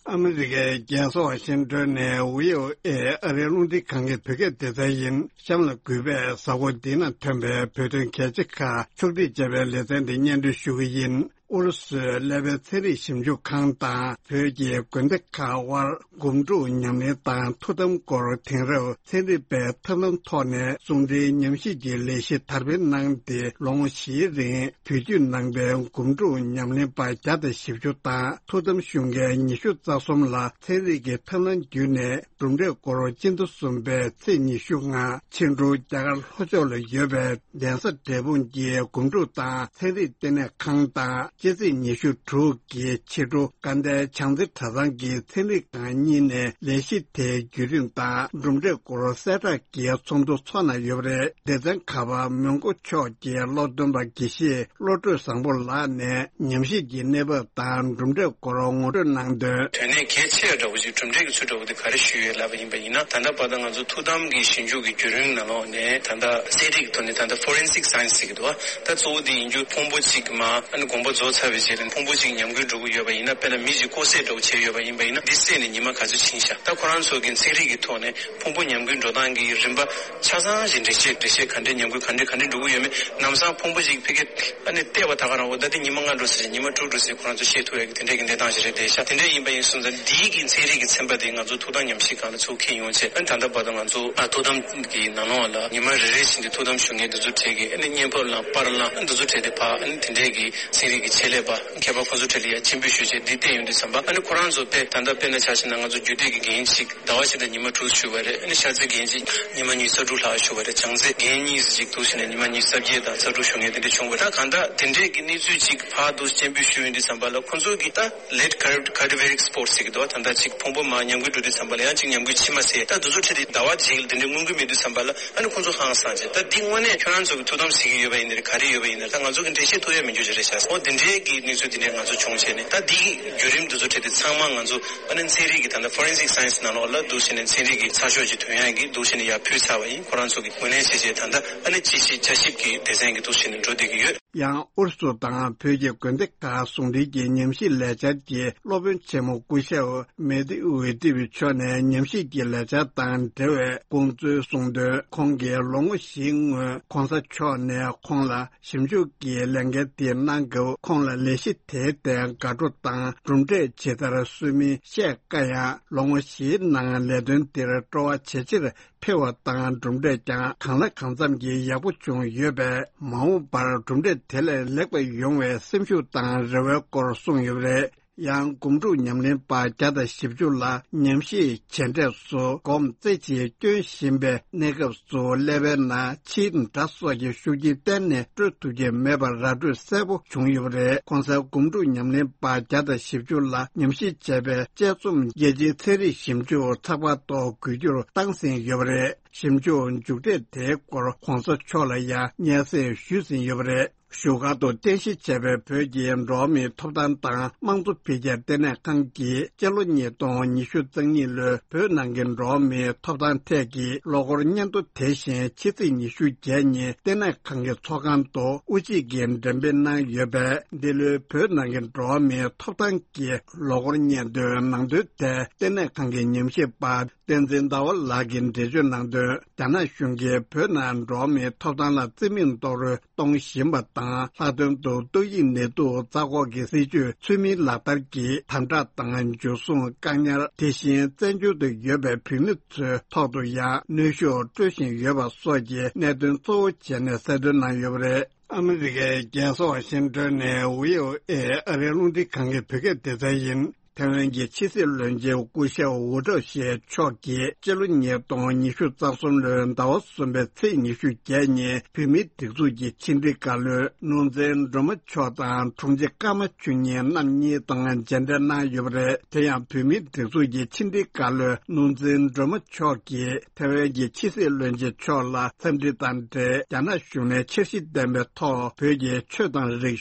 ཨ་མི་རི་ཀའི་རྒྱལ་ས་ཝ་ཤིང་ཊོན་ནས་ཝི་ཨོ་ཨེ་ཨ་རིའི་རླུང་འཕྲིན་ཁང་གི་བོད་སྐད་སྡེ་ཚན་ཡིན། གཤམ་ལ་གུས་པས་གཟའ་འཁོར་འདིའི་ནང་ཐོན་པའི་བོད་དོན་གལ་ཆེ་ཁག་ཕྱོགས་སྒྲིག་བྱས་པའི་ལེ་ཚན་འདི་སྙན་སྒྲོན་ཞུ་གི་ཡིན། ཨུ་རུ་སུའི་ཀླད་པའི་ཚན་རིག་ཞིབ་འཇུག་ཁང་དང་བོད་ཀྱི་དགོན་སྡེ་ཁག་དབར་སྒོམ་སྒྲུབ་ཉམས་ལེན་དང་ཐུགས་དམ་སྐོར། དེང་རབས་ཚན་རིག་པའི་ཐབས་ལམ་ཐོག་ནས་གསུང་འཕྲིན་ཉམས་ཞིབ་ཀྱི་ལས་གཞི་དར་སྤེལ་གནང་སྟེ། ལོ་ངོ་བཞིའི་རིང་བོད་བརྒྱུད་ནང་པའི་སྒོམ་སྒྲུབ་ཉམས་ལེན་པ་བརྒྱ་དང་བཞི་བཅུ་དང་ཐུགས་དམ་ཞུ་མཁན་ཉི་ཤུ་རྩ་གསུམ་ལ་ཚན་རིག་གི་ཐབས་ལམ་བརྒྱུད་ནས་གྲུབ་འབྲས་སྐོར། སྤྱི་ཟླ་གསུམ་པའི་ཚེས་ཉི་ཤུ་ལྔ་ཕྱི་དྲོ་རྒྱ་གར་ལྷོ་ཕྱོགས་ལ་ཡོད་པའི་གདན་ས་འབྲས་སྤུངས་ཀྱི་སྒོམ་སྒྲུབ་དང་ཚན་རིག་ལྟེ་གནས་ཁང་དང་། སྤྱི་ཚེས་ཉི་ཤུ་དྲུག་གི་ཕྱི་དྲོ་དགའ་ལྡན་བྱང་རྩེ་གྲྭ་ཚང་གི་ཚན་རིག་ཁང་གཉིས་ནས་ལས་གཞི་དེའི་བརྒྱུད་རིམ་དང་གྲུབ་འབྲས་སྐོར་གསལ་བསྒྲགས་ཀྱི་ཚོགས་འདུ་འཚོགས་གནང་ཡོད་པ་རེད། སྡེ་ཚན་ཁག་པ་མོན་གྷོ་ཕྱོགས་ཀྱི་སློབ་སྟོན་པ་དགེ་བཤེས་བློ་གྲོས་བཟང་པོ་ལགས་ནས་ཉམས་ཞིབ་ཀྱི་གནས་བབ་དང་གྲུབ་འབྲས་སྐོར་ངོ་སྤྲོད་གནང་དོན། དོན་གནད་གལ་ཆེ་བ་འདྲ་བོ་ཞིག་གྲུབ་འབྲས་ཀྱི་ཚུལ་འདྲ་བོ་དེ་ག་རེ་ཞུས་ཡོད་ལབ་པ་ཡིན་པ་ཡིན་ན། ད་ལྟ་བར་དུ་ང་ཚོ་ཐུགས་དམ་གྱི་ཞིབ་འཇུག་གི་བརྒྱུད་རིམ་ནང་ལོགས་ནས་ད་ལྟ་ཚན་རིག་གི་ཐོག་ནས་ད་ལྟ་ཕོ་རེན་སིག་སའེན་སི་ཟེར་གྱི་འདུག་བ། ད་གཙོ་བོ་དེ་ཡིན་རྒྱུ་ཕུང་པོ་གཅིག་མ་ཨ་ནི་དགོངས་པ་རྫོགས་ཚར་བའི་རྗེས་ལ་ཕུང་པོ་གཅིག་ཉམས་རྒུད་འགྲོ་གི་ཡོད་པ་ཡིན་ན། དཔེར་ན་མི་གཅིག་ལྐོག་བསད་འདྲ་བོ་བྱས་ཡོད་པ་ཡིན་པ་ཡིན་ན། འདི་བསད་ནས་ཉི་མ་ག་ཚོད་ཕྱིན་ཤག་ད་ཁོ་རང་ཚོ་གི་ཚན་རིག་གི་ཐོག་ནས་ཕུང་པོ་ཉམས་རྒུད་འགྲོ་སྟངས་ཀྱི་རིམ་པ་ཆ་ཚང་ཞིག་འགྲེལ་བཤད་འགྲེལ་བཤད་ག་འདྲས་ཉམས་རྒུད་ག་འདྲས་ག་འདྲས་འགྲོ་གི་ཡོད་མེད། ལམ་སང་ཕུང་པོ་ཞིག་ཕ་གི་ཨ་ནི་བལྟས་པ་ད་ག་རང་འོ་ད་དེ་ཉི་མ་ལྔ་འགྲོ་ཟེར་ཉི་མ་དྲུག་འགྲོ་ཟེར་ཁོ་རང་ཚོ་བཤད་ཐུབ་ཡག་གི་དེ་འདྲས་ཀྱི་གནས་སྟངས་ཤིག་རེད། དེ་ཤ་དེ་འདྲས་ཡིན་པ་ཡིན་སོང་ཙང་འདིའི་གི་ཚན་རིག་གི་ཚན་པ་དེ་ང་ཚོ་ཐུགས་དམ་ཉམས་ཞིབ་ཁང་ལ་ཚུར་འཁྱེར་ཡོང་བྱས། ཨ་ནི་ད་ལྟ་བར་དུ་ང་ཚོ་ཨ་ཐུགས་དམ་གྱི་ནང་ལོགས་ལ་ཉི་མ་རེ་རེ་བཞིན་དུ་ཐུགས་དམ་ཞུ་མཁན་འདི་ཚོ་གྲས་ཀྱི་ཨ་ནི་བརྙན་ཕབ་བླངས་པར་བླངས་ཨ་འདི་ཚོ་གྲས་དེ་ཕར་ཨ་ནི་དེ་འདྲས་ཀྱི་ཚན་རིག་གི་ཆེད་ལས་པ་མཁས་པ་ཁོང་ཚོ་གྲས་ལ་ཡ་སྤྱན་འབུལ་ཞུས་བྱས་འདི་བལྟས་ཡོང་དུས་ཙམ་པ། ཨ་ནི་ཁོ་རང་ཚོ་དཔེ་ད་ལྟ་དཔེར་ན་ཆ་བཞག་ན་ང་ཚོ་རྒྱུད་སྡེ་གི་རྒན་ཞིག་ཟླ་བ་གཅིག་དང་ཉི་མ་དྲུག་བཞུགས་པ་རེད། ཨ་ནི་ཤར་རྩེ་རྒན་གཅིག་ཉི་མ་ཉི་ཤུ་རྩ་དྲུག་ལྷག་བཞུགས་པ་རེད། བྱང་རྩེ་རྒན་གཉིས་ཙམ་ཅིག་འདུག་ཟེར་ནས་ཉི་མ་ཉི་ཤུ་རྩ་བརྒྱད་དང་རྩ་དྲུག་བཞུགས་མཁན་དེ་འདྲ་བྱུང་བ་རེད། གང་ལྟར་དེ་འདྲས་ཀྱི་གནས་ཚུལ་ཅིག་ཕར་འདུག་སྤྱན་འབུལ་ཞུ་ཡོང་དུས་ཙམ་པ་ལ་ཁོང་ཚོ་གིས་ད་late cardi- cardiovascular spot་ཟེར་གྱི་འདུག་བ། ད་ལྟ་ཅིག་ཕུང་པོ་མར་ཉམས་རྒུད་འགྲོ་དུས་ཙམ་པ་ལ་ཡང་ཅིག་ཉམས་རྒུད་ཕྱི་མ་ཟེར་ད་དུས་ཚོད་ཁྲིད་དེ་ཟླ་བ་གཅིག་ལ་དེ་འདྲས་མངོན་གྱི་མེད་དུས་ཙམ་པ་ལ། ཨ་ནི་ཁོང་ཚོ་ཧང་སངས་བྱས། ད་འདི་དངོས་གནས་ཁྱོད་རང་ཚོ་གི་ཐུགས་དམ་ཟེར་གྱི་ཡོད་པ་ཡིན་ན་རེད། ག་རེ་ཡོད་པ་ཡིན་ན་རེད། ད་ང་ཚོ་གི་འགྲེལ་བཤད་ཐུབ་ཡ་མི་འགྱུར་ཞིག་རེད་ཤག་འོ་འདི་འདྲས་ དེ་གི་གནས་ཚུལ་དེ་ནས་ང་ཚོ་བྱུང་བྱས་ནས། ད་འདིའི་བརྒྱུད་རིམ་འདི་ཚོ་ཁྲིད་དེ་ཚང་མ་ང་ཚོ་ཨ་ནི་ཚན་རིག་གི་ད་ལྟ་Forensic Science ནང་ལོགས་ལ་འདུག་བྱས་ནས། ཚན་རིག་གི་ཚགས་ཤོག་ཅིག་ཐོན་ཡག་གི་འདུག་བྱས་ནས་ཡར་ཕུལ་ཚར་བ་ཡིན། ཁོ་རང་ཚོ་གིས་ངོས་ལེན་བྱས་བྱས། ད་ལྟ་ཨ་ནི་ཅི་ཞིག་བྱ་ཞིབ་ཀྱི་སྡེ་ཚན་གྱི་འདུག་བྱས་ནས་འགྲོ་བསྡད་ཀྱི་ཡོད། ཡང་ཨུ་རུ་སུ་དང་བོད་ཀྱི་དགོན་སྡེ་ཁག་ཟུང་འབྲེལ་གྱི་ཉམས་ཞིབ་ལས་འཆར་གྱི་སློབ་དཔོན་ཆེན་མོ་སྐུ་ཞབས་མེ་ཏི་ཝེ་ཏི་བི་མཆོག་ནས་ཉམས་ཞིབ་ཀྱི་ལས་འཆར་དང་འབྲེལ་བའི་དགོངས་ཚུལ་གསུངས་དོན། ཁོང་གིས་ལོ་ངོ་བཞིའི་སྔོན་གོང་ས་མཆོག་ནས་ཁོང་ལ་ཞིབ་འཇུག་གི་ལས་འགན་དེ་གནང་སྐབས། ཁོང་ལ་ལས་གཞི་དེའི་སྟེང་དགའ་སྤྲོ་དང་གྲུབ་འབྲས་ཇི་ལྟར་སོན་མིན་བཤད་དཀའ་ཡང་། ལོ་ངོ་བཞིའི་ནང་ལས་དོན་འདིར་སྤྲོ་བ་ཇེ་ཆེར་འཕེལ་བ་དང་། གྲུབ་འབྲས་ཀྱང་གང་ལ་གང་འཚམ་གྱིས་ཡག་པོ་བྱུང་ཡོད་པས། མ་འོངས་པར་གྲུབ་འབྲས་དེ་ལས་ལེགས་པ་ཡོང་བའི་སེམས་ཤུགས་དང་རེ་བའི་སྐོར་གསུངས་ཡོད་པ་རེད། ཡང་སྒོམ་སྒྲུབ་ཉམས་ལེན་པ་བརྒྱ་དང་བཞི་བཅུ་ལ་ཉམས་ཞིབ་བྱས་འབྲས་སུ་སྒོམ་རྩེ་གཅིག་སྐྱོན་བཞིན་པའི་གནས་སྐབས་སུ་ཀླད་པའི་ནང་ཕྱིའི་དགྲ་སོགས་ཀྱི་ཤུགས་རྐྱེན་གཏན་ནས་སྤྲོད་ཐུབ་ཀྱི་མེད་པར་ར་སྤྲོད་གསལ་པོ་བྱུང་ཡོད་པ་རེད། གོང་གསལ་སྒོམ་སྒྲུབ་ཉམས་ལེན་པ་བརྒྱ་དང་བཞི་བཅུ་ལ་ཉམས་ཞིབ་བྱས་པའི་དཔྱད་རྩོམ་རྒྱལ་སྤྱིའི་ཚན་རིག་ཞིབ་འཇུག་ཚགས་པར་ཐོག་འགོད་རྒྱུར་བཏང་ཟིན་ཡོད་པ་རེད། ཞིབ་འཇུག་མཇུག་འབྲས་དེའི་སྐོར་གོང་ས་མཆོག་ལ་ཡང་སྙན་སེང་ཞུས་ཟིན་ཡོད་པ་རེད། བཞུགས་སྒར་དུ་རྟེན་གཞི་བྱས་པའི་བོད་ཀྱི་འགྲོ་བ་མིའི་ཐོབ་ཐང་དང་དམངས་གཙོ་འཕེལ་རྒྱས་ལྟེ་གནས་ཁང་གིས་སྤྱི་ལོ་ཉིས་སྟོང་ཉི་ཤུ་རྩ་གཉིས་ལོའི་བོད་ནང་གི་འགྲོ་བ་མིའི་ཐོབ་ཐང་ཐད་ཀྱི་ལོ་འཁོར་སྙན་ཐོ་དེ་བཞིན་ཕྱི་ཚེས་ཉི་ཤུ་བརྒྱད་ཉིན་ལྟེ་གནས་ཁང་གི་ཚོགས་ཁང་དུ་དབུ་འབྱེད་ཀྱིས་འགྲེམས་སྤེལ་གནང་ཡོད་པས། འདི་ལོའི་བོད་ནང་གི་འགྲོ་བ་མིའི་ཐོབ་ཐང་གི་ལོ་འཁོར་སྙན་ཐོའི་ནང་དོན་ཐད་ལྟེ་གནས་ཁང་གི་ཉམས་ཞིབ་པ་བསྟན་འཛིན་ཟླ་བ་ལགས་ཀྱིས་འགྲེལ་བརྗོད་གནང་དོན། རྒྱ་ནག་གཞུང་གིས་བོད་ནང་འགྲོ་བ་མིའི་ཐོབ་ཐང་ལ་རྩིས་མེད་རྡོག་རོལ་གཏོང་བཞིན་པ་དང་། ལྷག་དོན་དུ་ཏོག་དབྱིབས་ནད་དུག་རྩ་འགོག་གི་སྲིད་ཇུས་ཚུལ་མིན་ལག་བསྟར་གྱིས་དམ་དྲག་དང་འཇུ་བཟུང་བཀག་ཉར། དེ་བཞིན་བཙན་བྱོལ་དུ་ཡོད་པའི་བོད་མི་ཚོའི་ཐོག་ཏུ་ཡང་གནོན་ཤུགས་སྤྲོད་བཞིན་ཡོད་པ་སོགས་ཀྱི་གནད་དོན་གཙོ་བོ་བྱས་ནས་གསལ་སྟོན་གནང་ཡོད་པ་རེད། ཨ་མི་རི་ཀའི་རྒྱལ་ས་ཝ་ཤིང་ཏོན་ནས་ཝི་ཨོ་ཨེ་ཨ་རིའི་རླུང་འཕྲིན་ཁང་གི་བོད་སྐད་སྡེ་ཚན་ཡིན། ཐེ་ཝན་གྱི་ཕྱི་སྲིད་བློན་ཆེན་སྐུ་ཞབས་ཝུ་ཀྲོ་ཞེ་མཆོག་གིས་སྤྱི་ལོ་ཉིས་སྟོང་ཉི་ཤུ་རྩ་གསུམ་ལོའི་ཟླ་བ་གསུམ་པའི་ཚེས་ཉི་ཤུ་བརྒྱད་ཉིན་བོད་མིའི་སྒྲིག་འཛུགས་ཀྱི་ཕྱི་དྲིལ་བཀའ་བློན་ནོར་འཛིན་སྒྲོལ་མ་མཆོག་དང་དྲུང་ཆེ་ཀརྨ་ཆོས་ཉིད་རྣམ་གཉིས་དང་མཇལ་འཕྲད་གནང་ཡོད་པ་རེད། དེ་ཡང་བོད་མིའི་སྒྲིག་འཛུགས་ཀྱི་ཕྱི་དྲིལ་བཀའ་བློན་ནོར་འཛིན་སྒྲོལ་མ་མཆོག་གིས་ཐེ་ཝན་གྱི་ཕྱི་སྲིད་བློན་ཆེན་མཆོག་ལ་འཚམས་འདྲི་དང་འབྲེལ། རྒྱ་ནག་གཞུང་ནས་འཆར་གཞི་ལྡན་པའི་ཐོག་བོད་ཀྱི་ཆོས་དང་རིག་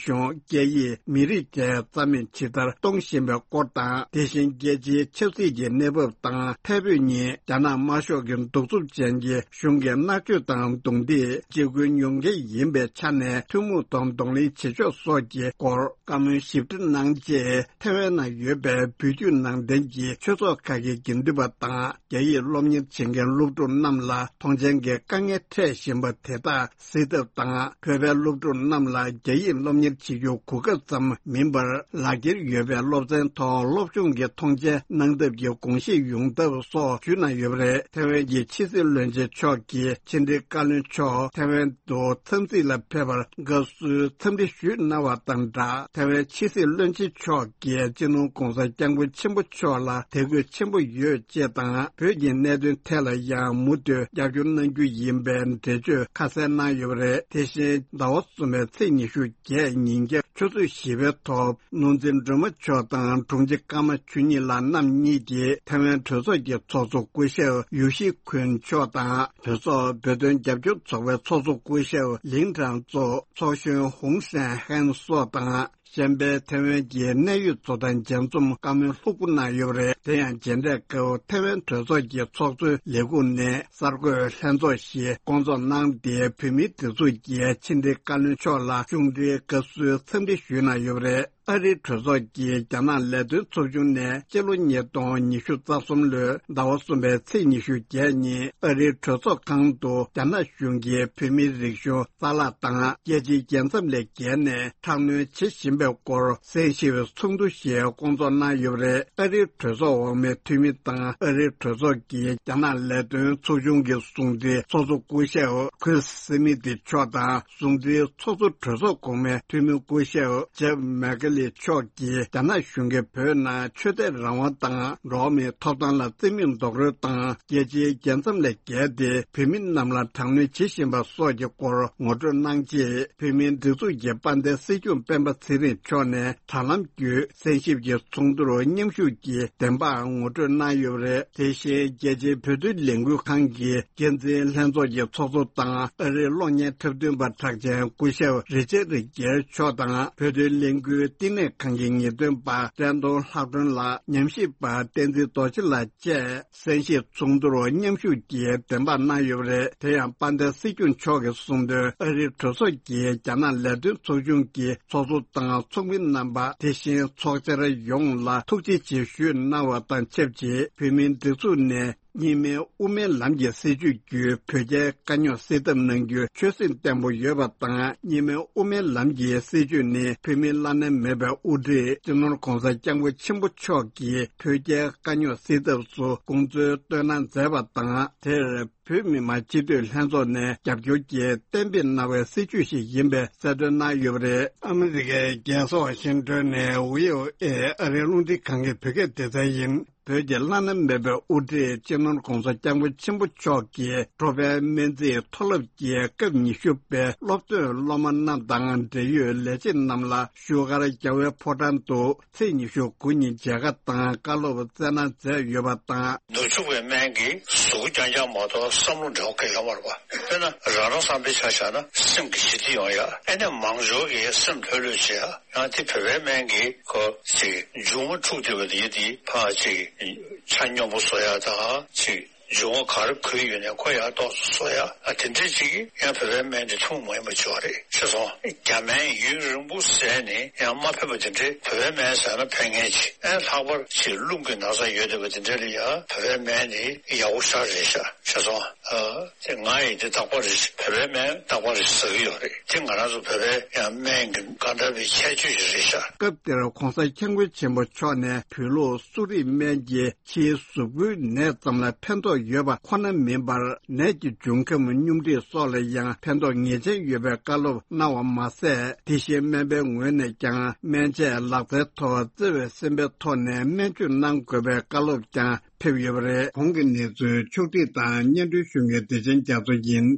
གཞུང་། སྐད་ཡིག། མི་རིགས་བཅས་རྩ་མེད་ཇི་ལྟར་གཏོང་བཞིན་པའི་སྐོར་དང་། དེ་བཞིན་རྒྱལ་སྤྱིའི་ཆབ་སྲིད་ཀྱི་གནས་བབ་དང་། ཐད་འབོད་ཉིན་རྒྱ་ནག་དམར་ཤོག་གི་གདུག་རྩུབ་ཅན་གྱི་གཞུང་གི་མནར་གཅོད་དང་རྡུང་རྡེག་འཇིགས་སྐུལ་མྱོང་མཁན་ཡིན་པའི་ཆ་ནས་ཐུན་མོང་ཐོག་གདོང་ལེན་བྱེད་ཕྱོགས་སོགས་ཀྱི་སྐོར་བཀའ་མོལ་ཞིབ་ཕྲ་གནང་རྗེས། ཐེ་ཝན་ནང་ཡོད་པའི་བོད་བརྒྱུད་ནང་བསྟན་གྱི་ཆོས་ཚོགས་ཁག་གི་དགེ་འདུན་པ་དང་། རྒྱ་ཡིག་སློབ་གཉེར་བྱེད་མཁན་སློབ་ཕྲུག་རྣམས་ལ་མཐོང་མཆན་གྱི་དཀའ་ངལ་འཕྲད་བཞིན་པ་དེ་དག་སེལ་ཐབས་དང་། བོད་པའི་སློབ་ཕྲུག་རྣམས་ལ་རྒྱ་ཡིག་སློབ་གཉེར་བྱེད་རྒྱུ་གོ་སྐབས་ཙམ་མིན་པར། ལག་འཁྱེར་ཡོད་པའི་སློབ་ཚན་ཐོག་སློབ་སྦྱོང་གི་མཐོང་མཆན་གནང་ཐབས་ཀྱི་དགོངས་བཞེས་ཡོང་ཐབས་སོགས་ཞུས་གནང་ཡོད་པ་རེད། ཐེ་ཝན་གྱི་ཕྱི་སྲིད་བློན་ཆེན་མཆོག་གིས་ཕྱི་དྲིལ་བཀའ་བློན་མཆོག་ཐེ་ཝན་དུ་འཚམས་གཟིགས་ལ་ཕེབས་པར་དགའ་བསུའི་འཚམས་འདྲི་ཞུས་གནང་བ་དང་སྦྲགས། ཐེ་ཝན་ཕྱི་སྲིད་བློན་ཆེན་མཆོག་གིས་སྤྱི་ནོར་༧གོང་ས་༧སྐྱབས་མགོན་ཆེན་པོ་མཆོག་ལ་དད་གུས་ཆེན་པོ་ཡོད་ཅེས་དང་། བོད་ཀྱི་གནད་དོན་ཐད་ལ་ཡང་མུ་མཐུད་རྒྱབ་སྐྱོར་གནང་རྒྱུ་ཡིན་པའི་འགྲེལ་བརྗོད་ཁ་གསལ་གནང་ཡོད་པ་རེད། དེ་བཞིན་ཟླ་བ་གསུམ་པའི་ཚེས་ཉི་ཤུ་བརྒྱད་ཉིན་རྒྱབ་ཆུ་ཚོད་བཞི་པའི་ཐོག་ནོར་འཛིན་སྒྲོལ་མ་མཆོག་དང་དྲུང་ཆེ་ཀརྨ་ཆོས་ཉིད་ལགས་རྣམ་གཉིས་ཀྱིས་ཐེ་ཝན་གྲོས་ཚོགས་ཀྱི་ཚོགས་གཙོ་སྐུ་ཞབས་ཡུ་ཤི་ཁུན་མཆོག་དང་། གྲོས་ཚོགས་བོད་དོན་རྒྱབ་སྐྱོར་ཚོགས་པའི་ཚོགས་གཙོ་སྐུ་ཞབས་ལིང་ཁྲང་ཙོ། ཚོགས་གཞོན་ཧུང་ཧྲན་ཧན་སོགས་དང་། གཞན་པའི་ཐེ་ཝན་གྱི་གནད་ཡོད་ཚོགས་དང་མཇལ་འཛོམས་བཀའ་མོལ་ལྷུག་པོ་གནང་ཡོད་པ་རེད། དེ་ཡང་མཇལ་འཕྲད་སྐབས་ཐེ་ཝན་གྲོས་ཚོགས་ཀྱི་ཚོགས་གཙོའི་ལས་ཁུངས་ནས་གསར་འགོད་ལྷན་ཚོགས་ཤིག་བསྐོང་ཚོགས་གནང་སྟེ། བོད་མིའི་སྒྲིག་འཛུགས་ཀྱི་ཕྱི་དྲིལ་བཀའ་བློན་མཆོག་ལ་གཞུང་འབྲེལ་དགའ་བསུའི་འཚམས་འདྲི་ཞུས་གནང་ཡོད་པ་རེད། ཨ་རིའི་གྲོས་ཚོགས་ཀྱི་རྒྱ་ནག་ལས་དོན་ཚོགས་ཆུང་ནས་སྤྱི་ལོ་ཉིས་སྟོང་ཉི་ཤུ་རྩ་གསུམ་ལོའི་ཟླ་བ་གསུམ་པའི་ཚེས་ཉི་ཤུ་བརྒྱད་ཉིན་ཨ་རིའི་གྲོས་ཚོགས་ཁང་དུ་རྒྱ་ནག་གཞུང་གིས་བོད་མིའི་རིག་གཞུང་རྩ་བརླག་དང་རྒྱལ་སྤྱིའི་རྒྱལ་མཚམས་ལས་བརྒལ་ནས་དྲག་གནོན་བྱེད་བཞིན་པའི་སྐོར་གསན་ཞིབ་ཚོགས་འདུ་ཞིག་བསྐོང་ཚོགས་གནང་ཡོད་པ་རེད། ཨ་རིའི་གྲོས་ཚོགས་འོག་མའི་འཐུས་མི་དང་ཨ་རིའི་གྲོས་ཚོགས་ཀྱི་རྒྱ་ནག་ལས་དོན་ཚོགས་ཆུང་གི་ཟུང་འབྲེལ་ཚོགས་གཙོ་སྐུ་ཞབས་ཁུར་སི་མི་ཏི་མཆོག་དང་། ཟུང་འབྲེལ་ཚོགས་གཙོ་གྲོས་ཚོགས་གོང་མའི་འཐུས་མི་སྐུ་ཞབས་ཇེབ་མེག་ལི་མཆོག་གིས་རྒྱ་ནག་གཞུང་གིས་བོད་ནང་ཆོས་དད་རང་དབང་དང་འགྲོ་བ་མིའི་ཐོབ་ཐང་ལ་རྩིས་མེད་རྡོག་རོལ་དང་། རྒྱལ་སྤྱིའི་རྒྱལ་མཚམས་ལས་བརྒལ་ཏེ་བོད་མི་རྣམས་ལ་དྲག་གནོན་བྱེད་བཞིན་པ་སོགས་ཀྱི་སྐོར་ངོ་སྤྲོད་གནང་རྗེས། བོད་མིའི་སྒྲིག་འཛུགས་ཀྱི་དཔལ་ལྡན་སྲིད་སྐྱོང་སྤེན་པ་ཚེ་རིང་ ཕྱོགས་ནས་དྲ་ལམ་བརྒྱུད་གསན་ཞིབ་ཀྱི་ཚོགས་འདུར་མཉམ་ཞུགས་ཀྱིས་བདེན་དཔང་ངོ་སྤྲོད་གནང་ཡོད་པ་རེད། དེ་བཞིན་རྒྱལ་སྤྱིའི་བོད་དོན་ལས་འགུལ་ཁང་གི་འགན་འཛིན་ལྷན་ཚོགས་ཀྱི་ཚོགས་གཙོ་དང་ཨ་རིའི་གློག་བརྙན་འཁྲབ་སྟོན་པ་གྲགས་ཅན་སྐུ་ཞབས་རི་ཅར་རི་རྒྱལ་མཆོག་དང་བོད་དོན་ལས་འགུལ་བསྟི་གནས་ཁང་གི་ངེས་སྟོན་པ་བཀྲས་མཐོང་ལྷ་སྒྲོན་ལགས། ཉམས་ཞིབ་པ་བསྟན་འཛིན་རྡོ་རྗེ་ལགས་བཅས་གསན་ཞིབ་ཚོགས་འདུར་མཉམ་ཞུགས་ཀྱིས་བདེན་དཔང་གནང་ཡོད་པ་རེད། དེ་ཡང་དཔལ་ལྡན་སྲིད་སྐྱོང་མཆོག་གིས་གསུངས་དོན། ཨ་རིའི་གྲོས་ཚོགས་ཀྱི་རྒྱ་ནག་ལས་དོན་ཚོགས་ཆུང་གི་ཚོགས་གཙོ་དང་ཚོགས་མི་རྣམ་པ། དེ་བཞིན་ཚོགས་བཅར་ཡོངས་ལ་ཐུགས་རྗེ་ཆེ་ཞུས་གནང་བ་དང་ཆབས་ཅིག་བོད་མིའི་སྒྲིག་འཛུགས་ནས་གཉིས་སྨན་དབུ་མའི་ལམ་གྱི་སྲིད་བྱུས་བརྒྱུད་བོད་རྒྱའི་དཀའ་རྙོག་སེལ་ཐབས་གནང་རྒྱུའི་ཆོད་སེམས་བརྟན་པོ་ཡོད་པ་དང་། གཉིས་སྨན་དབུ་མའི་ལམ་གྱི་སྲིད་བྱུས་ནི་བོད་མིའི་བླ་ན་མེད་པའི་དབུ་ཁྲིད་སྤྱི་ནོར་༧གོང་ས་༧སྐྱབས་མགོན་ཆེན་པོ་མཆོག་གིས་བོད་རྒྱའི་དཀའ་རྙོག་སེལ་ཐབས་སུ་དགོངས་ཚུལ་བཏོན་གནང་མཛད་པ་དང་། དེར་བོད་མི་མང་སྤྱི་འཐུས་ལྷན་ཚོགས་ནས་རྒྱབ་སྐྱོར་གྱིས་གཏན་འབེབས་གནང་བའི་སྲིད་བྱུས་ཤིག་ཡིན་པའི་གསལ་སྟོན་གནང་ཡོད་པ་རེད། ཨ་མི་རི་ཀའི་རྒྱལ་ས་ཝ་ཤིང་ཏོན་ནས་བྷི་ཨོ་ཨེ་ཨ་རིའི་རླུང་འཕྲིན་ཁང་གི་བོད་སྐད་སྡེ་ཚན་ཡིན། བོད་ཀྱི་བླ་ན་མེད་པའི་དབུ་ཁྲིད་སྤྱི་ནོར་༧གོང་ས་༧སྐྱབས་མགོན་ཆེན་པོ་མཆོག་གིས་འགྲོ་ཕན་སྨན་རྩིས་མཐོ་སློབ་ཀྱི་སྐབས་ཉི་ཤུ་པའི་སློབ་ཐོན་སློབ་མ་རྣམས་དང་འབྲེལ་ཡོད་ལས་བྱེད་རྣམས་ལ་བཞུགས་སྒར་རྒྱལ་བའི་ཕོ་བྲང་དུ་ཚེས་ཉི་ཤུ་དགུ་ཉིན་མཇལ་ཁ་དང་བཀའ་སློབ་སྩལ་གནང་མཛད་ཡོད་པ་དང་། ནུབ་ཕྱོགས་པའི་སྨན་གྱིས་གཟུགས་རྐྱང་རྐྱང་མ་གཏོགས་བསམ་བློ་འདྲ་བོ་གང་ཡང་ཡོད་མ་རེད་པ། དཔེར་ན་རང་རང་བསམ་པའི་ཆ་བཞག་ན་སེམས་ཀྱི་ཞི་བདེ་ཡོང་ཡ། ཨ་ནི་མང་ཤོས་ཀྱིས་སེམས་ལྷོད་ལྷོད་བྱེད་ཡ། ཡང་དེ་བོད་པའི་སྨན་གྱིས་ཁོ་ཅིག་མཇུག་མ་འཁྲུགས་བསྡད་པ་དེ་དེ་ཕར་ཅིག་ཆ་སྙོམས་པོ་བཟོ་ཡ་དང་ཅིག་མཇུག་མ་ག་རེ་གོས་ཡོད་ནའི་ཁོ་ཡར་ཏོག་ཙམ་བཟོ་ཡ། ཨ་དེ་འདྲས་ཅིག་ཡང་བོད་པའི་སྨན་དེ་ཐུན་མོང་མ་ཡིན་པ་ཅིག་ཡོད་རེད། ཤེས་སོང་། རྒྱ་སྨན་ཡུན་རིང་པོ་བཟས་ནས་ཡང་མ་ཕན་པ་དེ་འདྲས་བོད་པའི་སྨན་བཟས་ན་ཕན་ངེས་ཅིག་ཨ་ལྷག་པར་ཅིག་རླུང་གི་ན་ཚ་ཡོད་བསྡད་པ་དེ་འདྲས་ལ་ཡང་བོད་པའི་སྨན་དེ་ཡག་པོ་ཞེ་དྲག་རེད་ཤག་ཤེས་སོང་། ཨ། དེ་ང་ཡིས་དེ་རྟག་པར་རེ་བོད་པའི་སྨན་རྟག་པར་རེ་ཟ་གི་ཡོད་རེད། དེ་ང་རང་ཚོ་བོད་པའི་ཡང་སྨན་གྱི་གང་འདྲ་བའི་ཁྱད་ཆོས་ཤིག་རེད་ཤག་སྐབས་དེར་༧གོང་ས་༧སྐྱབས་མགོན་ཆེན་པོ་མཆོག་ནས་བོད་ལུགས་གསོ་རིག་སྨན་གྱིས་ཕྱིའི་གཟུགས་པོའི་ནད་ཙམ་ལ་ཕན་ཐོགས་ཡོད་པ་ཁོ་ན་མིན་པར། ནད་ཀྱི་འབྱུང་ཁམས་སྙོམས་སྒྲིག་སོགས་ལ་ཡང་ཕན་ཐོགས་ངེས་ཅན་ཡོད་པའི་བཀའ་སློབ་གནང་བ་མ་ཟད། དེ་བཞིན་སྨན་པའི་ངོས་ནས་ཀྱང་སྨན་དཔྱད་ལག་རྩལ་ཐོག་བརྩེ་བའི་སེམས་པའི་ཐོག་ནས་སྨན་བཅོས་གནང་དགོས་པའི་བཀའ་སློབ་ཀྱང་ཕེབས་ཡོད་པ་རེད། གོང་གི་གནས་ཚུལ་ཕྱོགས་སྒྲིག་དང་སྙན་སྒྲོན་ཞུ་མཁན་བདེ་ཆེན་རྒྱ་མཚོ་ཡིན།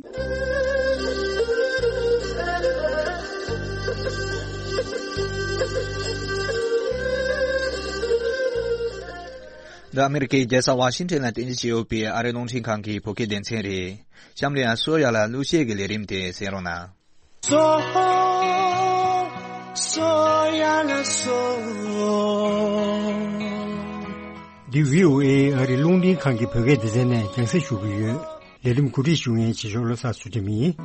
འདི་ཨ་མི་རི་ཀའི་རྒྱལ་ས་ཝ་ཤིང་ཊོན་ལ་རྟེན་གཞི་བྱས་ཡོད་པའི་ཨ་རིའི་རླུང་འཕྲིན་ཁང་གི་བོད་སྐད་སྡེ་ཚན་རེད། གཤམ་ལ་ཡང་སོ་ཡ་ལ་གླུ་གཞས་ཀྱི་ལས་རིམ་དེ་གསན་རོགས་གནང་། སོ། སོ་ཡ་ལ་སོ། འདི་བྷི་ཨོ་ཨེ་ཨ་རིའི་རླུང་འཕྲིན་ཁང་གི་བོད་སྐད་སྡེ་ཚན་ནས་རྒྱང་སྲིང་ཞུ་གི་ཡོད། ལས་རིམ་གོ་སྒྲིག་ཞུ་མཁན་ཆེ་ཤོས་བློ་བཟང་ཚུལ་ཁྲིམས་ཡིན།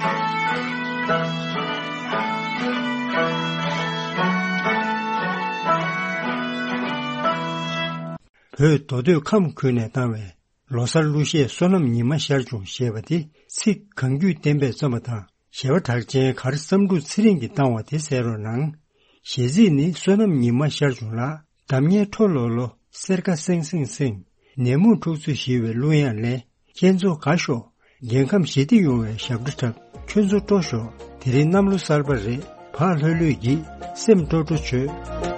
བོད་མདོ་སྟོད་ཁམས་ཁུལ་ནས་བཏང་བའི་ལོ་གསར་གླུ་གཞས་བསོད་ནམས་ཉི་མ་ཤར་བྱུང་ཞེས་པ་དེ་ཚིག་གང་རྒྱུད་བསྟན་པས་རྩོམ་པ་དང་། གཞས་པ་གྲགས་ཅན་གར་བསམ་འགྲུབ་ཚེ་རིང་གིས་བཏང་བ་དེ་གསན་རོགས་གནང་། གཞས་ཚིག་ནི་བསོད་ནམས་ཉི་མ་ཤར་བྱུང་ལགས། འདམ་ཉལ་ཁྲོ་ལོ་ལོ། སེར་ཀ་སེང་སེང་སེང་། ནད་མུག་འཁྲུག་རྩོད་ཞི་བའི་གླུ་དབྱངས་ལེན། ཁྱེད་ཚོ་དགའ་ཤོག་རྒྱལ་ཁམས་ཞི་བདེ་ཡོང་བའི་ཞབས་བྲོ་འཁྲབ། ཁྱོད་ཚོ་སྤྲོ་ཤོག་དེ་རིང་གནམ་ལོ་གསར་པ་རེད། བག་ལྷོད་ལྷོད་ཀྱིས་སེམས་སྤྲོ་སྤྲོ་བྱོས།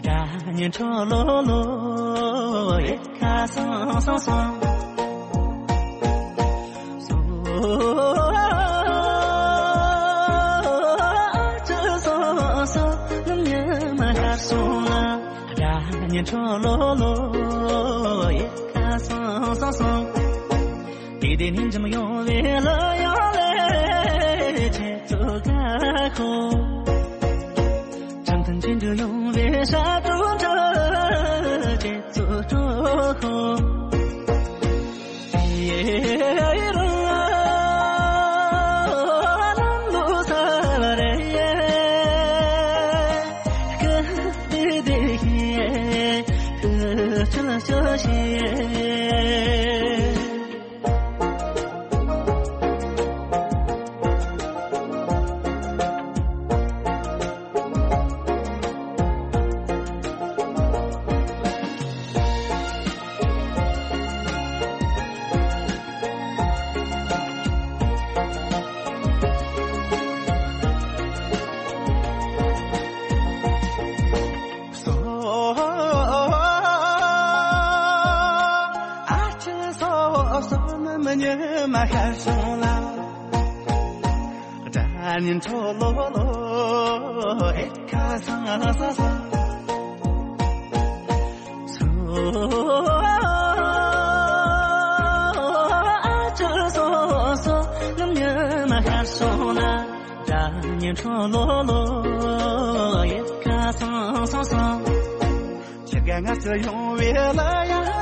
སྒྲ་སྙན་འཕྲོ་ལོ་ལོ། ཡེ་ཁ་སང་སང་སང་། སོ་ཨ་ཅི་སོ་སོ་ནམ་ཉི་མ་ཤར་སོང་ལ། སྒྲ་སྙན་འཕྲོ་ལོ་ལོ། ཡེ་ཁ་སང་སང་སང་། དེ་དེ་ནས་འཇམ་ཡོང་བའི་ལ་ཡང་ལས་ཁྱེད་ཚོ་དགའ་ཁོ། བྱམས་ཐང་ཅན་དུ་ཡོང་བའི་ཤ་དྲུག་འདྲ་ཁྱེད་ཚོ་སྤྲོ་ཁོ། ཡེ་རང་ལམ་ལུགས་ས་བ་རེད། ཀི་དེ་དེ་ཧི་ཀི་ཆ་ཆ་ཤི། སོ་ཨ་ཅི་སོ་སོ་ནམ་ཉི་མ་ཤར་སོང་ལ། སྒྲ་སྙན་འཕྲོ་ལོ་ལོ། ཨེ་ཁ་སང་སང་སང་། སོ་ཨ་ཅི་སོ་སོ་ནམ་ཉི་མ་ཤར་སོང་ལ། སྒྲ་སྙན་འཕྲོ་ལོ་ལོ། ཡེ་ཁ་སང་སང་སང་། ཁྱེད་ཀྱི་ང་ཚོ་ཡོང་བའི་ལ་ཡང་ལས་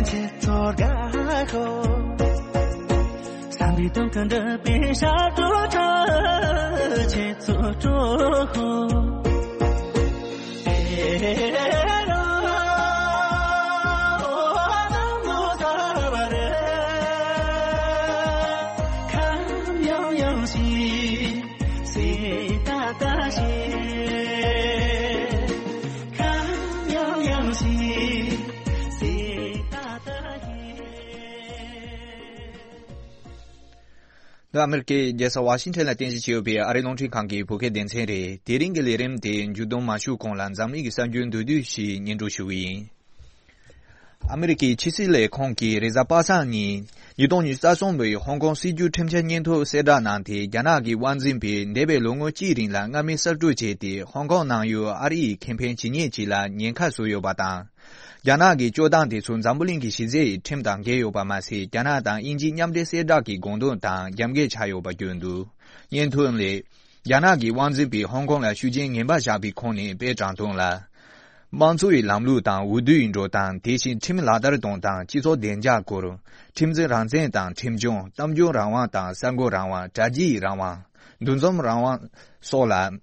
ཁྱེད་ཚོར་དགའ་ཁོ། བསམ་པའི་དོན་ཀུན་འགྲུབ་པའི་ཞབས་བྲོ་འཁྲབ། ཁྱེད་ཚོ་སྤྲོ་ཁོ། འདི་ཨ་མེ་རི་ཀའི་རྒྱལ་ས་ཝ་ཤིང་ཊོན་ལ་རྟེན་གཞི་བྱས་ཡོད་པའི་ཨ་རིའི་རླུང་འཕྲིན་ཁང་གི་བོད་སྐད་སྡེ་ཚན་རེད། དེ་རིང་གི་ལས་རིམ་དེ་མཇུག་བསྡོམས་མ་ཞུས་གོང་ལ་འཛམ་གླིང་གི་གསར་འགྱུར་མདོར་བསྡུས་ཤིག་སྙན་སྒྲོན་ཞུ་གི་ཡིན། ཨ་མེ་རི་ཀའི་ཕྱི་སྲིད་ལས་ཁུངས་ཀྱིས་རེས་གཟའ་པ་སངས་ཉིན་ཉིས་སྟོང་ཉི་ཤུ་རྩ་གསུམ་པའི་ཧོང་ཀོང་སྲིད་བྱུས་ཁྲིམས་འཆར་སྙན་ཐོ་གསལ་བསྒྲགས་གནང་སྟེ། རྒྱ་ནག་གི་དབང་འཛིན་པས་འདས་པའི་ལོ་ངོ་གཅིག་རིང་ལ་སྔ་མའི་གསར་གཏོད་བྱས་ཏེ། ཧོང་ཀོང་ནང་ཡོད་ཨ་རིའི་ཁེ་ཕན་ཇི་སྙེད་ཅིག་ལ་ཉེན་ཁ་བཟོས་ཡོད་པ་དང་། རྒྱ་ནག་གི་སྤྱོད་སྟངས་དེ་ཚོ་འཛམ་བུ་གླིང་གི་གཞི་རྩའི་ཁྲིམས་དང་འགལ་ཡོད་པ་མ་ཟད། རྒྱ་ནག་དང་དབྱིན་ཇིའི་མཉམ་འབྲེལ་གསལ་བསྒྲགས་ཀྱི་དགོངས་དོན་དང་རྒྱབ་འགལ་ཆགས་ཡོད་པ་བརྗོད་འདུག། སྙན་ཐོ་ལས། རྒྱ་ནག་གི་དབང་འཛིན་པས་ཧོང་ཀོང་ལ་ཤུགས་རྐྱེན་ངན་པ་བཞག་པའི་ཁོངས་ནས་དཔེ་དྲངས་དོན་ལ། དམངས་གཙོ་ཡི་ལམ་ལུགས་དང་འོས་བསྡུ་ཡི་འགྲོ་སྟངས། དེ་བཞིན་ཁྲིམས་ལག་བསྟར་གཏོང་སྟངས། སྤྱི་ཚོགས་བདེ་འཇགས་སྐོར། ཁྲིམས་འཛིན་རང་བཙན་དང་ཁྲིམས་སྐྱོང་། གཏམ་བརྗོད་རང་དབང་དང་གསར་འགོད་རང་དབང་། དྲ་རྒྱའི་རང་དབང་། འདུ་འཛོམས་རང་དབང་སོགས་ལ།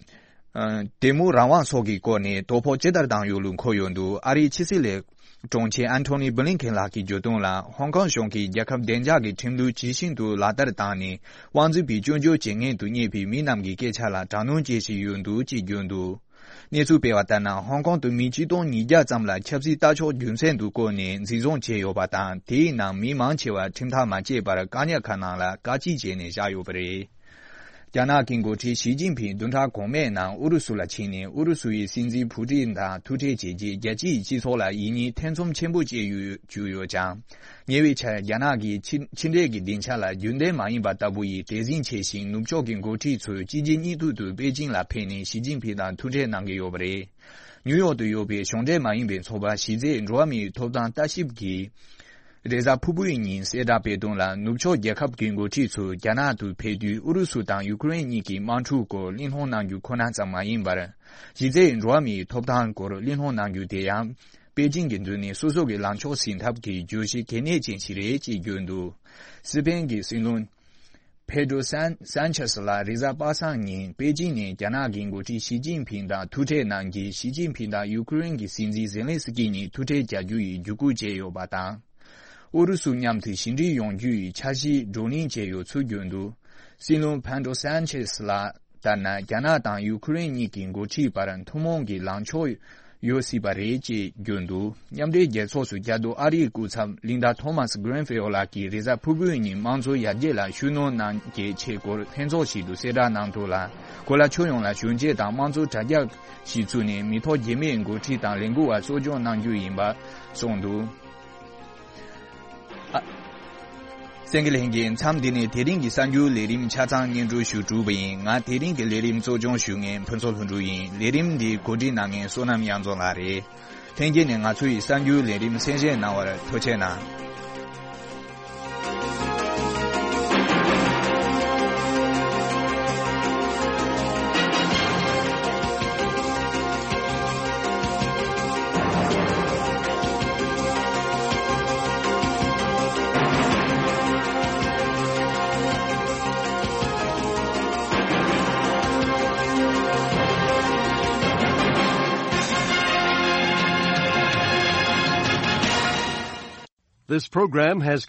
ཨ། དེ་མུའུ་རང་དབང་སོགས་ཀྱི་སྐོར་ནས་དོ་ཕོག་ཇི་ལྟར་བཏང་ཡོད་ལུགས་འཁོད་ཡོད་འདུག། ཨ་རིའི་ཕྱི་སྲིད་ལས་དྲུང་ཆེ་ཨན་ཐོ་ནི་བྷི་ལིན་ཁེན་ལགས་ཀྱིས་བརྗོད་དོན་ལ། ཧོང་ཀོང་གཞུང་གིས་རྒྱལ་ཁབ་བདེ་འཇགས་ཀྱི་ཁྲིམས་ལུགས་ཇི་བཞིན་དུ་ལག་བསྟར་བཏང་ནས། དབང་འཛིན་པའི་སྐྱོན་བརྗོད་བྱེད་མཁན་དུ་རྙེད་པའི་མི་རྣམས་ཀྱི་སྐད་ཆ་ལ་དྲག་གནོན་བྱེད་བཞིན་ཡོད་འདུག་ཅེས་བརྗོད་འདུག། གནས་ཚུལ་སྤེལ་བ་ལྟར་ན། ཧོང་ཀོང་དུ་མི་ཆིག་སྟོང་ཉིས་བརྒྱ་ཙམ་ལ་ཆབ་སྲིད་ལྟ་ཕྱོགས་རྒྱུ་མཚན་དུ་བཀོད་ནས་འཛིན་བཟུང་བྱས་ཡོད་པ་དང་། དེའི་ནང་མི་མང་ཆེ་བ་ཁྲིམས་ཐག་མ་བཅད་པར་བཀག་ཉར་ཁང་ནང་ལ་བཀག་སྐྱིལ་བྱས་ནས་བཞག་ཡོད་པ་རེད། རྒྱ་ནག་གི་འགོ་ཁྲིད་ཞི་ཅིན་ཕིང་བདུན་ཕྲག་གོང་མའི་ནང་ཨུ་རུ་སུ་ལ་ཕྱིན་ནས། ཨུ་རུ་སུ་ཡི་སྲིད་འཛིན་ཕུ་ཀྲིན་དང་ཐུག་འཕྲད་བྱས་རྗེས། རྒྱལ་སྤྱིའི་སྤྱི་ཚོགས་ལ་ཡིད་གཉིས་ཐེ་ཚོམ་ཆེན་པོ་སྐྱེས་ཡོད་བཅུག་ཡོད་ཀྱང་། ཉེ་བའི་ཆར་རྒྱ་ནག་གི་ཕྱི་ཕྱི་འབྲེལ་གྱི་སྡིངས་ཆ་ལ་རྒྱུན་ལྡན་མ་ཡིན་པ་ལྟ་བུ་ཡི་དད་སེམས་ཆེ་ཞིང་། ནུབ་ཕྱོགས་ཀྱི་འགོ་ཁྲིད་ཚོས་གཅིག་རྗེས་གཉིས་མཐུད་དུ་པེ་ཅིང་ལ་ཕེབས་ནས་ཞི་ཅིན་ཕིང་དང་ཐུག་འཕྲད་གནང་གི་ཡོད་པ་རེད། ནིའུ་ཡོག་ཏུ་ཡོད་པའི་གཞུང་འབྲེལ་མ་ཡིན་པའི་ཚོགས་པ་གཞི་རྩའི་འགྲོ་བ་མིའི་ཐོབ་ཐང་ལྟ་ཞིབ་ཀྱིས། རེས་གཟའ་ཕུར་བུའི་ཉིན་གསལ་བསྒྲགས་སྤེལ་དོན་ལ། ནུབ་ཕྱོགས་རྒྱལ་ཁབ་ཀྱི་འགོ་ཁྲིད་ཚོ་རྒྱ་ནག་ཏུ་ཕེབས་དུས། ཨུ་རུ་སུ་དང་ཡུ་ཀེ་རེན་གཉིས་ཀྱི་དམག་འཁྲུག་སྐོར་གླེང་སློང་གནང་རྒྱུ་ཁོ་ན་ཙམ་མ་ཡིན་པར། གཞི་རྩའི་འགྲོ་བ་མིའི་ཐོབ་ཐང་སྐོར་གླེང་སློང་གནང་རྒྱུ་དེ་ཡང་པེ་ཅིང་གིས་མདུན་ནས་སོ་སོ་གི་ལངས་ཕྱོགས་ཟིན་ཐབས་ཀྱི་བརྗོད་གཞི་གལ་གནད་ཅན་ཞིག་རེད་ཅེས་བརྗོད་འདུག། སི་པེན་གྱི་སྲིད་བློན་པེ་ཏྲོ་སན་སན་ཆེ་སི་ལགས་རེས་གཟའ་པ་སངས་ཉིན་པེ་ཅིང་ནས་རྒྱ་ནག་གི་འགོ་ཁྲིད་ཞི་ཅིན་ཕིང་དང་ཐུག་འཕྲད་གནང་རྗེས། ཞི་ཅིན་ཕིང་དང་ཡུ་ཀེ་རེན་གྱི་སྲིད་འཛིན་ཛེ་ལན་སི་ཀི་གཉིས་ཐུག་འཕྲད་བྱ་རྒྱུ་ཡི་བརྒྱུད་སྐུལ་བྱས་ཡོད་པ་དང་། ཨུ་རུ་སུ་མཉམ་དུ་ཞི་འགྲིག་ཡོང་རྒྱུ་ཡི་འཆར་གཞི་བགྲོ་གླེང་བྱས་ཡོད་ཚུལ་བརྗོད་འདུག། སྲིད་བློན་པེ་ཏྲོ་སན་ཆེ་སི་ལགས་ལྟར་ན། རྒྱ་ནག་དང་ཡུ་ཀེ་རེན་གཉིས་ཀྱི་འགོ་ཁྲིད་བར་ཐུན་མོང་གི་ལངས་ཕྱོགས་ ཡོད་སྲིད་པ་རེད་ཅེས་བརྗོད་འདུག་མཉམ་འབྲེལ་རྒྱལ་ཚོགས་སུ་རྒྱ་སྟོད་ཨ་རིའི་སྐུ་ཚབ་ལིན་ཌ་ཐོ་མཱས་གྷི་རིན་ཕི་ལྡ་ལགས་ཀྱིས་རེས་གཟའ་ཕུར་བུའི་ཉིན་དམངས་གཙོའི་ཡར་རྒྱས་ལ་ཤུགས་སྣོན་གནང་རྒྱུའི་ཆེད་སྐོར་ལྷན་ཚོགས་ཤིག་ཏུ་གསལ་བསྒྲགས་གནང་ཐུབ་ལ། གོ་ལ་ཁྱོན་ཡོངས་ལ་ཞུན་ཆེ་དང་དམངས་གཙོ་དྲ་རྒྱ་ཞིག་བཙུགས་ནས་མི་ཐོག་རྒྱས་མེད་འགོ་ཁྲིད་དང་ལས་འགུལ་བ་གསོ་སྐྱོང་གནང་རྒྱུ་ཡིན་པ་གསུངས་འདུག་ཨ། གསན་མཁན་ལྷན་རྒྱས། མཚམས་འདི་ནས་དེ་རིང་གི་གསར་འགྱུར་ལས་རིམ་ཆ་ཚང་སྙན་སྒྲོན་ཞུ་གྲུབ་པ་ཡིན། ང་དེ་རིང་གི་ལས་རིམ་གཙོ་སྐྱོང་ཞུ་མཁན་ཕུན་ཚོགས་ལྷུན་གྲུབ་ཡིན། ལས་རིམ་འདི་གོ་སྒྲིག་གནང་མཁན་བསོད་ནམས་གཡང་འཛོམས་ལགས་རེད། ལྷན་རྒྱས་ནས་ང་ཚོའི་གསར་འགྱུར་ལས་རིམ་གསན་བཞེས་གནང་བར་ཐུགས་རྗེ་གནང་། This program has